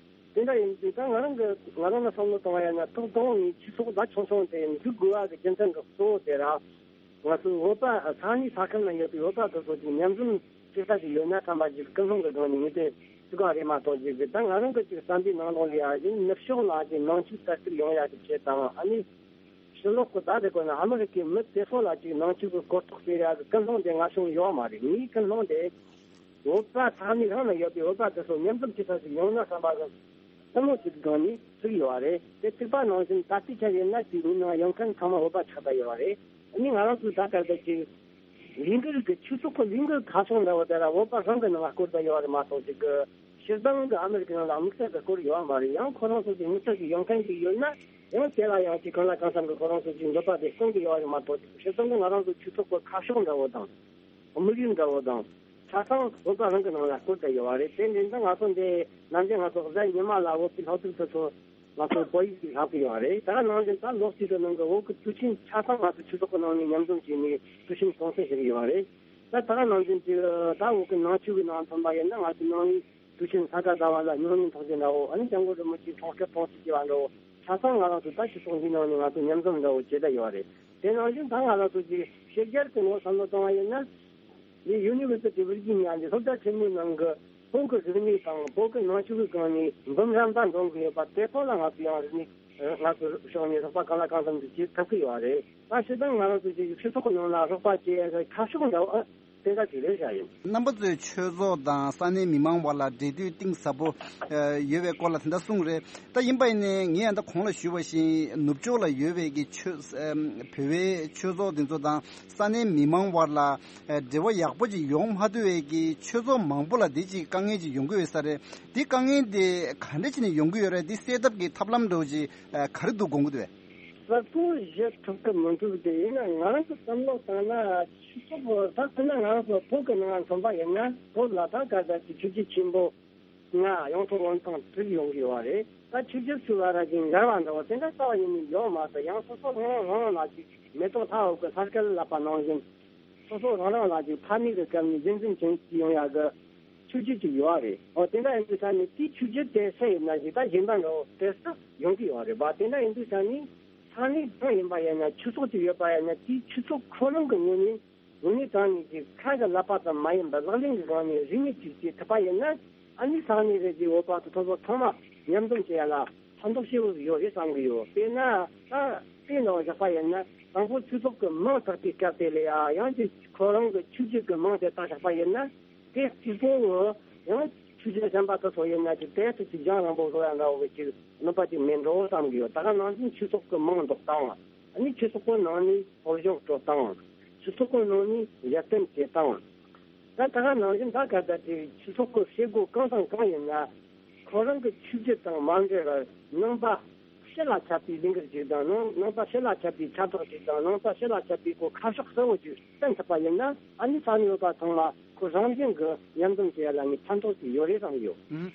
དེ་འདྲ་ཡིན་དུས་ད་ང་རང་གི་ང་རང་ལ་བསམ་བློ་གཏོང་བ་ཡིན་ན་ཐོག་དང་པོ་ངས་ཆོས་ཚོགས་ད་ཆུང་ཆུང་དེ་འཛུགས་དགོས་པ་གི་རྒྱུ་མཚན་གྱི་གཙོ་བོ་དེ་ར། ང་ཚོའི་བོད་པ་ས་གནས་ས་ཁུལ་ན་ཡོད་པའི་བོད་པ་དེ་ཚོ་ཅིག་མཉམ་འཛོམས་བྱེད་ས་ཞིག་ཡོད་ན་བསམ་པ་ཅིག་ཀུན་སློང་གི་སྒང་ནས་ངས་དེ་ཅིག་ག་རེད་མ་གཏོགས་ཅིག་གི་ད་ང་རང་གི་ཅིག་བསམ་པའི་ནང་ལོགས་ལ་ཡ་ཡིན་ནུབ་ཕྱོགས་ལ་ཅིག་ནང་ཆོས་དར་ཁྱབ་ཡོང་ཡ་གི་ཆེད་དང་ཨ་ནི་ཕྱི་ལོགས་གི་ད་དེ་གོ་ན་ཨ་མི་རི་ཀའི་མི་དེ་ཚོ་ལ་ཅིག་ནང་ཆོས་ཀྱི་གོ་རྟོགས་སྤེལ་ཡ་གི་ཀུན་སློང་དེ་ང་ཚོ་ཡོད་མ་རེད། ངའི་ཀུན་སློང་དེ་བོད་པ་ས་གནས་རང་ན་ཡོད་པའི་བོད་པ་དེ་ཚོ་མཉམ་འཛོམས་བྱེད་ཐབས་ཤིག་ཡོང་ན་བསམ་པ་གི་བསམ་བློ་ཞིག་གི་སྒང་ནས་བཙུགས་ཡོད་པ་རེད། དེ་བཙུགས་པ་ནང་བཞིན་ད་ལྟའི་ཆར་ཡིན་ན་དེའི་མི་ནང་ཡོང་མཁན་ཚང་མ་བོད་པ་ཆགས་བསྡད་ཡོད་པ་རེད། ཨ་ནི་ང་རང་ཚོའི་ད་ག་ཟེར་གྱི་ལས་འགུལ་གྱི་ཆོས་ཚོགས་ཀྱི་ལས་འགུལ་ཁ་བྱང་འདྲ་བོ་དེ་ལ་བོད་པ་རང་གི་ནང་ལ་བསྐོར་བསྡད་ཡོད་པ་རེད་མ་གཏོགས་ཅིག་གི་སྤྱིར་བཏང་གི་ཨ་མི་རི་ཀའི་ནང་ལ་དམིགས་བསལ་གྱི་བསྐོར་ཡོད་པ་མ་རེད། ཡང་ཁོ་རང་ཚོ་ཅིག་དམིགས་བསལ་གྱི་ཡོང་མཁན་ཅིག་ཡོད་ན་ཡང་དེ་ལ་ཡང་ཅིག་གང་ལ་གང་འཚམ་གྱི་ཁོ་རང་ཚོ་ཅིག་འདོད་པ་དེ་སྐོང་གི་ཡོད་པ་རེད་མ་གཏོགས་ཅིག་སྤྱིར་བཏང་གི་ང་རང་ཚོ་ཆོས་ཚོགས་ཀྱི་ཁ་བྱང་འདྲ་བོ་དང་། དམིགས་ཡུལ་འདྲ་བོ་དང་། ཆ་ཚང་བོད་པ་རང་གི་ནང་ལ་བསྐོར་བསྡད་ཡོད་པ་རེད། དེ་འདྲ་ན་ང་ཚོ་འདི་ནམ་རྒྱུན་ང་ཚོ་གཟའ་ཉི་མ་ལ་བོད་ཀྱི་སློབ་ཕྲུག་དེ་ཚོ་ང་ཚོ་བོད་ཡིག་ལྷག་གི་ཡོད་པ་རེད། ད་ནང་བཞིན་ད་ལོ་གཅིག་གི་ནང་གི་བོད་ཀྱི་དུས་ཆེན་ཆ་ཚང་ང་ཚོ་ཆོས་ཚོགས་ཀྱི་ནང་ནས་མཉམ་འཛོམས་བྱས་ནས་དུས་ཆེན་གཏོང་སྲོལ་ཞིག་ཡོད་པ་རེད། ད་ད་ནང་བཞིན་གྱི་ད་བོད་ཀྱི་ནང་ཆོས་ཀྱི་ནང་མཚོན་པ་ཡིན་ན་ང་ཚོ་ནང་མི་དུས་ཆེན་ས་ག་ཟླ་བ་ལ་སྨྱུང་གནས་ཚོགས་ཆེན་འདྲ་བོ་ཨ་ནི་སྐྱབས་མགོན་རིན་པོ་ཆེའི་གྲོངས་སྐྱབས་སྟོང་ཚིགས་བཅུ་པ་འདྲ་བོ་ཆ་ཚང་ང་རང་ཚོ་ད་ཆོས་ཚོགས་འདིའི་ནང་ནས་ང་ཚོ་མཉམ་འཛོམས་འདྲ་བོ་བྱེད་བསྡད་ཡོད་པ་རེད། དེ་ནང་བཞིན་ད་ང་རང་ཚོ་གི་ཕྱི་རྒྱལ་གྱི་ངོས་བསམ་བློ་གཏོང་བ་ཡིན་ན། འདི་University of Virginia འདི་སློབ་གྲྭ་ཆེན་མོའི་ནང་གི་བོད་ཀྱི་རིག་གནས་དང་བོད་ཀྱི་ནང་ཆོས་ཀྱི་སྒང་ནས་འབུམ་རམས་པ་འདོན་གྱི་ཡོད་པ་དེ་ཚོ་ལ་ང་ཚོ་ཡང་རིག་གནས་ང་ཚོ་ཕྱོགས་ནས་རོགས་པ་གང་ལ་གང་འཚམ་ཞིག་བྱེད་ཐུབ་ཀྱི་ཡོད་རེད། ད་སྤྱིར་བཏང་ང་རང་ཚོ་ཅིག་སྤྱི་ཚོགས་ཀྱི་ནང་ལ་རོགས་པ་བྱེད་ཡ་གི་ཁ་ཕྱོགས་འདྲ་བོ་ཨ་དེ་འདྲ་ཞིག་རེད་བཞག་ཡིན། རྣམ་པ་ཚོས་ཆོས་ཚོགས་དང་ས་གནས་མི་མང་བར་ལ་འབྲེལ་མཐུད་གཏིང་ཟབ་པོ་ཡོད་པའི་སྐོར་ལ་དེ་འདྲ་གསུངས་རེད། ད་ཡིན་པ་ཡིན་ནའི་ངས་ཡང་ད་གོང་ལ་ཞུས་པ་བཞིན་ནུབ་ཕྱོགས་ལ་ཡོད་པའི་གི་ཆོས་བོད་པའི་ཆོས་ཚོགས་དེ་ཚོ་དང་ས་གནས་མི་མང་བར་ལ་འབྲེལ་བ་ཡག་པོ་ཅིག་ཡོང་མ་ཐུབ་པའི་གི་ཆོས་ཚོགས་མང་པོ་ལ་འདི་ཅིག་དཀའ་ངལ་ཅིག་ཡོང་གི་ཡོད་ས་རེད། འདི་དཀའ་ངལ་འདི་ག་འདྲ་བྱས་ནས་ཡོང་གི་ཡོད་རེད། འདི་སེལ་ཐབས་ཀྱི་ཐབས་ལམ་འདྲ་བོ་ཅིག་ག་རེ་འདུག་དགོངས་ཀྱི་འདུག་གས། གསལ་པོ་བཤད་ཐུབ་ཀྱི་མི་འདུག་དེ་ཡིན་ན་ང་རང་གི་བསམ་བློ་བཏང་ན་ཆོས་ཚོགས་ད་ཁོ་ན་ང་རང་ཚོ་བོད་ཀྱི་ནང་མཚོན་པ་ཡིན་ན་བོད་ལ་ད་ག་ཟེར་གྱི་ཆོས་བརྒྱུད་ཆེན་པོ་ལྔ་ཡོངས་ཐོག་དབུས་གཙང་དྲུག་ཡོང་གི་ཡོད་པ་རེད། ད་ཆོས་བརྒྱུད་ཚོ་ལ་ར་གི་འགལ་བ་འདྲ་བོ་དེ་འདྲ་རྩ་བ་ཉིད་ནས་ཡོད་མ་རེད། ཡང་སོ་སོ་རང་རང་རང་ལ་ཅིག་མེ་ཏོག་ལྷ་འོད་ཀྱི་ལྷ་སྐལ་བསླབ་པ་ནང་བཞིན་སོ་སོ་རང་རང་ལ་ཅིག་ཕ་མེས་ཀྱི་སྐབས་ནས་རྒྱུན་འཛིན་བྱེད་ཀྱི་ཡོང་ཡག་གི་ཆོས་བརྒྱུད་ཅིག་ཡོད་རེད། འོ་དེ་འདྲ་ཡིན་དུས་ས་ནས་དེའི་ཆོས་བརྒྱུད་དེ་སུ་ཡིན་ན་ཞིག་ད་གཞན་པ་འདྲ་བོ་དེ་སུ་ཡོང་གི་ཡོད་རེད་པ། དེ་འདྲ་ཡིན་དུས་ས་ནས་ས་གནས་གང་ཡིན་པ་ཡིན་ན་ཆོས་ཚོགས་ཅིག་ཡོད་པ་ཡིན་ན་དེའི་ཆོས་ཚོགས་ཁོ་རང་གི་ངོས་ནས་དངོས་གནས་དྲང་གནས་ཀྱི་ཁ་གི་ལབ་པ་ཙམ་མ་ཡིན་པར་ལག་ལེན་གྱི་སྒང་ནས་རིག་གནས་ཅིག་བྱེད་ཐུབ་པ་ཡིན་ན་ཨ་ནི་ས་གནས་རེ་ཅིག་བོད་པ་དེ་ཚོ་ཚང་མ་མཉམ་འཛོམས་བྱེད་ཡ་ལ་ཕན་ཐོགས་ཆེ་བོ་ཡོད་རེད་བསམ་གི་ཡོད། དཔེར་ན་ད་དཔེ་འདྲ་བོ་བཞག་པ་ཡིན་ན་དང་པོ་ཆོས་ཚོགས་ཀྱི་མིང་བཏགས་པའི་སྐབས་དེ་ལ་ཡང་ཡང་ཅིག་ཁོ་རང་གི་ཆོས་བརྒྱུད་ཀྱི་མིང་དེ་བཏགས་བཞག་པ་ཡིན་ན། དེ་གཅིག་པོ་ངོ་ཡང་ཆོས་བརྒྱུད་གཞན་པ་དེ་ཚོ་ཡིན་ན་ཅིག་དེ་ཚོ་ཅིག་རྒྱང་རིང་པོ་བཟོ་ཡ་འདྲ་བོ་གི་ཅིག་གནོད་པ་ཅིག་མེད་འགྲོ་བསམ་གི་ཡོད། ད་ག་ནང་བཞིན་ཆོས་ཚོགས་ཀྱི་མིང་འདོགས་སྟངས། ཨ་ནི་ཆོས་ཚོགས་ཀྱི་ནང་ནས་ཕོ་གཞོན་སྤྲོད་སྟངས། ཆོས་ཚོགས་ཀྱི་ནང་ནས་ལེགས་བསྟན་བྱེད་སྟངས། ད་ད་ག་ནང་བཞིན་ད་ག་ད་དེ་ཆོས་ཚོགས་ཀྱི་བྱེད་སྒོ་གང་དང་གང་ཡིན་ན་ཁོ་རང་གི་ཆོས་བརྒྱུད་དང་མ་འབྲེལ་བར་ནང་པ། ཕྱི་ལ་ཁྱབ་པའི་ལས་འགུལ་ཅིག་དང་ནང་ནང་པ་ཕྱི་ལ་ཁྱབ་པའི་ཁྱབ་བསྒྲགས་ཅིག་དང་ནང་པ་ཕྱི་ལ་ཁྱབ་པའི་གོ་ཁ་ཕྱོགས་གསལ་བོ་ཅིག་བསྟན་ཐུབ་པ་ཡིན་ན། ཨ་ནི་ས་གནས་ཡོད་པ་ཚང་མ་ཁོ་རང་བཞིན་གྱི་མཉམ་འཛོམས་བྱེད་ཡ་ལ་ནི་ཕན་ཐོགས་ཅིག་ཡོད་རེད་བསམ་ཡོད། ཨུམ།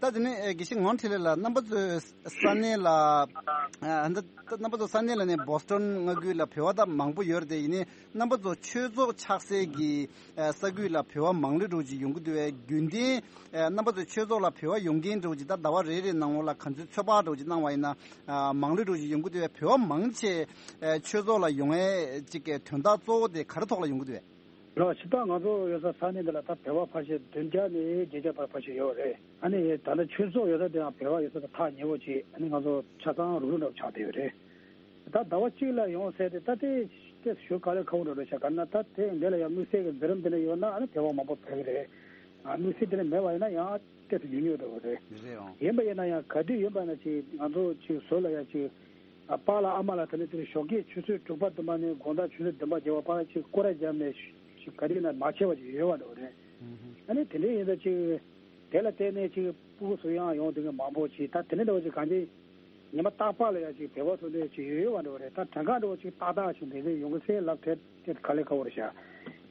ད་དེ་ནས་ཨེ་དགེ་བཤེས་ངག་དབང་འཕྲིན་ལས་ལགས། རྣམ་པ་ཚོའི་ས་གནས་ལ་ཨ་ད་ད་རྣམ་པ་ཚོ་ས་གནས་ལ་ནས་བོ་སི་ཊོན་མངའ་ཁུལ་ལ་བོད་པ་ད་མང་པོ་ཡོད་རེད་དེ། ཡིན་ནའི་རྣམ་པ་ཚོ་ཆོས་ཚོགས་ཆགས་སའི་གི་ཨ་ས་ཁུལ་ལ་བོད་པ་མང་ལོས་འགྲོ་ཅིག་ཡོང་གི་འདུག་བས། རྒྱུན་ལྡན་ཨ་རྣམ་པ་ཚོའི་ཆོས་ཚོགས་ལ་བོད་པ་ཡོང་མཁན་འགྲོ་ཅིག་ད་ཟླ་བ་རེ་རེ་ནང་ལོགས་ལ་ག་ཚོད་ཚོད་དཔག་འགྲོ་ཅིག་གནང་བ་ཡིན་ན། ཨ་མང་ལོས་འགྲོ་ཅིག་ཡོང་གི་འདུག་བས། བོད་པ་མང་ཆེ་ཨ་ཆོས་ཚོགས་ལ་ཡོང་ཨེ་ཅིག་གི་དོན་དག་གཙོ་བོ་དེ་ག་རེ་ཐོག་ལ་ཡོང་གི་འདུག་བས། ལགས་སོ། ད་ང་ཚོ་ཡོད་ས་ས་གནས་འདི་ལ་ད་བོད་པ་ཕལ་ཆེར་བདུན་བརྒྱ་ནས་བརྒྱད་བརྒྱ་བར་ཕལ་ཆེར་ཡོད་རེད། ཨ་ནི་ད་ལྟ་ཆོས་ཚོགས་ཡོད་ས་དེའང་བོད་པ་ཡོད་ས་དང་ཐག་ཉེ་བོ་ཅིག་ཨ་ནི་ང་ཚོ་ཆ་ཚང་རུག་རུག་འདྲ་བོ་ཆགས་བསྡད་ཡོད་རེད། ད་ཟླ་བ་གཅིག་ལ་ཡོང་ཟེར་ཏེ་ད་དེ་དེ་ཞུ་ག་ལེ་ཁག་པོ་འདྲ་བོ་ཆགས། ག་ན་ད་དེ་འདི་ལ་ཡང་དམིགས་བསལ་གྱི་འཛིན་རིམ་དེ་འདྲ་ཡོད་ན་ཨ་ནི་བོད་པ་མང་པོ་ཕེབས་ཀྱི་རེད། ཨ་དམིགས་བསལ་དེ་འདྲ་མེད་པ་ཡིན་ན་ཡང་ཏོག་ཙམ་ཉུང་ཉུང་འདྲ་བོ་རེད། རེད་འོང་། ཡིན་པ་ཡིན་ན་ཡང་ག་དུས་ཡིན་པ་ན་ཅིག་ང་ཚོ་ཅིག་ཟུར་ལ་ཡང་ཅིག་ཨ་པཱ་ལགས་ཨ་མ་ལགས་དེ་ནས་དེར་ཞོགས་ཀས་ཆུ་ཚོད་དྲུག་པ་བདུན་པ་ནས་དགོང་དག་ཆུ་ཚོད་བདུན་པ་བརྒྱད་པ་བར་ཅིག་སྐོར་ར་བརྒྱབ་ནས་ཅིག་ག་རེ་ན་མ་བྱས་པ་ཅིག་ཡོད་པ་འདྲ་བོ་རེད། ཨ་ནི་དེ་འདྲའི་ཡིན་ཙང་ཅིག་དེ་ལ་བརྟེན་ནས་ཅིག་སྤུ་གུ་ཚོ་ཡང་ཡོང་དེ་གི་མང་པོ་ཅིག་ད་དེ་འདྲ་འདྲ་བོ་ཅིག་གང་ཅི་ཉི་མ་རྟག་པར་ལ་ཡང་ཅིག་བོད་པ་ཚོ་འདྲ་ཅིག་ཡོད་ཡོད་པ་འདྲ་བོ་རེད། ད་གྲངས་ཀ་འདྲ་བོ་ཅིག་ཏག་ཏག་ཅིག་འདི་འདྲ་ཡོང་གི་ཚེ་ལབ་དེ་དེ་ག་ལེ་ཁག་པོ་རེད་ཤག་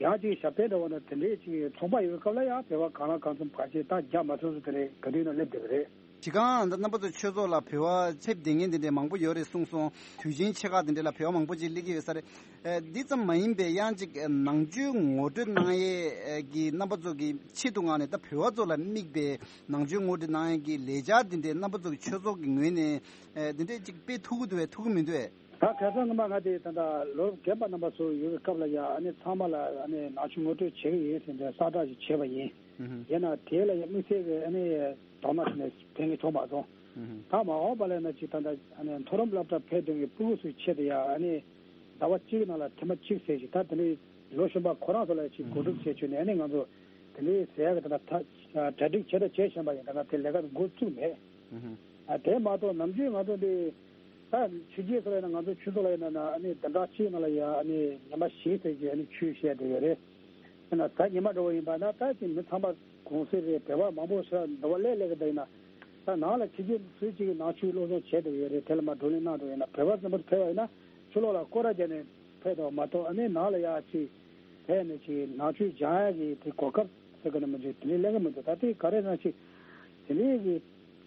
ཡང་ཅིག་ཞབས་བརྟན་འདྲ་བོ་ན་དེ་འདྲའི་ཅིག་ཚོགས་པ་ཡོད་སྐབས་ལ་ཡང་བོད་པ་གང་ལ་གང་འཚམ་ག་ཅིག་ད་རྒྱ་མ་ཐོན་སུ་དེ་རེད། ག་དུས་ན་སླེབས་བསྡད་པ་རེད། ཅི་གང་ད་རྣམ་པ་ཚོ་ཆོས་ཚོགས་ལ་བོད་པ་ཕེབས་བསྡད་མཁན་དེ་འདྲ་མང་པོ་ཡོད་རེད་གསུངས་སོང་། དུས་ཆེན་ཆེ་ཁག་དེ་འདྲ་ལ་བོད་པ་མང་པོ་ཅིག་སླེབས་ཀྱི་ཡོད་ས་རེད། ཨེ་འདི་ཙམ་མ་ཡིན་པའི་ཡང་ཅིག་ནང་ཆོས་ངོ་སྤྲོད་གནང་ཡས་ཀྱི་རྣམ་པ་ཚོ་གི་ཆེད་དུ་མངགས་ནས་ད་བོད་པ་ཚོ་ལ་དམིགས་པའི་ནང་ཆོས་ངོ་སྤྲོད་གནང་ཡས་ཀྱི་ལས་འཆར་དེ་འདྲ་རྣམ་པ་ཚོ་གི་ཆོས་ཚོགས་ཀྱི་ངོས་ནས་ཨེ་དེ་འདྲ་ཅིག་སྤེལ་ཐུབ་ཀྱི་འདུག་བས། ཐུབ་ཀྱི་མི་འདུག་བས། ད་ཁ་སང་སྔོན་མ་ང་དེ་ད་ལྟ་ལོ་རྒན་པ་རྣམ་པ་ཚོ་ཡོད་པའི་སྐབས་ལ་ཡ་ཨ་ནི་ཚང་མ་ལ་ཨ་ནི་ནང་ཆོས་ངོ་སྤྲོད་བྱེད་ཀྱི་ཡིན་ཟེར་ནས་གསལ་བསྒྲགས་ཤིག་བྱས་པ་ཡིན། ཨུ་ཧུ། ཡིན་ན་དེ་ལ་ཡ་དམིགས་བསལ་གྱི་ཨ་ནི་དོགས་པ་དེ་ནས་ཕན་གྱི་བྱུང་མ་སོང་། ཨུ་ཧུ། ད་མ་འོངས་པ་ལ་ན་ཅིག་ད་ལྟ་ཨ་ནི་མཐོ་རིམ་སློབ་གྲྭ་ཕེབས་དོན་གྱི་སྤུ་གུ་ཚོའི་ཆེད་དུ་ཡ་ཨ་ནི་ཟླ་བ་གཅིག་ནང་ལ་ཐེངས་མ་གཅིག་ཟེར་ཞིག་ད་དེ་འདྲའི་ལོ་གཞོན་པ་ཁོ་རང་ཚོ་ལ་ཡ་ཅིག་གོ་སྒྲིག་བྱས་བྱས་ནས་ཨ་ནི་ང་ཚོ་དེ་འདྲའི་ཟེར་ཡ་གི་ད་ལྟ་ད་གྲ་སྒྲིག་བྱས་ད་བྱས་བཞིན་པ་ཡིན། ད་ང་དེ་ལས་ཀ་འགོ་བཙུགས་མེད། ཨུ་ཧུ། ཨ་དེ་མ་གཏོགས་ནམ་རྒྱུན་ང་ཚོ་འདི་ད་ཕྱི་རྒྱལ་སོགས་ལ་ཡིན་ན་ང་ཚོ་ཆུ་ཚོད་ལ་ཡིན་ན་ཨ་ནི་བདུན་ཕྲག་གཅིག་ནང་ལ་ཡ་ཨ་ནི་ཉི་མ་བཞི་ཙམ་ཅིག་ཨ་ནི་ཆོས་བཤད་བསྡད་ཡོད་རེད། ཡིན་ན་ད་ཉི་མ་འགྲོ་བ་ཡིན་པ་ན་ད་ཅིག་མི་ཚང་མ་གུང་སེང་རེད། བོད་པ་མང་པོ་ཞིག་འདི་བ་སླེབས་སླེབས་ཀྱི་འདུག་ཡིན་ན་ད་ནང་ལ་ཕྱི་རྒྱལ་སུ་གཅིག་གིས་ནང་ཆོས་སློབ་སྦྱོང་བྱས་བསྡད་ཡོད་རེད། དེ་ལ་མ་བགྲོ་གླེང་གནང་འགྲོ་ཡིན་ན་བོད་པ་ཚང་མ་ཕེབས་པ་ཡིན་ན་ཆུ་ལོག་ལ་སྐོར་ར་བརྒྱབ་ནས་ཕེབས་དང་མ་གཏོགས་ཨ་ནི་ནང་ལ་ཡ་ཅིག་ཕེབས་ནས་ཅིག་ནང་ཆོས་སྦྱང་ཡ་གི་དེ་གོ་སྐབས་ཟེར་གི་ནི་མི་འདུག་དེ་ནི་གླེང་གི་མི་འདུག་ད་དེ་ག་རེ་ན་ཅིག་དེ་ནས་གི་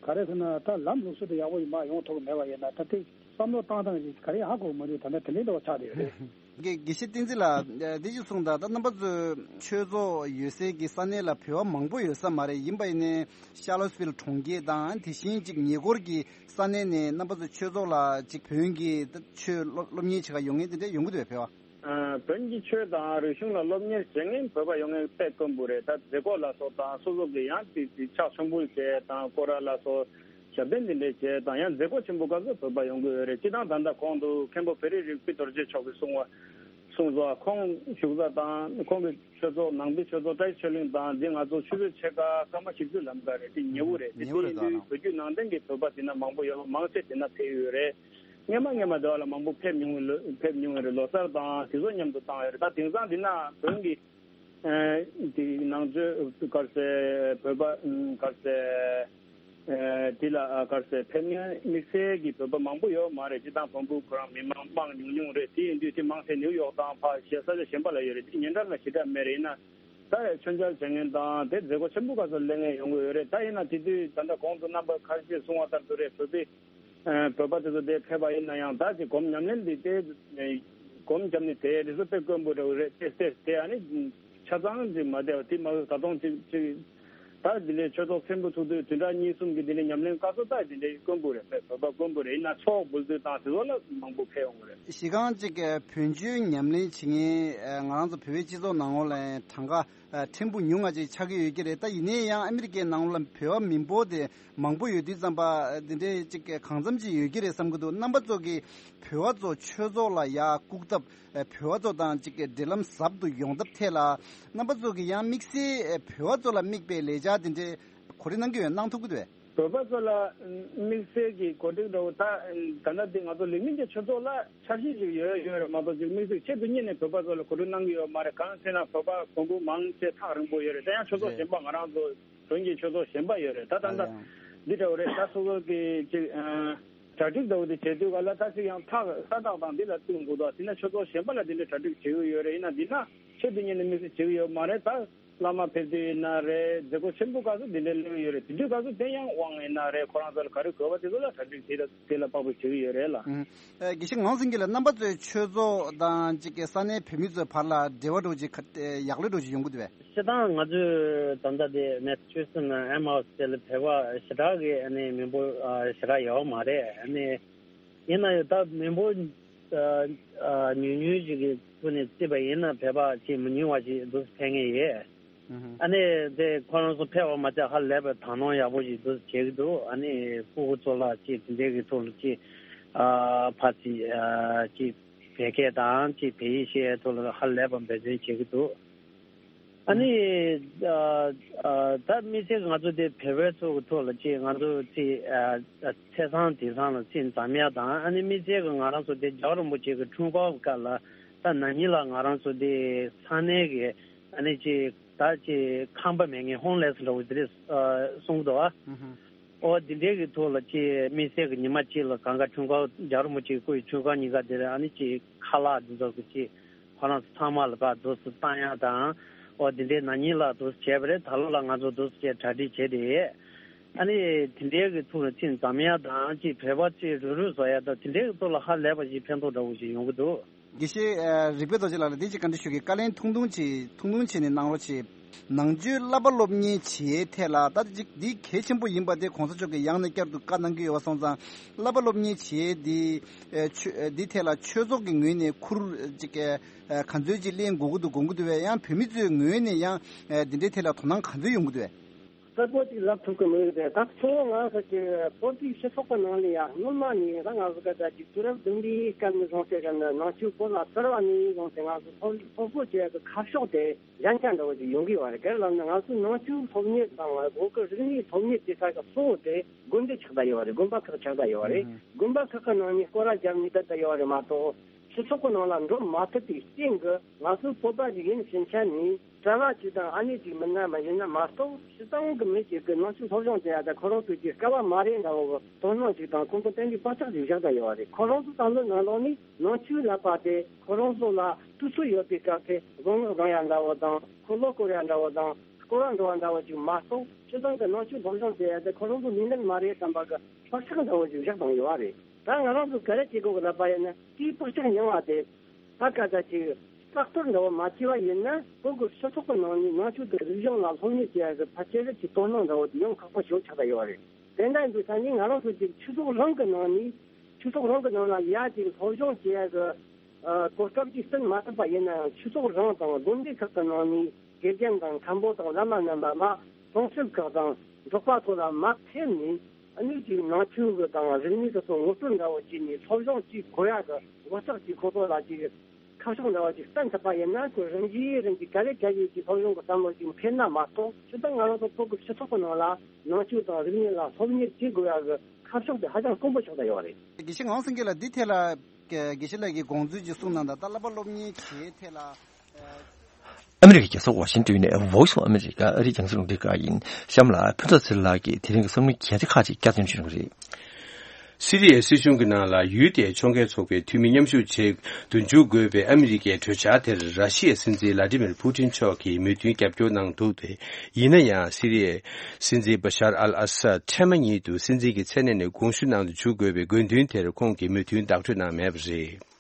ག་རེ་ཟེར་ན་ད་ལམ་ལུགས་སྲོལ་དེ་ཡག་པོ་ཡིན་མ་ཡོང་ཐུབ་གི་མེད་པ་ཡིན་ན་ད་དེ་བསམ་བློ་བཏང་སྟངས་ཅིག་ག་རེ་ཧ་གོ་གི་མི་འདུག་ད་ལྟ་དེ་འདྲའི་འདྲ་བ་ཆགས་བསྡད་ཡོད་རེད། དགེ་དགེ་བཤེས་བསྟན་འཛིན་ལགས། འདི་ཅིག་གསུངས་དང་། ད་རྣམ་པ་ཚོའི་ཆོས་ཚོགས་ཡོད་སའི་གི་ས་གནས་ལ་བོད་པ་མང་པོ་ཡོད་ས་མ་རེད། ཡིན་པ་ཡིན་ནའི་ཤར་ལོ་སི་ཝིལ་གྲོང་ཁྱེར་དང་དེ་བཞིན་ཅིག་ཉེ་འཁོར་གྱི་ས་གནས་ནས་རྣམ་པ་ཚོ་ཆོས་ཚོགས་ལ་ཅིག་བོན་གྱི་ཆོས་སློབ་སློབ་གཉེར་བྱེད་ག་ཡོང་མཁན་དེ་འདྲ་ཡོང་གི་འདུག་བས། བོད་པ། ཨ་བོན་གྱི་ཆོས་དང་རིག་གཞུང་ལ་སློབ་གཉེར་བྱེད་མཁན་བོད་པ་ཡོང་མཁན་དཔེ་དཀོན་པོ་རེད། ད་མཛད་སྒོ་ལ་སོགས་དང་སོ་སོ་གི་ཡང་དེ་དེ་ཕྱག་མཆོད་འབུལ་བྱས་དང་སྐོར་ར་ལ་སོགས་ཞབས་བརྟན་འདི་འདྲས་བྱས་དང་ཡང་མཛད་སྒོ་ཆེན་པོ་སྐབས་སུ་བོད་པ་ཡོང་གི་ཡོད་རེད། སྤྱི་བཏང་ད་ལྟ་གོང་དུ་མཁན་པོ་བེ་རི་རིག་པའི་རྡོ་རྗེ་མཆོག་གིས་གསུངས་པ་གསུངས་སོ། ཁོང་བཞུགས་ས་དང་ཁོང་གི་ཆོས་ཚོགས་ནང་པའི་ཆོས་ཚོགས་བཀྲ་ཤིས་ཆོས་གླིང་དང་འདི་ང་ཚོ་ཆུ་ཚོད་ཕྱེད་ཀ་སྐར་མ་བཞི་བཅུ་ལམ་ཀ་རེད། དེ་ཉེ་བོ་རེད། དེ་ཉེ་བོ་དེ་རེད་ཡིན་དུས་ད་ན། བོད་བརྒྱུད་ནང་བསྟན་གྱི་བོད་པ་དེ་ན་མང་པོ་ཡོད། མང་ཆེ་དེ་ན་ཕེབས་ཡོད་རེད། སྔས་མ་སྔས་མ་དེ་བ་ལ་མང་པོ་ཕེབས་མྱོང་ཡོད་ལོ་ཕེབས་མྱོང་ཡོད་རེད། ལོ་གསར་དང་དེ་ཚོ་མཉམ་དུ་བཏང་ཡོད་རེད། ད་དེང་སང་འདི་ན་བོན་གྱི་ཨ་དེ་ནང་ཆོས་ག་རེ་ཟེར་བོད་པ་ཨ་ག་རེ་ཟེར་ཨ་དེ་ལ་ཨ་ག་རེ་ཟེར་ཕེབས་མཁན་དམིགས་བསལ་གྱི་བོད་པ་མང་པོ་ཡོད་མ་རེད། སྤྱི་བཏང་བོན་པོ་ཁོ་རང་མི་མང་མང་ཉུང་ཉུང་རེད། དེ་ཡིན་དུས་དེ་མང་ཆེ་ནིའུ་ཡོག་དང་ཕ་གཞན་ས་ཆ་གཞན་པ་ལ་ཡོད་རེད། དེ་ཉེ་འགྲམ་ལ་ཞེ་དྲག་མེད་རེད། ཡིན་ན་ད་མཆོད་མཇལ་བྱེད་མཁན་དང་དེ་མཛད་སྒོ་ཆེན་པོ་སྐབས་སུ་སླེབས་མཁན་ཡོང་གི་ཡོད་རེད། ད་ཡིན་ན་དེ་དུས་ད་ལྟ་གོང་དུ་རྣམ་པ་ཁ་ཤས་གསུངས་པ་ལྟར་དུ་རེད། བོད་པའི་ཨ་བོད་པ་དེ་ཚོ་དེ་ཕེབས་པ་ཡིན་ན་ཡང་ད་ཅིག་སྒོམ་ཉམས་ལེན་འདི་དེ་སྒོམ་བརྒྱབ་ནས་དེ་རེ་ཟུང་དཔེ་དཀོན་པོ་འདྲ་བོ་རེད། དེ་དེ་དེ་ཨ་ནི་ཆ་ཚང་ཅིག་མ་བསྡད་པ་དེ་མ་ད་དུང་ཅིག་ཅིག་ད་འདི་འདྲའི་ཆོས་ཚོགས་ཆེན་པོ་ཚུགས་དུས་བདུན་ཕྲག་གཉིས་གསུམ་གྱི་འདི་འདྲའི་ཉམས་ལེན་སྐབས་སུ་ད་འདི་འདྲའི་དཀོན་པོ་རེད། དཔེ་བོད་པ་དཀོན་པོ་རེད། ཡིན་ན་ཚོགས་འབུལ་དུས་དང་དེ་ཚོ་ལ་མང་པོ་ཕེབས་ཡོང་གི་རེད། གཞི་རྐང་ཅིག་བོན་ཆོས་ཉམས་ལེན་བྱེད་མཁན་ང་རང་ཚོ་བོད་པའི་སྤྱི་ཚོགས་ནང་ལོགས་ལ་གྲངས་ཀ་ཨ་ཕྲན་བུ་ཉུང་ང་ཅིག་ཆགས་ཀྱི་ཡོད་ཀྱི་རེད། ད་ཡིན་ནའི་ཡང་ཨ་མི་རི་ཀའི་ནང་ལ་བོད་པ་མི་འབོར་དེ་མང་པོ་ཡོད་དུས་ཙམ་པ་འདི་འདྲའི་ཅིག་གང་འཚམ་ཅིག་ཡོད་ཀྱི་རེད་བསམ་གྱི་འདུག་རྣམ་པ་ཚོ་གིས་བོད་པ་ཚོ་ཆོས་ཚོགས་ལ་ཡར་བཀུག་ཐབས། ཨ་བོད་པ་ཚོ་དང་ཅིག་འབྲེལ་ལམ་ཟབ་ཏུ་ཡོང་ཐབས་ཐད་ལ་རྣམ་པ་ཚོ་གིས་ཡང་དམིགས་བསལ་ཨ་བོད་པ་ཚོ་ལ་དམིགས་པའི་ལས་འཆར་དེ་འདྲའི་གོ་སྒྲིག་གནང་གི་ཡོད། གནང་ཐུབ་ཀྱི་འདུག་གས། བོད་པ་ཚོ་ལ་དམིགས་བསལ་གྱི་གོ་སྒྲིག་འདྲ་བོ་ད་ད་ལྟ་འདི་ང་ཚོ་ལིག་མིན་གྱི་ཆོས་ཚོགས་ལ་འཆར་གཞི་ཞིག་ཡོད་ཡོད་རེད་མ་གཏོགས་ཅིག་དམིགས་བསལ་ཆེད་དུ་གཉེར་ནས་བོད་པ་ཚོ་ལ་གོ་སྒྲིག་གནང་གི་ཡོད་མ་རེད། གང་ཟེར་ན་བོད་པ་བོན་པོ་མང་ཆེ་ཐག་རིང་པོ་ཡོད་རེད། ད་ཡང་ཆོས་ཚོགས་རེད། གཞན་པ་ང་རང་ཚོ་བོན་གྱི་ཆོས་ཚོགས་གཞན་པ་ཡོད་རེད། ད་ད་ད་ལྟ་ཡང་འདི་འདྲ་བོ་རེད། ད་སོ་སོ་གི་ཅིག་ཨ་ གྲ་སྒྲིག་འདྲ་བོ་དེ་བྱེད་དུས་ག་ལ་ད་ཅིག་ཡང་ཐག་ས་ཐག་དང་འདི་ལ་བསྟུན་དགོས་དོ། དེ་ན་ཆོས་ཚོགས་གཞན་པ་ལ་དེ་འདྲའི་གྲ་སྒྲིག་བྱེད་ཀྱི་ཡོད་རེད། ཡིན་ན་འདི་ན་ཆོས་དེ་ཉིད་ནས་དམིགས་བསལ་བྱེད་ཀྱི་ཡོད་མ་རེད། ད་བླ་མ་ཕེབས་དུས་ཡིན་ན་རེད། མཛད་སྒོ་ཆེན་པོ་སྐབས་སུ་འདི་འདྲའི་སླེབས་ཀྱི་ཡོད་རེད། དེ་དུས་སྐབས་སུ་དེ་ཡང་དབང་ཡིན་ན་རེད། ཁོ་རང་ཚོ་ལ་ག་རེ་དགོས་པ་དེ་ཚོ་ལ་གྲ་སྒྲིག་དེ་ལ་དེ་ལ་དཔག་པའི་བྱེད་ཀྱི་ཡོད་རེད་ལ། ཨུམ། ཨ། དགེ་བཤེས་ངག་དབང་སེང་གེ་ལགས། རྣམ་པ་ཚོའི་ཆོས་ཚོགས་དང་ཅིག་གི་ས་གནས་བོད་མི་ཚོའི་བར་ལ་འབྲེལ་བ་འདྲ་བོ་ཅིག་ག་ཡག་ལོས་འདྲ་བོ་ཅིག་ཡོང་གི་འདུག་པས། སྤྱིར་བཏང་ང་ཚོས་ད་ལྟ་དེ་མེ་སི་ཆུ་སི་ནང་ཨེམ་ཧའུ་སི་དེ་ལ་བོད་པ་ཞེ་དྲག་གི་ཨ་ནི་མི་འབོར་ཨ་ཞེ་དྲག་ཡོད་མ་རེད། ཨ་ནི་ཡིན་ན་ཡང་ད་མི་འབོར་ཨ་ཨ་ཉུང་ཉུང་ཞིག་གི་ཐོག་ནས་བརྩིས་པ་ཡིན་ན་བོད་པ་ཅིག་མི་ཉུང་བ་ཞིག་འདུག་ཕེབས་མཁན་ཡོད། ཨ་ནི་དེ་ཁོ་རང་ཚོ་ཕེབས་པ་མ་ཚད་ཧ་ལས་པའི་དག་སྣང་ཡག་པོ་ཞིག་འདུག་བྱེད་ཀྱི་འདུག་ཨ་ནི་སྤུ་གུ་ཚོ་ལ་ཅིག་དེ་འདྲའི་གི་ཐོག་ལ་ཅིག་ཨ་ཕར་ཅིག་ཨ་ཅིག་བོད་སྐད་དང་ཅིག་བོད་ཡིག་ཤེས་ཡའི་ཐོག་ལ་ཧ་ལས་པ་འབད་བརྩོན་བྱེད་ཀྱི་འདུག་ཨ་ནི་ཨ་ཨ་ད་དམིགས་བསལ་ང་ཚོ་དེ་བོད་པའི་ཚོ་གི་ཐོག་ལ་ཅིག་ང་ཚོ་ཅིག་ཨ་ཨ་ཚེས་བཟང་དེང་སང་ལ་ཅིག་འཛོམས་ཡ་དང་། ཨ་ནི་དམིགས་བསལ་གྱི་ང་རང་ཚོ་དེ་རྒྱལ་བ་རིན་པོ་ཆེ་གི་འཁྲུངས་སྐར་གྱི་སྐབས་ལ་ད་ན་ནིང་ལ་ང་རང་ཚོ་དེ་ས་གནས་ཀྱི་ཨ་ནི་ཅིག་ད་ཅིག་ཁང་པ་མེད་མཁན་ཧོམ་ལེ་སི་འདྲ་བོ་དེ་རེད་གསུང་གི་འདུག་བ། ཨོ་དེ་འདྲའི་གི་ཐོག་ལ་ཅིག་དམིགས་བསལ་གྱི་ཉི་མ་གཅིག་ལ་གང་ག་འཁྲུངས་སྐར་རྒྱལ་བ་རིན་པོ་ཆེའི་སྐུ་ཡི་འཁྲུངས་སྐར་ཉིན་ཀ་དེ་རེད། ཨ་ནི་ཅིག་ཁ་ལག་འདི་ཚོ་གི་ཅིག་ཁོ་རང་ཚོ་ཚང་མ་ལ་ཕར་འདུག་སེ་བཏང་ཡ་དང་། ཨོ་དེ་འདྲའི་ན་ནིང་ལ་འདུག་སེ་བྱས་པ་རེད། ད་ལོ་ལ་ང་ཚོ་འདུག་སེ་བྱས་གྲ་སྒྲིག་བྱས་ཏེ། ཨ་ནི་དེ་འདྲའི་གི་ཐོག་ལ་ཅིག་འཛོམས་ཡ་དང་ཅིག་བོད་པ་ཅིག་རུབ་རུབ་བཟོ་ཡ་དང་དེ་འདྲའི་གི་ཐོག་ལ་ཧ་ལས་པ་ཞིག་ཕན་ཐོགས་འདྲ་བོ་ཞིག་ཡོང་གི་འདུག་དགེ་བཤེས་ཨ་རིག་པའི་རྡོ་རྗེ་ལགས་ལ་འདི་ཅིག་བཀའ་འདྲི་ཞུ་གི། བཀའ་ལན་ཐུང་ཐུང་ཅིག་ཐུང་ཐུང་བྱས་ནས་གནང་རོགས་བྱེད། ནང་ཆོས་བསླབ་པ་སློབ་གཉེར་བྱེད་ཐད་ལ་ད་ཅིག་འདི་གལ་ཆེན་པོ་ཡིན་པ་དེ་གོང་ས་མཆོག་གིས་ཡང་ནས་བསྐྱར་དུ་བཀའ་གནང་གི་ཡོད་པ་སོང་ཙང་། བསླབ་པ་སློབ་གཉེར་བྱེད་འདི་ཨ་ཆོས་འདི་ཐད་ལ་ཆོས་ཚོགས་ཀྱི་ངོས་ནས་ཁུར་ཅིག་ཨ་ག་ཚོད་ཅིག་ལེན་དགོས་ཀྱི་འདུག་དགོངས་ཀྱི་འདུག་པས། ཡང་བོད་མི་ཚོའི་ངོས་ནས་ཡང་ཨ་འདི་འདྲའི་ཐད་ལ་དོ་སྣང་ག་ཚོད་ཡོང་གི་འདུག་པས། གསལ་པོ་ཅིག་ལབ་ཐུབ་ཀྱི་མི་འདུག་སྟེ། ད་གཙོ་བོ་ང་ཚོ་གི་བོད་པའི་སྤྱི་ཚོགས་ཀྱི་ནང་ལ་ཡང་སྔོན་མ་ནས་ད་ང་ཚོ་ག་ད་ཅིག་དུས་རབས་བདུན་པའི་སྐབས་ནས་བཟུང་སྟེ་ག་ནང་ཆོས་སྐོར་ལ་གསར་བ་ནས་བཟུང་སྟེ་ང་ཚོ་སློབ་སློབ་གསོ་བྱེད་ཡག་གི་ཁ་ཕྱོགས་དེ་གཞན་ཆ་འདྲ་བོ་ཅིག་ཡོང་གི་ཡོད་རེད། ག་རེ་ལབ་ན་ང་ཚོའི་ནང་ཆོས་སློབ་གཉེར་དང་བོད་ཀྱི་རིག་གནས་སློབ་གཉེར་དེ་ཚོ་གི་གཙོ་བོ་དེ་དགོན་སྡེ་ཆགས་བསྡད་ཡོད་རེད། དགོན་པ་ཁག་ཆགས་བསྡད་ཡོད་རེད། དགོན་པ་ཁག་གི་ནང་ནས་སྐོར་ར་བརྒྱབ་ནས་བསྡད་བསྡད་ཡོད་རེད་མ་གཏོགས། སྤྱི་ཚོགས་ཀྱི་ནང་ལ་འགྲོ་མ་ཐུབ་པའི་རྐྱེན་གྱིས་ང་ཚོ་བོད་པ་ཞིག་ཡིན་ཕྱིན་ཆད་ནས་གྲྭ་བ་ཅིག་དང་ཨ་ནེ་ཅིག་མིན་ན་མ་ཡིན་ན་མ་གཏོགས་སྤྱིར་བཏང་གི་མི་ཅིག་གི་ནང་ཆོས་སློབ་སྦྱོང་བྱེད་ཡ་དང་ཁོ་རང་ཚོ་ཅིག་དཀའ་བ་མ་རེད་འདྲ་བོ་དོ་སྣང་ཅིག་དང་ཁོང་ཚོ་ཏན་ཏིག་བག་ཆགས་ཅིག་བཞག་བསྡད་ཡོད་རེད། ཁོ་རང་ཚོ་བསམ་བློའི་ནང་ལོགས་ནས་ནང་ཆོས་ལབ་པ་དེ་ཁོ་རང་ཚོ་ལ་དུས་ཚོད་ཡོད་པའི་སྐབས་དེ་བཟང་ངན་སྦྱང་ཡ་འདྲ་བོ་དང་འཁོར་ལོ་བསྐོར་ཡ་འདྲ་བོ་དང་སྐོར་ར་འགྲོ་བ་འདྲ་བོ་ཅིག་མ་གཏོགས་སྤྱིར་བཏང་གི་ནང་ཆོས་སློབ་སྦྱོང་བྱེད་ཡ་དེ་ཁོ་རང་ཚོ་ནུས་ལྡན་མ་རེད་བསམ་པ་གི་བག་ཆགས་འདྲ་བོ་ཅིག་བཞག་བཏང་ཡོད་རེད། ད་ང་རང་ཚོ་ག་རེ་བྱེད་དགོས་ཀྱི་ལབ་པ་ཡིན་ན་དེའི་བག་ཆགས་ཉུང་བ་དེ་ད་ག་ད་ཅིག་བཀག་སྡོམ་འདྲ་བོ་མ་བྱས་པ་ཡིན་ན་བོད་ཀྱི་སྤྱི་ཚོགས་ཀྱི་ནང་ནས་ནང་ཆོས་དང་རིག་གཞུང་ལ་སློབ་གཉེར་བྱེད་ཡ་གི་ཕལ་ཆེར་གྱི་དོ་སྣང་འདྲ་བོ་དེ་ཡང་ཁག་པོ་ཞིག་ཆགས་བསྡད་ཡོད་རེད། དེ་འདྲ་ཡིན་དུས་ད་ནི་ང་རང་ཚོ་ཅིག་སྤྱི་ཚོགས་རང་གི་ནང་ནས་སྤྱི་ཚོགས་རང་གི་ནང་ལ་ཡ་ཅིག་སློབ་སྦྱོང་བྱེད་ཡ་གི་ཨ་གོ་སྐབས་ཅིག་བསྐྲུན་མ་ཐུབ་པ་ཡིན་ན་ཡང་སྤྱི་ཚོགས་རང་དང་དགོན་སྡེ་ཁག་གི་ནང་ནས་དགེ་རྒན་དང་མཁན་པོ་དང་བླ་མ་རྣམ་པ་མ་གྲོང་གསེབ་ཁག་དང་འབྲོག་པ་ཚོ་ལ་མར་ཕེབས་ནས། ཨ་ནི་ཅིག་ནང་ཆོས་ཀྱི་དང་རིག་གནས་ཀྱི་སོགས་ངོ་སྤྲོད་འདྲ་བོ་བྱས་ནས་སློབ་སྦྱོང་བྱེད་དགོས་ཡ་གི་གོ་རྟོགས་ཀྱི་ཁོ་ཚོ་ལ་ཅིག་ཁ་ཕྱོགས་འདྲ་བོ་ཅིག་བསྟན་ཐུབ་པ་ཡིན་ན་ཁོ་རང་གིས་རང་གིས་ག་ལེ་ག་ལེ་ཀྱི་སློབ་སྦྱོང་གི་བསམ་བློ་ཅིག་འཕེལ་ན་མ་གཏོགས་སྤྱིར་བཏང་ང་རང་ཚོ་བོད་ཀྱི་སྤྱི་ཚོགས་ཀྱི་ནང་ལ་ནང་ཆོས་དང་རིག་གནས་ལ་སློབ་གཉེར་བྱེད་དགོས་ཡ་གི་ཁ་ཕྱོགས་དེ་ཧ་ཅང་དཀོན་པོ་ཆགས་བསྡད་ཡོད་རེད། དགེ་བཤེས་ངག་དབང་སེང་གེ་ལགས་འདི་ཐད་ལ་དགེ་བཤེས་ལགས་ཀྱིས་དགོངས་ཚུལ་ཅིག་གསུངས་གནང་དང་ད་བསླབ་པ་སློབ་གཉེར་བྱེད་ཐད་ལ། ཨ་མི་རི་ཀའི་རྒྱལ་ས་ཝ་ཤིང་ཏོན་ནས་Voice of America ཨ་རིའི་རྒྱང་སྲིང་རླུང་འཕྲིན་ཁང་ཡིན། གཤམ་ལ་ཕུན་ཚོགས་ཚེ་རིང་ལགས་ཀྱིས་དེ་རིང་གི་བསམ་བློའི་གལ་ཆེ་ཁག་ཅིག་བསྐྱར་ཟློས་ཞུ་གི་རེད། སི་རི་ཡའི་སྲིད་གཞུང་གི་ནང་ལ་ཡུལ་དེའི་ཕྱོགས་འགལ་ཚོགས་པའི་འཐུས་མི་མཉམ་ཞུགས་བྱེད་དུ་འཇུག་དགོས་པའི་ཨ་མི་རི་ཀའི་གྲོས་འཆར་དེར་ར་ཤི་ཡའི་སྲིད་འཛིན་ལ་ཏི་མིར་ཕུ་ཏིན་མཆོག་གིས་མོས་མཐུན་རྒྱབ་སྐྱོར་གནང་འདུག་སྟེ། ཡིན་ན་ཡང་སི་རི་ཡའི་སྲིད་འཛིན་བ་ཤར་ཨལ་ཨ་སད་འཕྲལ་མ་ཉིད་དུ་སྲིད་འཛིན་གྱི་མཚན་གནས་ནས་དགོངས་ཞུ་གནང་དུ་འཇུག་དགོས་པའི་དགོས་འདུན་དེར་ཁོང་གིས་མོས་མཐུན་བདག་སྤྲོད་གནང་མེད་པ་རེད།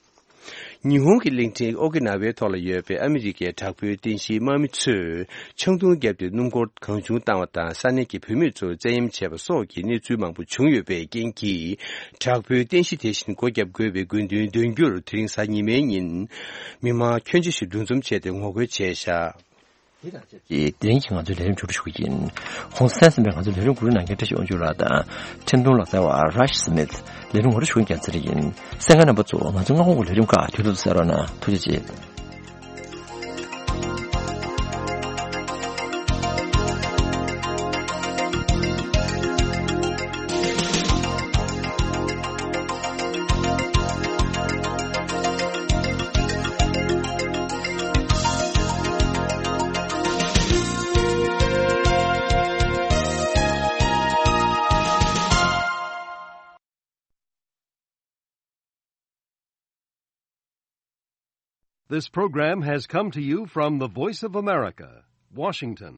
ཉི་ཧོང་གི་གླིང་ཕྲན་ཨོ་ཀི་ན་ཝའི་ཐོག་ལ་ཡོད་པའི་ཨ་མི་རི་ཀའི་དྲག་པོའི་རྟེན་གཞིའི་དམག་མི་ཚོས་ཆང་འཐུང་བརྒྱབ་སྟེ་སྣུམ་འཁོར་གང་བྱུང་བཏང་བ་དང་ས་གནས་ཀྱི་བུད་མེད་ཚོར་བཙན་གཡེམ་བྱས་པ་སོགས་ཀྱི་གནས་ཚུལ་མང་པོ་བྱུང་ཡོད་པའི་རྐྱེན་གྱིས། དྲག་པོའི་རྟེན་གཞི་དེ་བཞིན་སྒོ་བརྒྱབ་དགོས་པའི་དགོས་འདུན་འདོན་རྒྱུར་དེ་རིང་གཟའ་ཉི་མའི་ཉིན་མི་མང་ཁྱོན་ཆེ་ཞིག་འདུ་འཛོམས་བྱས་ཏེ་ངོ་རྒོལ་བྱས་བཞག་དེ་དང་ཆབས་ཅིག་དེ་རིང་གི་ང་ཚོའི་ལས་རིམ་མཇུག་སྒྲིལ་ཞུ་གི་ཡིན། གོང་གསལ་ཟིན་པའི་ང་ཚོའི་ལས་རིམ་གོ་སྒྲིག་གནང་མཁན་བཀྲ་ཤིས་དབང་ཕྱུག་ལགས་དང་། འཕྲིན་གཏོང་ལག་རྩལ་བ་Rush Smith། ལས་རིམ་ངོ་སྤྲོད་ཞུ་མཁན་རྒྱལ་མཚན་རེ་ཡིན། གསན་མཁན་རྣམ་པ་ཚོ་ང་ཚོ་སྔ་དགོང་གི་ལས་རིམ་ཁག་དུས་ཐོག་ཏུ་གསན་རོགས་གནང་། ཐུགས་རྗེ་ཆེ། This program has come to you from the Voice of America, Washington.